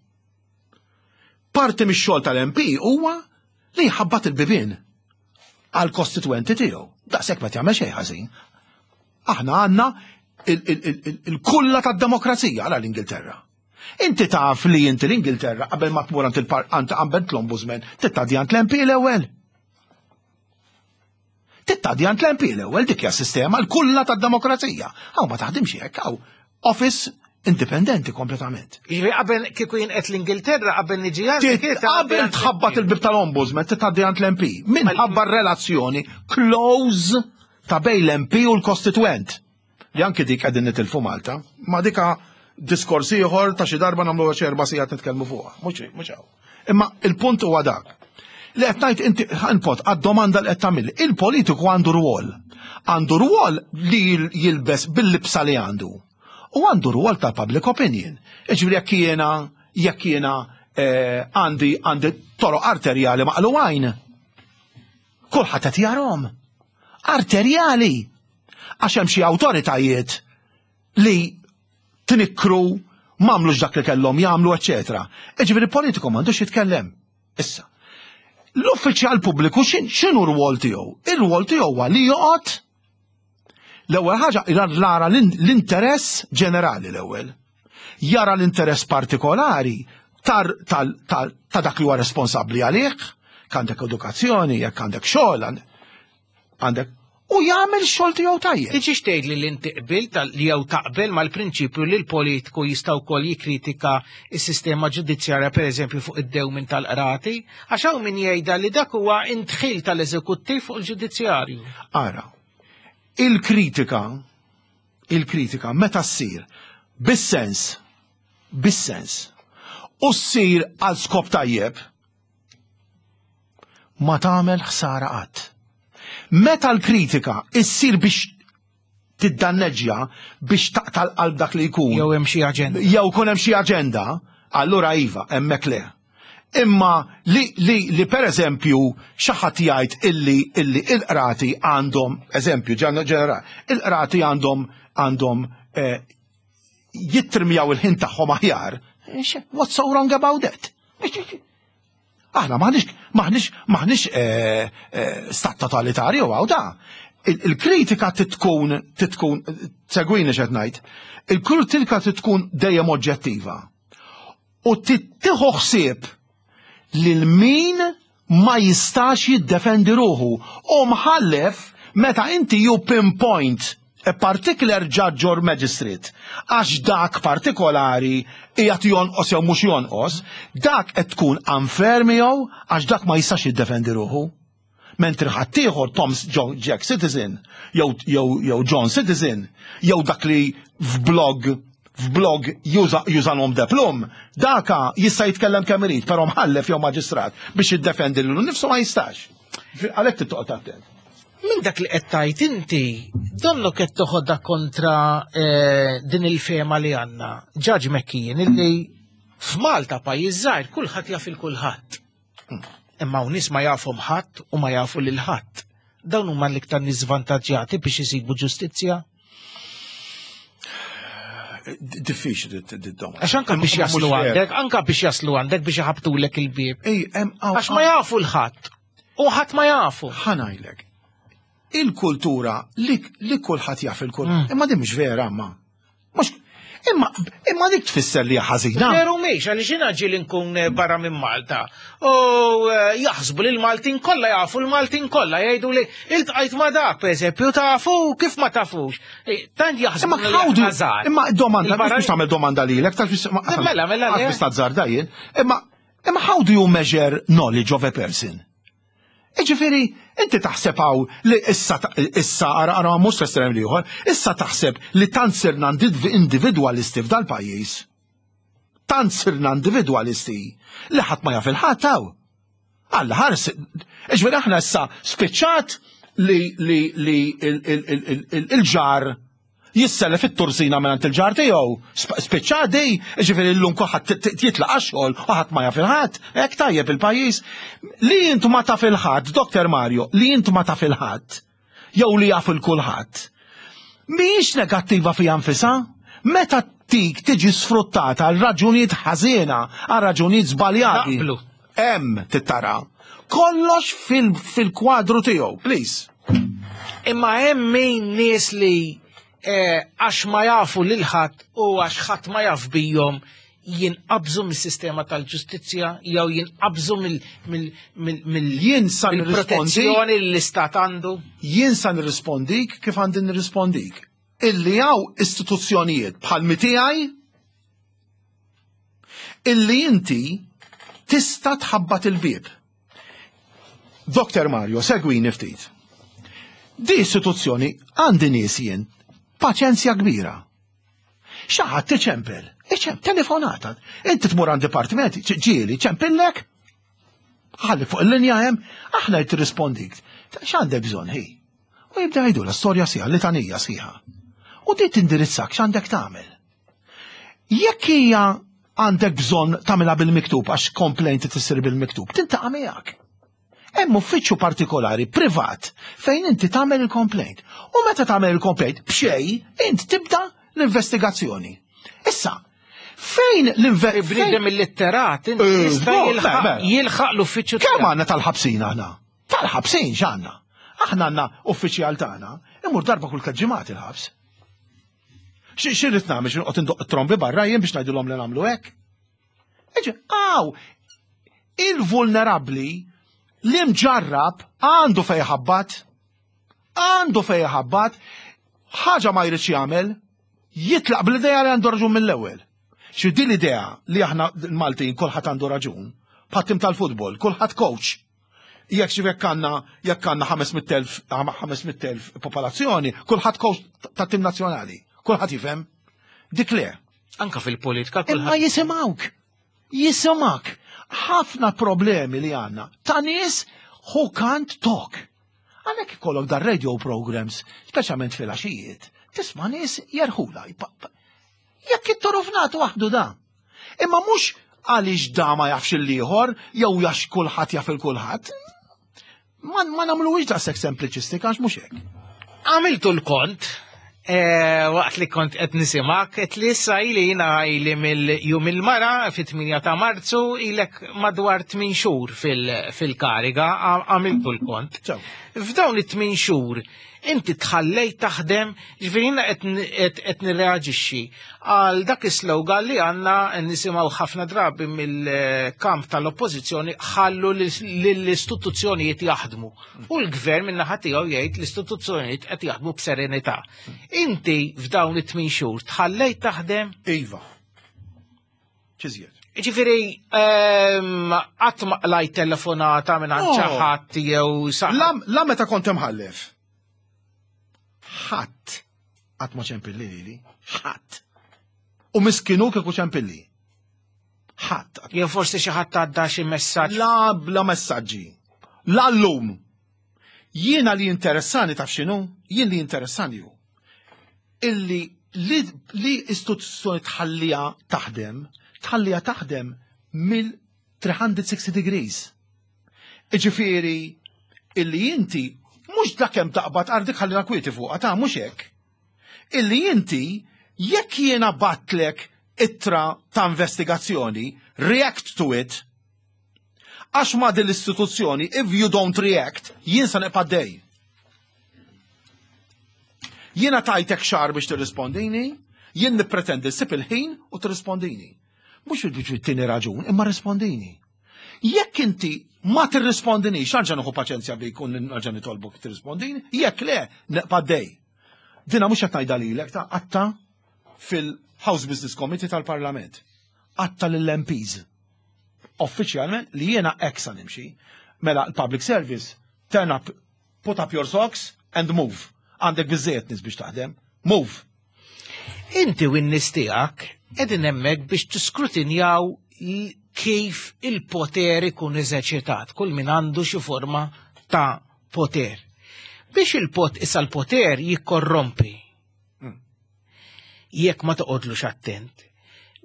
parti mix-xogħol tal-MP huwa li jħabbat il-bibien għal kostitwenti tiegħu. Daqshekk ma jagħmel xejn ħażin. Aħna għandna il-kulla tad-demokrazija għal l-Ingilterra. Inti taf li inti l-Ingilterra qabel ma tmur għand il-parqant qabel l-ombudsman tittadi għand l-MP l-ewwel. Tittadi għand l-MP l-ewwel dik hija sistema l-kulla tad-demokrazija. Hawn ma taħdimx hekk hawn office Indipendenti kompletament. Jiġifieri qabel kieku jien qed l-Ingilterra qabel niġi għandek. Qabel tħabbat il-bib tal-Ombudsman titgħaddi għand l-MP. Minħabba r-relazzjoni close ta' bejn l-MP u l-kostituent. Li anki dik qegħdin nitilfu Malta. Ma dika diskors ieħor ta' xi darba nagħmlu xi erba' sigħat nitkellmu fuqha. Mhux mhux hawn. Imma il-punt huwa dak. Li qed ngħid inti ħanpot għad-domanda li qed tagħmel. Il-politiku għandu rwol. Għandu rwol li jilbes bil-libsa li għandu. U għandu rwol ta' public opinion. Iġifieri jekk jiena jekk jiena eh, għandi għandi toroq arterjali maqluwajn. Kulħadd qed jarhom. Arterjali. Għax hemm xi awtoritajiet li tnikkru m'għamlux dak li kellhom jagħmlu, eċetera. Iġifieri politiku m'għandux jitkellem. Issa, l-uffiċjal pubbliku x'inhu r-rwol tiegħu? Ir-rwol tiegħu huwa li joqgħod l-ewwel ħaġa jara l-interess ġenerali l-ewwel. Jara l-interess partikolari ta' dak li huwa responsabbli għalih, għandek edukazzjoni, jekk għandek xogħol, għandek u jagħmel xogħol tiegħu tajjeb. Tiġix tgħid li inti qbilt li jew taqbel mal-prinċipju li l-politiku jista' wkoll jikkritika s-sistema ġudizzjarja pereżempju fuq id-dewmin tal-qrati, għax hawn min jgħidha li dak huwa indħil tal-eżekuttiv fuq il-ġudizzjarju. Ara, il-kritika il-kritika meta ssir bis-sens bis-sens u ssir għal skop tajjeb ma tagħmel ħsara qatt. Meta l-kritika issir biex tiddanneġġja biex taqta' l-qalb dak li jkun. Jew hemm xi aġenda. Jew kun hemm xi aġenda, allura iva, hemmhekk le. Imma li, li, li per eżempju xi ħadd jgħid illi illi il-qrati għandhom, eżempju ġenerali, il-qrati għandhom għandhom eh, jittrimjaw il-ħin tagħhom aħjar. What's so wrong about that? Aħna maħniex maħniex maħniex eh, eh, stat totalitarju għaw da. Il-kritika titkun titkun segwini x'qed ngħid. Il-kritika titkun dejjem oġġettiva. U tittieħu ħsieb lil min ma jistax jiddefendi ruħu. U mħallef meta inti you pinpoint a particular judge or magistrate għax dak partikolari qiegħed jonqos jew mhux jonqos, dak qed tkun unfair miegħu għax dak ma jistax jiddefendi ruħu. Mentri ħaddieħor Tom Jack Citizen jew jew John Citizen jew dak li f'blog f'blog juża nom de plum, daka jista' jitkellem kemm irid, però mħallef jew maġistrat biex jiddefendi lilu nnifsu ma jistax. Għalhekk trid toqgħod attent. Minn dak li qed tgħid inti, donnok qed toħodha kontra eh, din il-fema li għandna. Ġaġ Mekkijin illi f'Malta pajjiż żgħir kulħadd jaf il kulħadd. Imma hawn nies ma jafhom ħadd u ma jafu lil ħadd. Dawn huma l-iktar nies żvantaġġjati biex isibu ġustizzja. Diffiċli d-domanda. Għax anka biex jaslu għandek, anka biex jaslu għandek biex iħabtulek il-bieb. Għax ma jafu l-ħadd. U ħadd ma jafu. Ħanajlek. Il-kultura li, li kulħadd jaf il-kultura. Mm. Imma din mhux vera ma. Mhux Imma, imma dik tfisser li ħażina. Veru mhix, għaliex jiena ġieli nkun eh, barra minn Malta. U eh, jaħsbu li l-Maltin kollha jafu l-Maltin kollha jgħidu li iltqajt ma dak, pereżempju, tafu kif ma tafux. Eh, tant jaħsbu Imma how do Imma domanda, biex tagħmel domanda lilek, taf Mela, mela, biex tazzarda jien. Imma Imma how do you measure knowledge of a person? Iġifieri, inti taħseb hawn li issa issa ara ara mhux l-estrem l-ieħor, issa taħseb li tant sirna individwalisti f'dal-pajjiż. Tant sirna individwalisti li ħadd ma jaf il-ħadd hawn. Alla ħares, iġifieri aħna issa spiċċat li li li il-ġar jissellef it-tursina mingħand il-ġar tiegħu. Spiċċa di, ġifieri llum kulħadd jitlaq għax-xogħol u ħadd ma jaf il-ħadd, hekk tajjeb il-pajjiż. Li int ma taf il-ħadd, Dr. Mario, li int ma taf il-ħadd, jew li jaf il-kulħadd. Mhijiex negattiva fiha nfisha, meta tik tiġi sfruttata għal raġunijiet ħażiena, għal raġunijiet żbaljati. Hemm tittara. Kollox fil-kwadru tiegħu, please. Imma hemm min nies li eh, għax ma jafu lil ħadd u għax ħadd ma jaf bijhom jinqabżu mis-sistema tal-ġustizzja jew jinqabżu mill-protezzjoni li l-istat għandu? Jien sa nirrispondik kif għandi nirrispondik. Illi hawn istituzzjonijiet bħal mitiegħi. Illi inti tista' tħabbat il-bieb. Dr. Mario, segwini ftit. Di istituzzjoni għandi nies jien paċenzja kbira. Xi ħadd iċempel, iċempel, telefonata. Inti tmur għand dipartiment, ġieli, ċempillek, ħalli fuq il-linja hemm, aħna jrid tirrispondik. X'għandek bżonn hi? U jibda jgħidu la storja sieħa, litanija sħiħa. U di tindirizzak x'għandek tagħmel. Jekk hija għandek bżonn tagħmilha bil-miktub għax complaint tissir bil-miktub, tintaqa' miegħek. Hemm uffiċċju partikolari privat fejn inti tagħmel il-complaint. U meta tagħmel il-complaint b'xej int tibda l-investigazzjoni. Issa, fejn l-investigazzjoni. Bniedem illitterat, inti eh, jista' jilħaq l-uffiċċju. Kemm għandna tal-ħabsin aħna? Tal-ħabsin x'għandna? Aħna għandna uffiċjal tagħna, imur darba kull ġimgħat il-ħabs. Xirrit nagħmel xi noqgħod indoq trombi barra jien biex ngħidilhom li nagħmlu hekk? Iġi, għaw, il-vulnerabbli li mġarrab għandu fej ħabbat, għandu fej ħabbat, ħaġa ma jridx jagħmel, jitlaq bl-idea li għandu raġun mill-ewwel. Xi din l-idea li aħna l-Maltin kulħadd għandu raġun, bħat-tim tal-futbol, kulħadd coach. Jekk xi jekk għandna jekk għandna 500,000 popolazzjoni, kulħadd coach tat-tim nazzjonali, kulħadd jifhem. Dik le. Anka fil-politika kulħadd. Imma jisimgħuk. Jisimgħek. Ħafna problemi li għandna ta' nies who can't talk. Għalhekk ikollok dar radio programs, speċjalment fil-għaxijiet, tisma' nies jerħula. Jekk it-torofnat waħdu da. Imma mhux għaliex da ma jafx il-ieħor jew jax kulħadd jaf il-kulħadd. Ma, ma nagħmluhiex daqshekk sempliċistika għax mhux hekk. Għamiltu l-kont eh, waqt li kont qed nisimgħek qed li issa ili jiena ili mill-jum il-mara fit-8 ta' Marzu ilek madwar 8 xhur fil-kariga għamiltu l-kont. F'dawn it-8 xhur Inti tħallejt taħdem, ġifieri jiena qed nirreaġixxi għal dak is-slogan li għandna nisimgħu ħafna drabi mill-kamp tal-oppożizzjoni ħallu lill-istituzzjonijiet jaħdmu. U l-gvern min-naħa tiegħu jgħid l-istituzzjonijiet qed jaħdmu b'serenità. Inti f'dawn it-tmien xhur tħallejt taħdem? Iva. Ċiżjed. Ġifieri, ehm, qatt ma qlajt telefonata minn għand xi ħadd jew sa. La meta kont imħallef. Ħadd qatt ma ċempilli lili, ħadd. U miskinu kieku ċempilli. Ħadd. Jew forsi xi ħadd għadda xi messaġġ. La bla messaġġi. La llum. Jiena li interessani taf x'inhu? Jien li interessani hu illi li, li istituzzjoni tħallija taħdem, tħallija taħdem mill 360 degrees. Iġifieri illi inti mhux dak hemm taqbad ardik ħallina kwieti fuqha ta' mhux hekk. Illi inti jekk jiena batlek ittra ta' investigazzjoni, react to it, Għax ma' din l-istituzzjoni, if you don't react, jien sa nibqa' dej. Jiena tajtek xahar biex tirrispondini, jien nippretendi ssib il-ħin u tirrispondini. Mhux biex tini raġun, imma rispondini. Jekk inti ma tirrispondinix, nerġa' nieħu paċenzja bik u nerġa' nitolbok tirrispondini, jekk le, nibqa' dej. Dina mhux qed ngħidha lilek ta' qatta fil-House Business Committee tal-Parlament. Qatta lill-MPs. Uffiċjalment li jiena hekk sa nimxi. Mela l-public service, turn up, put up your socks and move. Għandek biżżejjed nies biex taħdem. Move! Inti u n-nies tiegħek qegħdin hemmhekk biex tiskrutinjaw kif il-poter ikun eżerċitat, kull min għandu xi forma ta' poter. Biex il-pot issa l-poter jikkorrompi. Jekk ma toqgħodlux attent.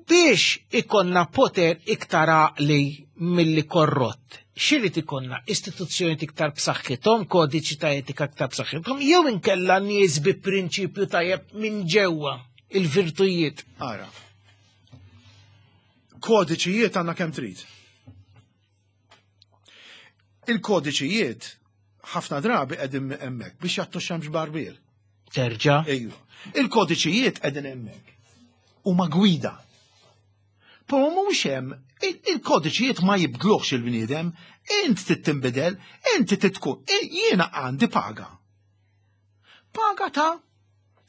Biex ikonna poter iktar għaqli milli korrott, xirrid ikonna istituzzjoni iktar b'saħħithom, kodiċi ta' etika iktar b'saħħithom, jew inkella nies bi prinċipju tajjeb minn ġewwa il-virtujiet. Ara. Kodiċijiet għandna kemm trid. Il-kodiċijiet ħafna drabi qegħdin hemmhekk biex jagħtu xemx barbier. Terġa'? Ejwa. Il-kodiċijiet qegħdin hemmhekk. Huma gwida. Però mhux hemm il-kodiċijiet ma jibdluhx il-bniedem, int trid tinbidel, inti trid tkun. Jiena għandi paga. Paga ta'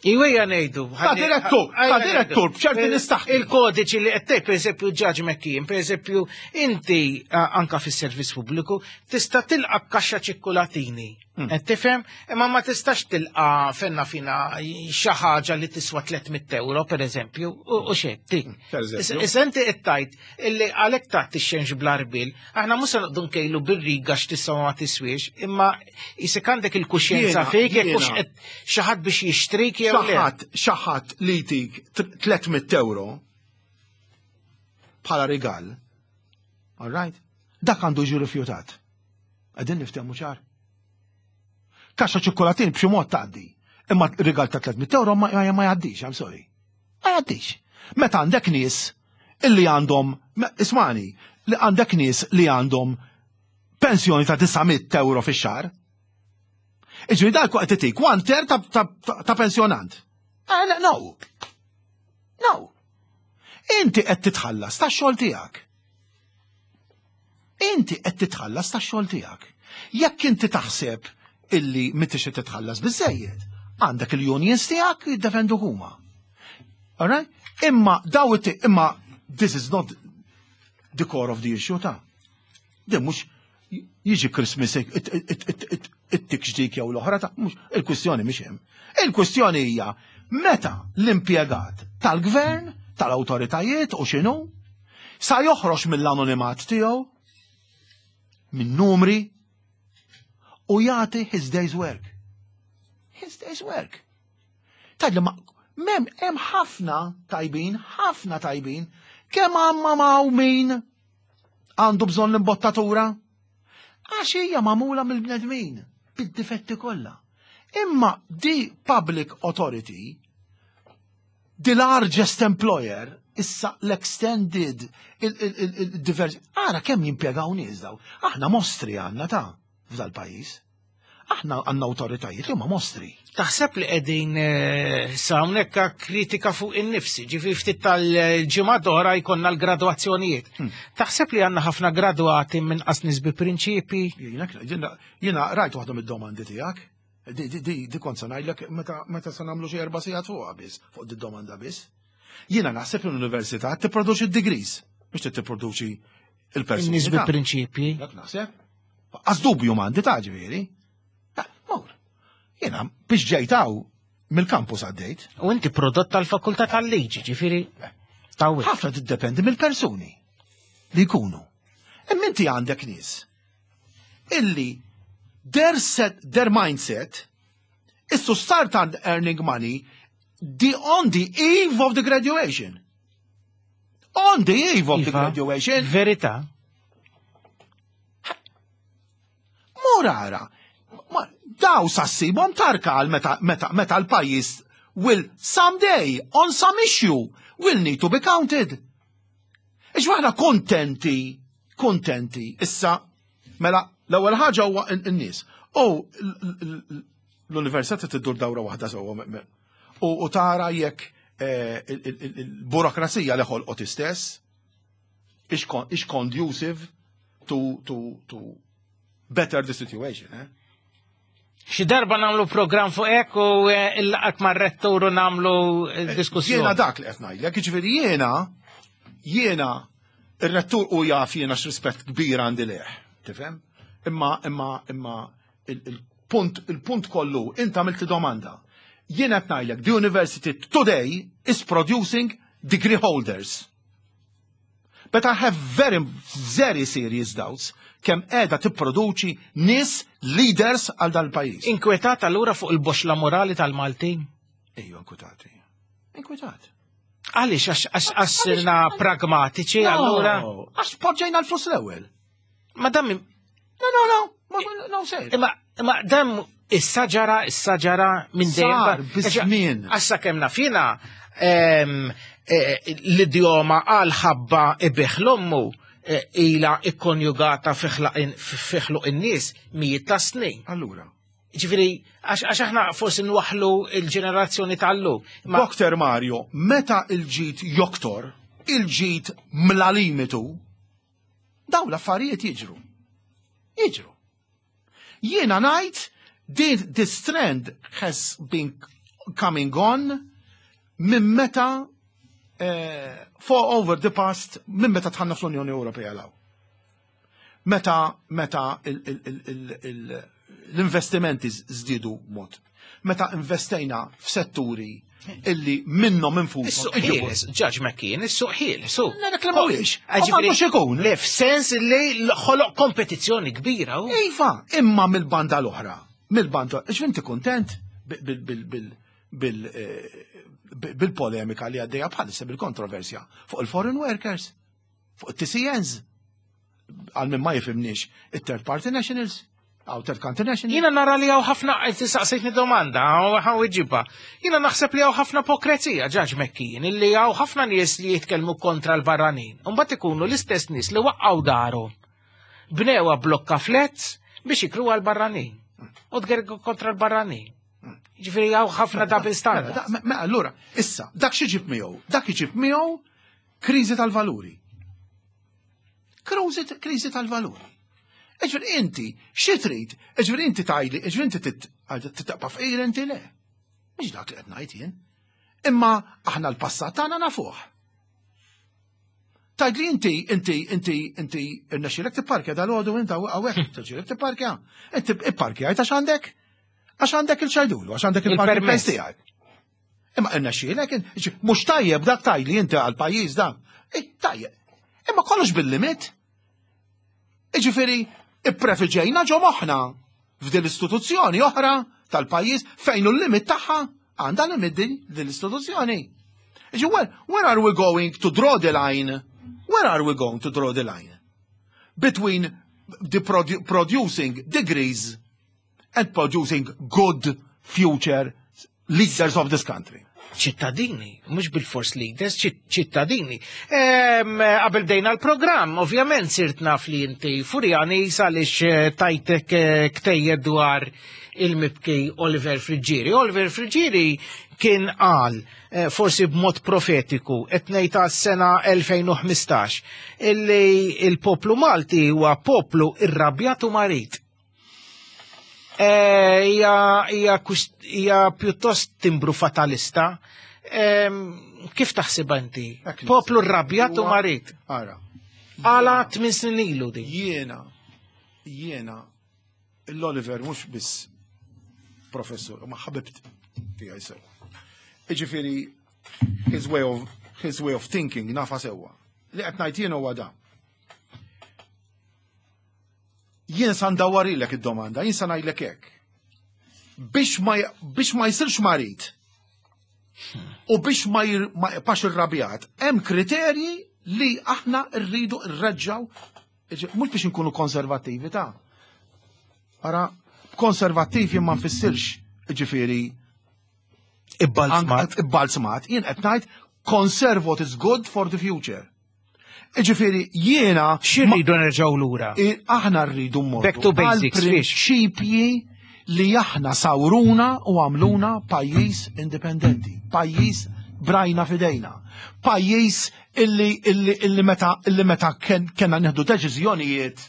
Iwejja ngħidu. Ta' direttur, ta' direttur b'ċerti nistaħ. Il-kodiċi li qed tgħid pereżempju Judge McKean, pereżempju inti anka fis-servizz pubbliku tista' tilqa' kaxxa ċikkulatini. Qed tifhem? Imma ma tistax tilqa' fenna fina xi ħaġa li tiswa 300 euro pereżempju u xejn. Issa inti qed tgħid illi għalhekk tagħti x-xenx bl-arbil, aħna mhux se noqogħdu nkejlu bir-riga x'tiswa ma tiswiex, imma jisek għandek il-kuxjenza fik jekk hux qed xi ħadd biex jixtrik jew le. Xi ħadd xi ħadd li jtik 300 euro bħala rigal, all right? Dak għandu jiġi rifjutat. Qegħdin niftehmu ċar. Kaxxa ċokkolatin b'xi mod tgħaddi. Imma rigal ta' 300 euro ma jgħaddix, I'm sorry. Ma jgħaddix. Meta għandek nies illi għandhom, ismani, li għandek nies li għandhom pensjoni ta' 900 euro fix-xahar. Iġri dal qed itik one third ta' pensjonant. Eh, no. No. Inti qed titħallas tax-xogħol tiegħek. Inti qed titħallas tax-xogħol tiegħek. Jekk inti taħseb illi m'intix qed titħallas biżejjed, għandek il-unions tiegħek jiddefendu huma. Alright? Imma daw imma this is not the core of the issue ta' Din mhux jiġi Christmas it-tik ġdik jew l-oħra ta' mhux il-kwistjoni mhix hemm. Il-kwistjoni hija meta l-impjegat tal-gvern, tal-awtoritajiet u x'inhu, sa joħroġ mill-anonimat tiegħu minn numri u jagħti his day's work. His day's work. Tgħidli ma mem hemm ħafna tajbin, ħafna tajbin, kemm għamma ma' min għandu bżonn l-imbottatura? Għax hija magħmula mill-bnedmin bid-difetti kollha. Imma di public authority, the largest employer, issa l-extended, il-diversi, ara kemm jimpjegaw nies daw. Aħna mostri għandna ta' f'dal-pajjiż. Aħna għandna awtoritajiet li huma mostri. Taħseb li qegħdin eh, sa hawnhekk kritika fuq in-nifsi, ġifi ftit tal-ġimgħa oħra jkollna l-gradwazzjonijiet. Hmm. Taħseb li għandna ħafna gradwati minn qas nies bi prinċipi? Jiena rajt waħda mid-domandi tiegħek. Di, di, di, di kont se ngħidlek meta meta se nagħmlu xi erba' sigħat fuqha biss, fuq di domanda biss. Jiena naħseb li l-università tipproduċi d-degrees biex tipproduċi il-persuni. Nies bi prinċipji. Dak naħseb. Għaz dubju m'għandi ta' ġifieri. Mur. Jiena biex ġejtaw mill-kampus għaddejt. U inti prodott tal-fakultà tal-liġi, ġifieri. Tawwi. Ħafna tiddependi mill-persuni li jkunu. Imma inti għandek nies illi their set, their mindset is to start earning money the on the eve of the graduation. On the eve of the Iva, graduation. Verità. Mur ara, daw sassibhom tarka għal meta, meta, meta l-pajjiż will someday on some issue will need to be counted. Ix aħna kontenti, kontenti, issa, mela, l-ewwel ħaġa huwa n-nies. U l-università tiddur dawra waħda sewwa u tara jekk eh, il-burokrazija li ħolqot istess is conducive to, to, to better the situation. Eh? Xi darba nagħmlu programm fuq hekk u eh, il-laqat mar-rettur u nagħmlu eh, eh, diskussjoni. Jiena dak li qed ngħidlek, jiġifieri jiena jiena ir-rettur u jaf jiena x'rispett kbir għandi leh, tifhem? Imma imma imma il-punt il-punt kollu int għamilt domanda. Jiena qed ngħidlek the university today is producing degree holders. But I have very, very serious doubts kemm qiegħda tipproduċi nies leaders għal dal-pajjiż. Inkwetat allura fuq il-boxla morali tal-Maltin? Ejju inkwetati. Inkwetat. Għaliex għax għax sirna pragmatiċi allura? Għax poġġejna l-flus l-ewwel. Ma dam No, no, no, ma no sejr. Imma imma dam issa ġara, issa ġara minn dejjem. Sar biż-żmien. Għassa kemm nafina ehm, eh, l-idjoma għal ħabba ibiħ l-ommu eh, ila ikkonjugata fi ħluq in-nies mijiet ta' snin. Allura. Ġifieri, għax aħna forsi nwaħlu il-ġenerazzjoni tal-lum. Dr. Mario, meta il-ġid joktor, il-ġid mla limitu, Daw l-affarijiet jiġru. Jiġru. Jiena ngħid this trend has been coming on minn meta eh, for over the past minn meta tħanna fl-Unjoni Ewropea law. Meta meta l-investimenti żdiedu mod. Meta investejna f'setturi illi minnhom infushom. Is-suq ħieles, Judge McKean, is-suq ħieles. su. Dak li mhuwiex. Ġifieri ikun. Le, f'sens li ħoloq kompetizzjoni kbira. Iva, imma mill-banda l-oħra. Mill-banda, ġifieri kontent eh, bil-polemika li għaddejja bħalissa bil-kontroversja fuq il-foreign workers, fuq it-TCNs, għal min ma jifimniex it-third party nationals, għaw third country nationals. Jina nara li għaw ħafna, saqsejtni domanda, għaw iġiba. Jina naħseb li għaw ħafna pokrezija, ġaġ mekkin, illi għaw ħafna nies li jitkellmu kontra l-barranin. Umbat ikunu l-istess nies li waqqaw daru. Bnewa blokka flets biex jikru għal-barranin. U tgergu kontra l-barranin. Ġifiri għaw ħafna double standard. Mela, allura, issa, dak xi ġib miegħu? Dak iġib miegħu kriżi tal-valuri. Kriżi tal-valuri. Ġifieri inti, xi trid? Ġifieri inti tajli, ġifieri inti titqpa fqir inti le. Mhux dak li qed ngħid jien. Imma aħna l-passat tagħna nafuh. Tajd li inti, inti, inti, inti, irnexxilek tipparkja dal-għodu inta hawnhekk, irnexxilek tipparkja. Inti ipparkja għax għandek għax għandek il-ċajdulu, għax għandek il-permess tiegħek. Imma irnexxielek, mhux tajjeb dak tajli inti għal pajjiż dak. Tajjeb. Imma kollox bil-limit. Iġifieri, ipprefiġejna ġo moħħna f'din l-istituzzjoni oħra tal-pajjiż fejn hu l-limit tagħha għandha limit din l-istituzzjoni. Iġi, where, where are we going to draw the line? Where are we going to draw the line? Between the produ producing degrees and producing good future leaders of this country. ċittadini, mhux bil-fors leaders, ċittadini. Qabel bdejna l-programm, ovvjament sirt naf li inti Furjani għaliex eh, tajtek eh, ktejjed dwar il-mibki Oliver Friggieri. Oliver Friggieri kien qal eh, forsi b'mod profetiku qed ngħid għas-sena 2015 illi il-poplu Malti huwa poplu irrabjat u marid. Eh, hija pjuttost timbru fatalista. Kif taħsibha inti? Poplu rrabjat u marid. Ara. Għala tmien snin ilu di. Jiena, jiena, l-Oliver mhux biss professur, ma ħabibt tiegħi sewa. Iġifieri his way of his way of thinking nafa sewwa. Li qed ngħid jien huwa da. Jien sa ndawwarilek id-domanda, jien sa ngħidlek hekk. Biex ma biex ma jsirx marid u biex ma jibqax irrabjat, hemm kriterji li aħna rridu rreġġaw mhux biex inkunu konservattivi ta' Ara, konservattivi ma nfissirx ġifieri Ibbalzmat. Ibbalzmat. Jien qed ngħid conserve what is good for the future. Ġifieri jiena. X'irridu nerġgħu lura? Aħna rridu mmorru. Back to basics. Prinċipji li aħna sawruna u għamluna pajjiż indipendenti, pajjiż brajna fidejna, pajjiż illi illi illi meta illi meta kellna nieħdu deċiżjonijiet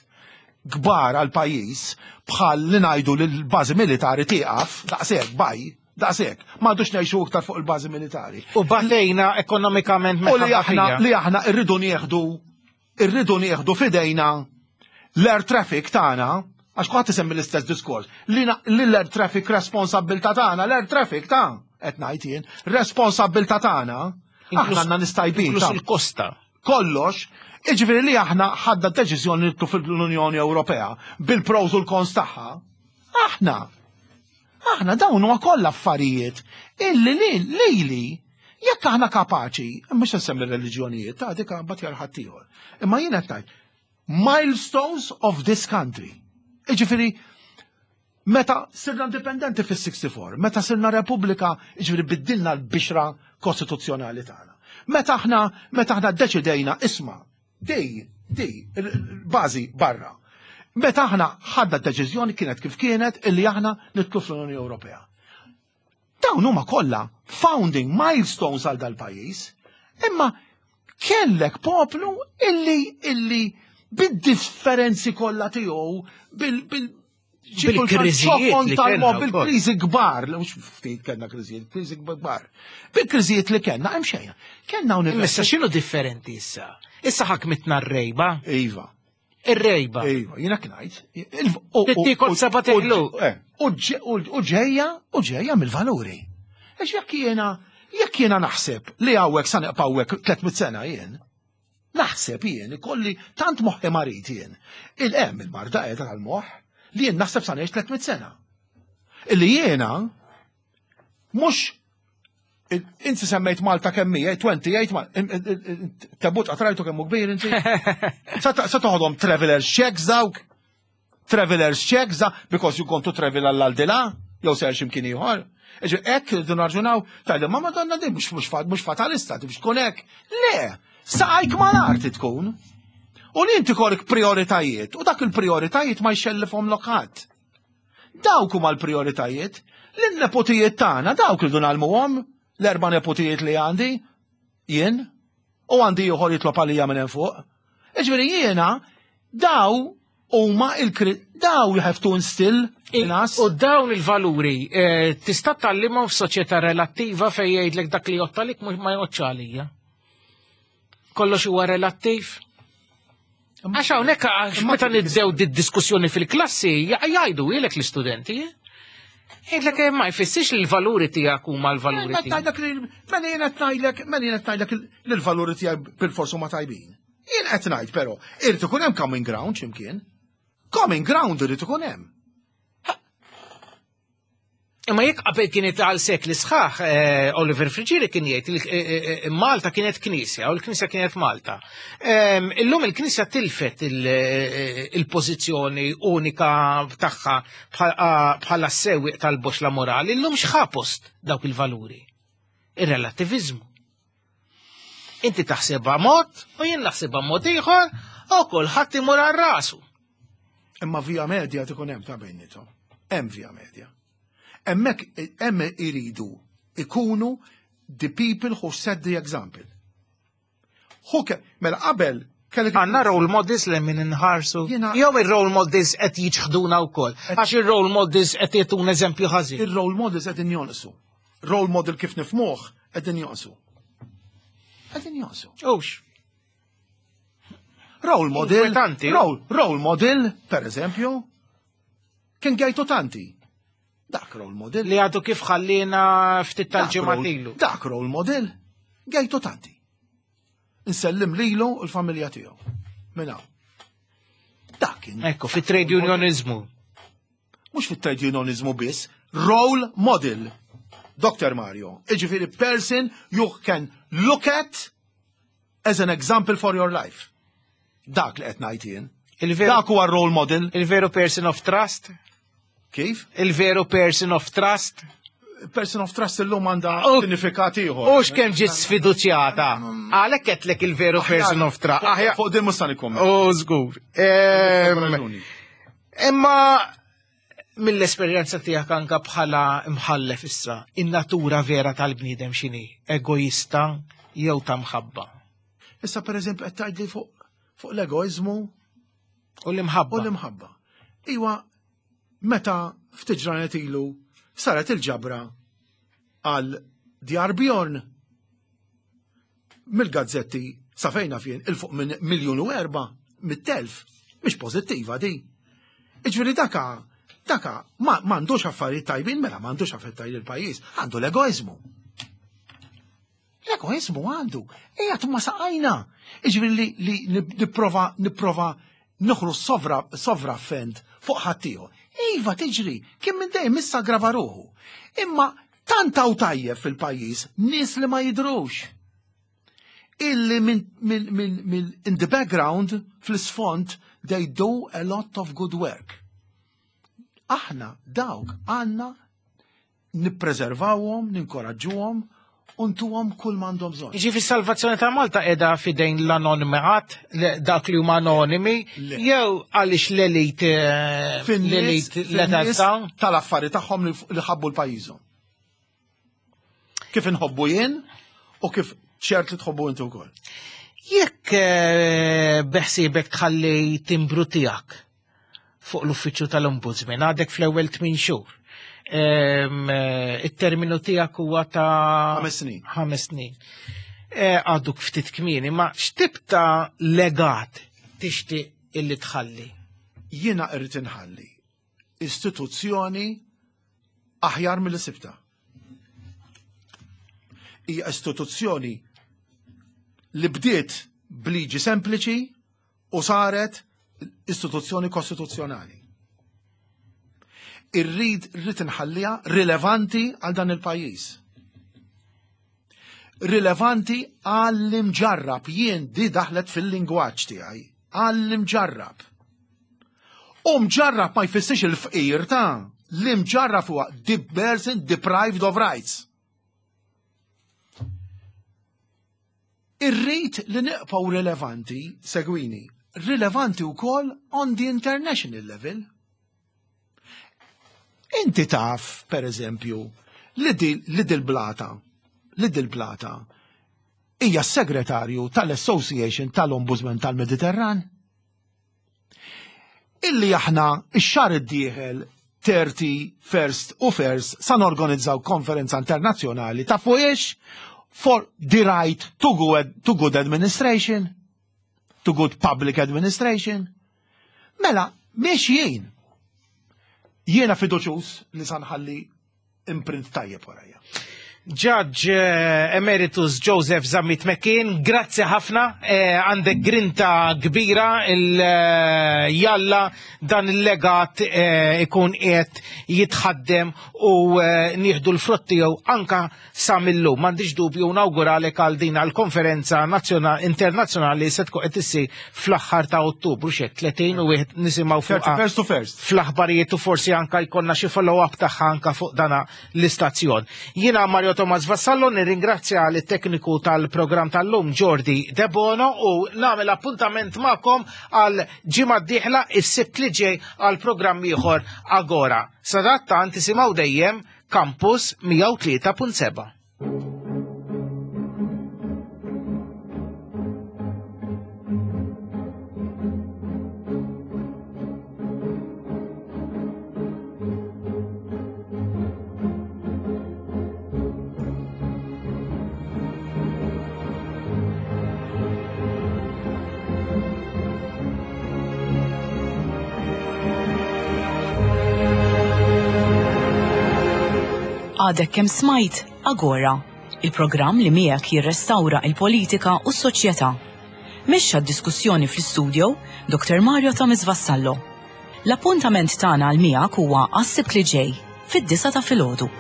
kbar għal pajjiż bħal li ngħidu li l-bażi militari tieqaf daqshekk baj Daqshekk, m'għadux ngħixu iktar fuq il-bażi militari. U batejna ekonomikament U li aħna li aħna rridu nieħdu irridu nieħdu fidejna l-air traffic tagħna għax kulħadd isemmi l-istess diskors, li l-air traffic responsabbilta tagħna, l-air traffic ta' qed ngħid jien, responsabbilta tagħna, aħna għandna nistajbin. Inkluż il-kosta. Kollox, iġifieri li aħna ħadda deċiżjoni nitlu fil-Unjoni Ewropea bil-pros u l-cons tagħha. Aħna Aħna dawn huwa kollha affarijiet illi lili jekk aħna kapaċi, mhux nsemmi reliġjonijiet, ta' dik mbagħad jara ħaddieħor. Imma jien qed ngħid milestones of this country. Iġifieri meta sirna indipendenti fis-64, meta sirna repubblika, iġifieri biddilna l-bixra kostituzzjonali tagħna. Meta aħna meta aħna ddeċidejna isma' Di, di, bażi barra. Meta aħna ħadna d-deċiżjoni kienet kif kienet illi aħna nitlu fl-Unjoni Ewropea. Dawn huma kollha founding milestones għal dal-pajjiż, imma kellek poplu illi illi bid-differenzi kollha tiegħu bil, bil Bil-kriżijiet li kellna. Bil-kriżi kbar, mhux ftit kellna kriżijiet, kriżi kbar. Bil-kriżijiet li kellna hemm xejn. Kellna università. Issa x'inhu differenti issa? Issa ħakmitna r-rejba. Iva. Ir-rejba. Iva, jiena knajt. Tittikol seba' teħlu. Eh, u ġejja, u ġejja mill-valuri. Għax jekk jiena, jekk jiena naħseb li hawnhekk sa neqpa' hawnhekk 300 sena jien, Naħseb jien ikolli tant moħħi marid jien. Il-hemm il-marda qiegħda tal-moħħ li jien naħseb sa ngħix 300 sena. Illi jiena mhux inti semmejt Malta kemm hija, 28 ma tebut qatrajtu kemm hu kbir inti. Sa toħodhom travelers checks dawk? Travelers checks, because you going to travel għall-aldila, jew ser ximkien ieħor. Iġi hekk irridu narġunaw, tajli ma madonna din mhux fatalista, biex tkun hekk. Le, saqajk mal-arti tkun. U li inti kollok prioritajiet, u dak il-prioritajiet ma jxellifhom lokat. Dawk huma l-prioritajiet. L-nepotijiet tagħna dawk irridu nagħlmuhom, l-erba' nepotijiet li għandi, jien, u għandi ieħor jitlob għalija minn hemm fuq. Iġifieri jiena daw huma il daw you have to instill in us. U dawn il-valuri eh, tista' tgħallimhom f'soċjetà relattiva fejn jgħidlek dak li jgħodd għalik mhux ma jgħoddx għalija. Kollox huwa relattiv. Għax hawnhekk għax meta nibdew di diskussjoni fil-klassi jgħidu ilek l-istudenti. Eh? Jgħidlek eh, ma jfissirx li l-valuri tiegħek huma l-valuri tiegħek. Mela jien qed ngħidlek, mela jien qed ngħidlek li l-valuri tiegħek bil-forsu ma tajbin. Jien qed ngħid però, irid ikun hemm common ground x'imkien. Common ground irid ikun hemm. Imma jekk qabel kienet għal sekli sħaħ, eh, Oliver Friggieri kien jgħid li eh, eh, Malta kienet knisja u l-knisja kienet Malta. Ehm, illum il-knisja tilfet il-pożizzjoni unika tagħha bħala sewwieq tal-boxla morali, illum x'ħa post dawk il-valuri? Ir-relattiviżmu. Inti taħsibha mod u jien naħsibha mod ieħor u kulħadd imur għal rasu. Imma via media tkun hemm ta' bejnietom. Hemm via media. Hemmhekk hemm iridu ikunu the people who set the example. Hu mela qabel kellek Għanna role models li minn inħarsu. Jew ir-role models qed jiċħduna wkoll. Għax ir-role models qed jagħtuna eżempju ħażin. Ir-role models qed jonqsu. Role model kif nifmuh qegħdin jonqsu. Qegħdin jonqsu. Ux. Role model, role, role model, per eżempju, kien gajtu tanti. Dak role model. Li għadu kif ħallina ftit tal-ġimgħat Dak role model, gajtu tanti. Nsellim lilu u l-familja tiegħu. Minn hawn. Dak kien. Ekku, fit-trade unionizmu. Mhux fit-trade unionizmu biss, role model. Dr. Mario, iġifieri person you can look at as an example for your life. Dak li qed ngħid jien. Dak huwa role model. Il-veru person of trust? Kif? Il-veru person of trust? Person of trust illum għandha sinifikat ieħor. U x'kemm ġiet sfiduċjata. Għalhekk qedlek il-veru person of trust. Fuq din mhux se nikkumment. U żgur. Imma mill-esperjenza tiegħek anka bħala mħallef issa, in-natura vera tal-bniedem x'inhi? Egoista jew ta' mħabba? Issa pereżempju qed tgħidli fuq fuq l-egoiżmu u l-imħabba. U l-imħabba. Iwa, meta ftit ġranet ilu saret il-ġabra għal Djar Bjorn mill-gazzetti sa fejna fien il-fuq minn 1,400,000 mhix pożittiva di. Iġifieri daka daka m'għandux affarijiet tajbin mela m'għandux affarijiet tajbin il-pajjiż, għandu l-egoiżmu. L-egoiżmu għandu, qiegħed ma saqajna. Iġifieri li, li nipprova nipprova noħru sovra sovra fend fuq ħaddieħor. Iva tiġri, kien minn dejjem issa grava ruħu. Imma tant hawn tajjeb fil-pajjiż nies li ma jidrux. Illi minn min, min, min, in the background fl-isfond they do a lot of good work. Aħna dawk għandna nippreservawhom, ninkoraġġuhom u ntuhom kull m'għandhom bżonn. Jiġifieri s-salvazzjoni ta' Malta qiegħda f'idejn l-anonimat, dak li huma anonimi, jew għaliex l-elit eh, l-elit l-età tal-affari tagħhom li ħabbu l-pajjiżhom. Kif inħobbu jien u kif ċert li tħobbu inti wkoll. Jekk eh, beħsiebek tħalli timbru tiegħek. fuq l-uffiċċju tal-Ombudsman, għadek fl-ewwel tmin xhur. Eh, it-terminu tiegħek huwa ta' ħames snin. Ħames snin. Eh, għaduk ftit kmieni, ma x'tip ta' legat tixtieq illi tħalli? Jiena irrid inħalli istituzzjoni aħjar mill sibta. Hija istituzzjoni li bdiet bliġi sempliċi u saret istituzzjoni kostituzzjonali. Irrid rrid inħalliha rilevanti għal dan il-pajjiż. Rilevanti għall-imġarrab jien di daħlet fil-lingwaġġ tiegħi għall-imġarrab. U mġarrab ma jfissirx il-fqir ta' l-imġarrab huwa the person deprived of rights. Irrid li nibqgħu rilevanti, segwini, rilevanti wkoll on the international level. Inti taf, per eżempju, li dil-blata, li dil-blata hija s-segretarju tal-Association tal-Ombudsman tal-Mediterran? Illi aħna x-xahar id-dieħel 30 first u first sa norganizzaw konferenza internazzjonali ta' fuqiex for the right to good, to good administration, to good public administration. Mela, miex jien. Jiena fiduċus li sanħalli imprint tajjeb warajja. Judge eh, Emeritus Joseph Zammit McKean, grazzi ħafna, eh, għandek grinta kbira il eh, jalla dan il-legat ikun qiegħed jitħaddem u nieħdu l-frott tiegħu anka sa millum. M'għandix dubju nawguralek għal din għall-konferenza internazzjonali se tkun qed issir fl-aħħar ta' Ottubru xek 30 u wieħed nisimgħu fuq First to first. Fl-aħbarijiet u forsi anka jkollna xi follow-up tagħha anka fuq dana l-istazzjon. Jiena Mario Thomas Vassallo nirringrazzja lit tekniku tal-programm tal-lum Jordi Debono u nagħmel appuntament magħkom għal ġimgħa d-dieħla is-sibt li ġej għal programm ieħor Agora. Sadattant isimgħu dejjem Campus 103.7. Għadek kemm smajt Agora, il-programm li miegħek jirrestawra il-politika u s-soċjetà. Mexxa d-diskussjoni fl-istudio Dr. Mario Thomas Vassallo. L-appuntament tagħna għal miegħek huwa għas-Sibt li ġej, fid-disgħa ta' filgħodu.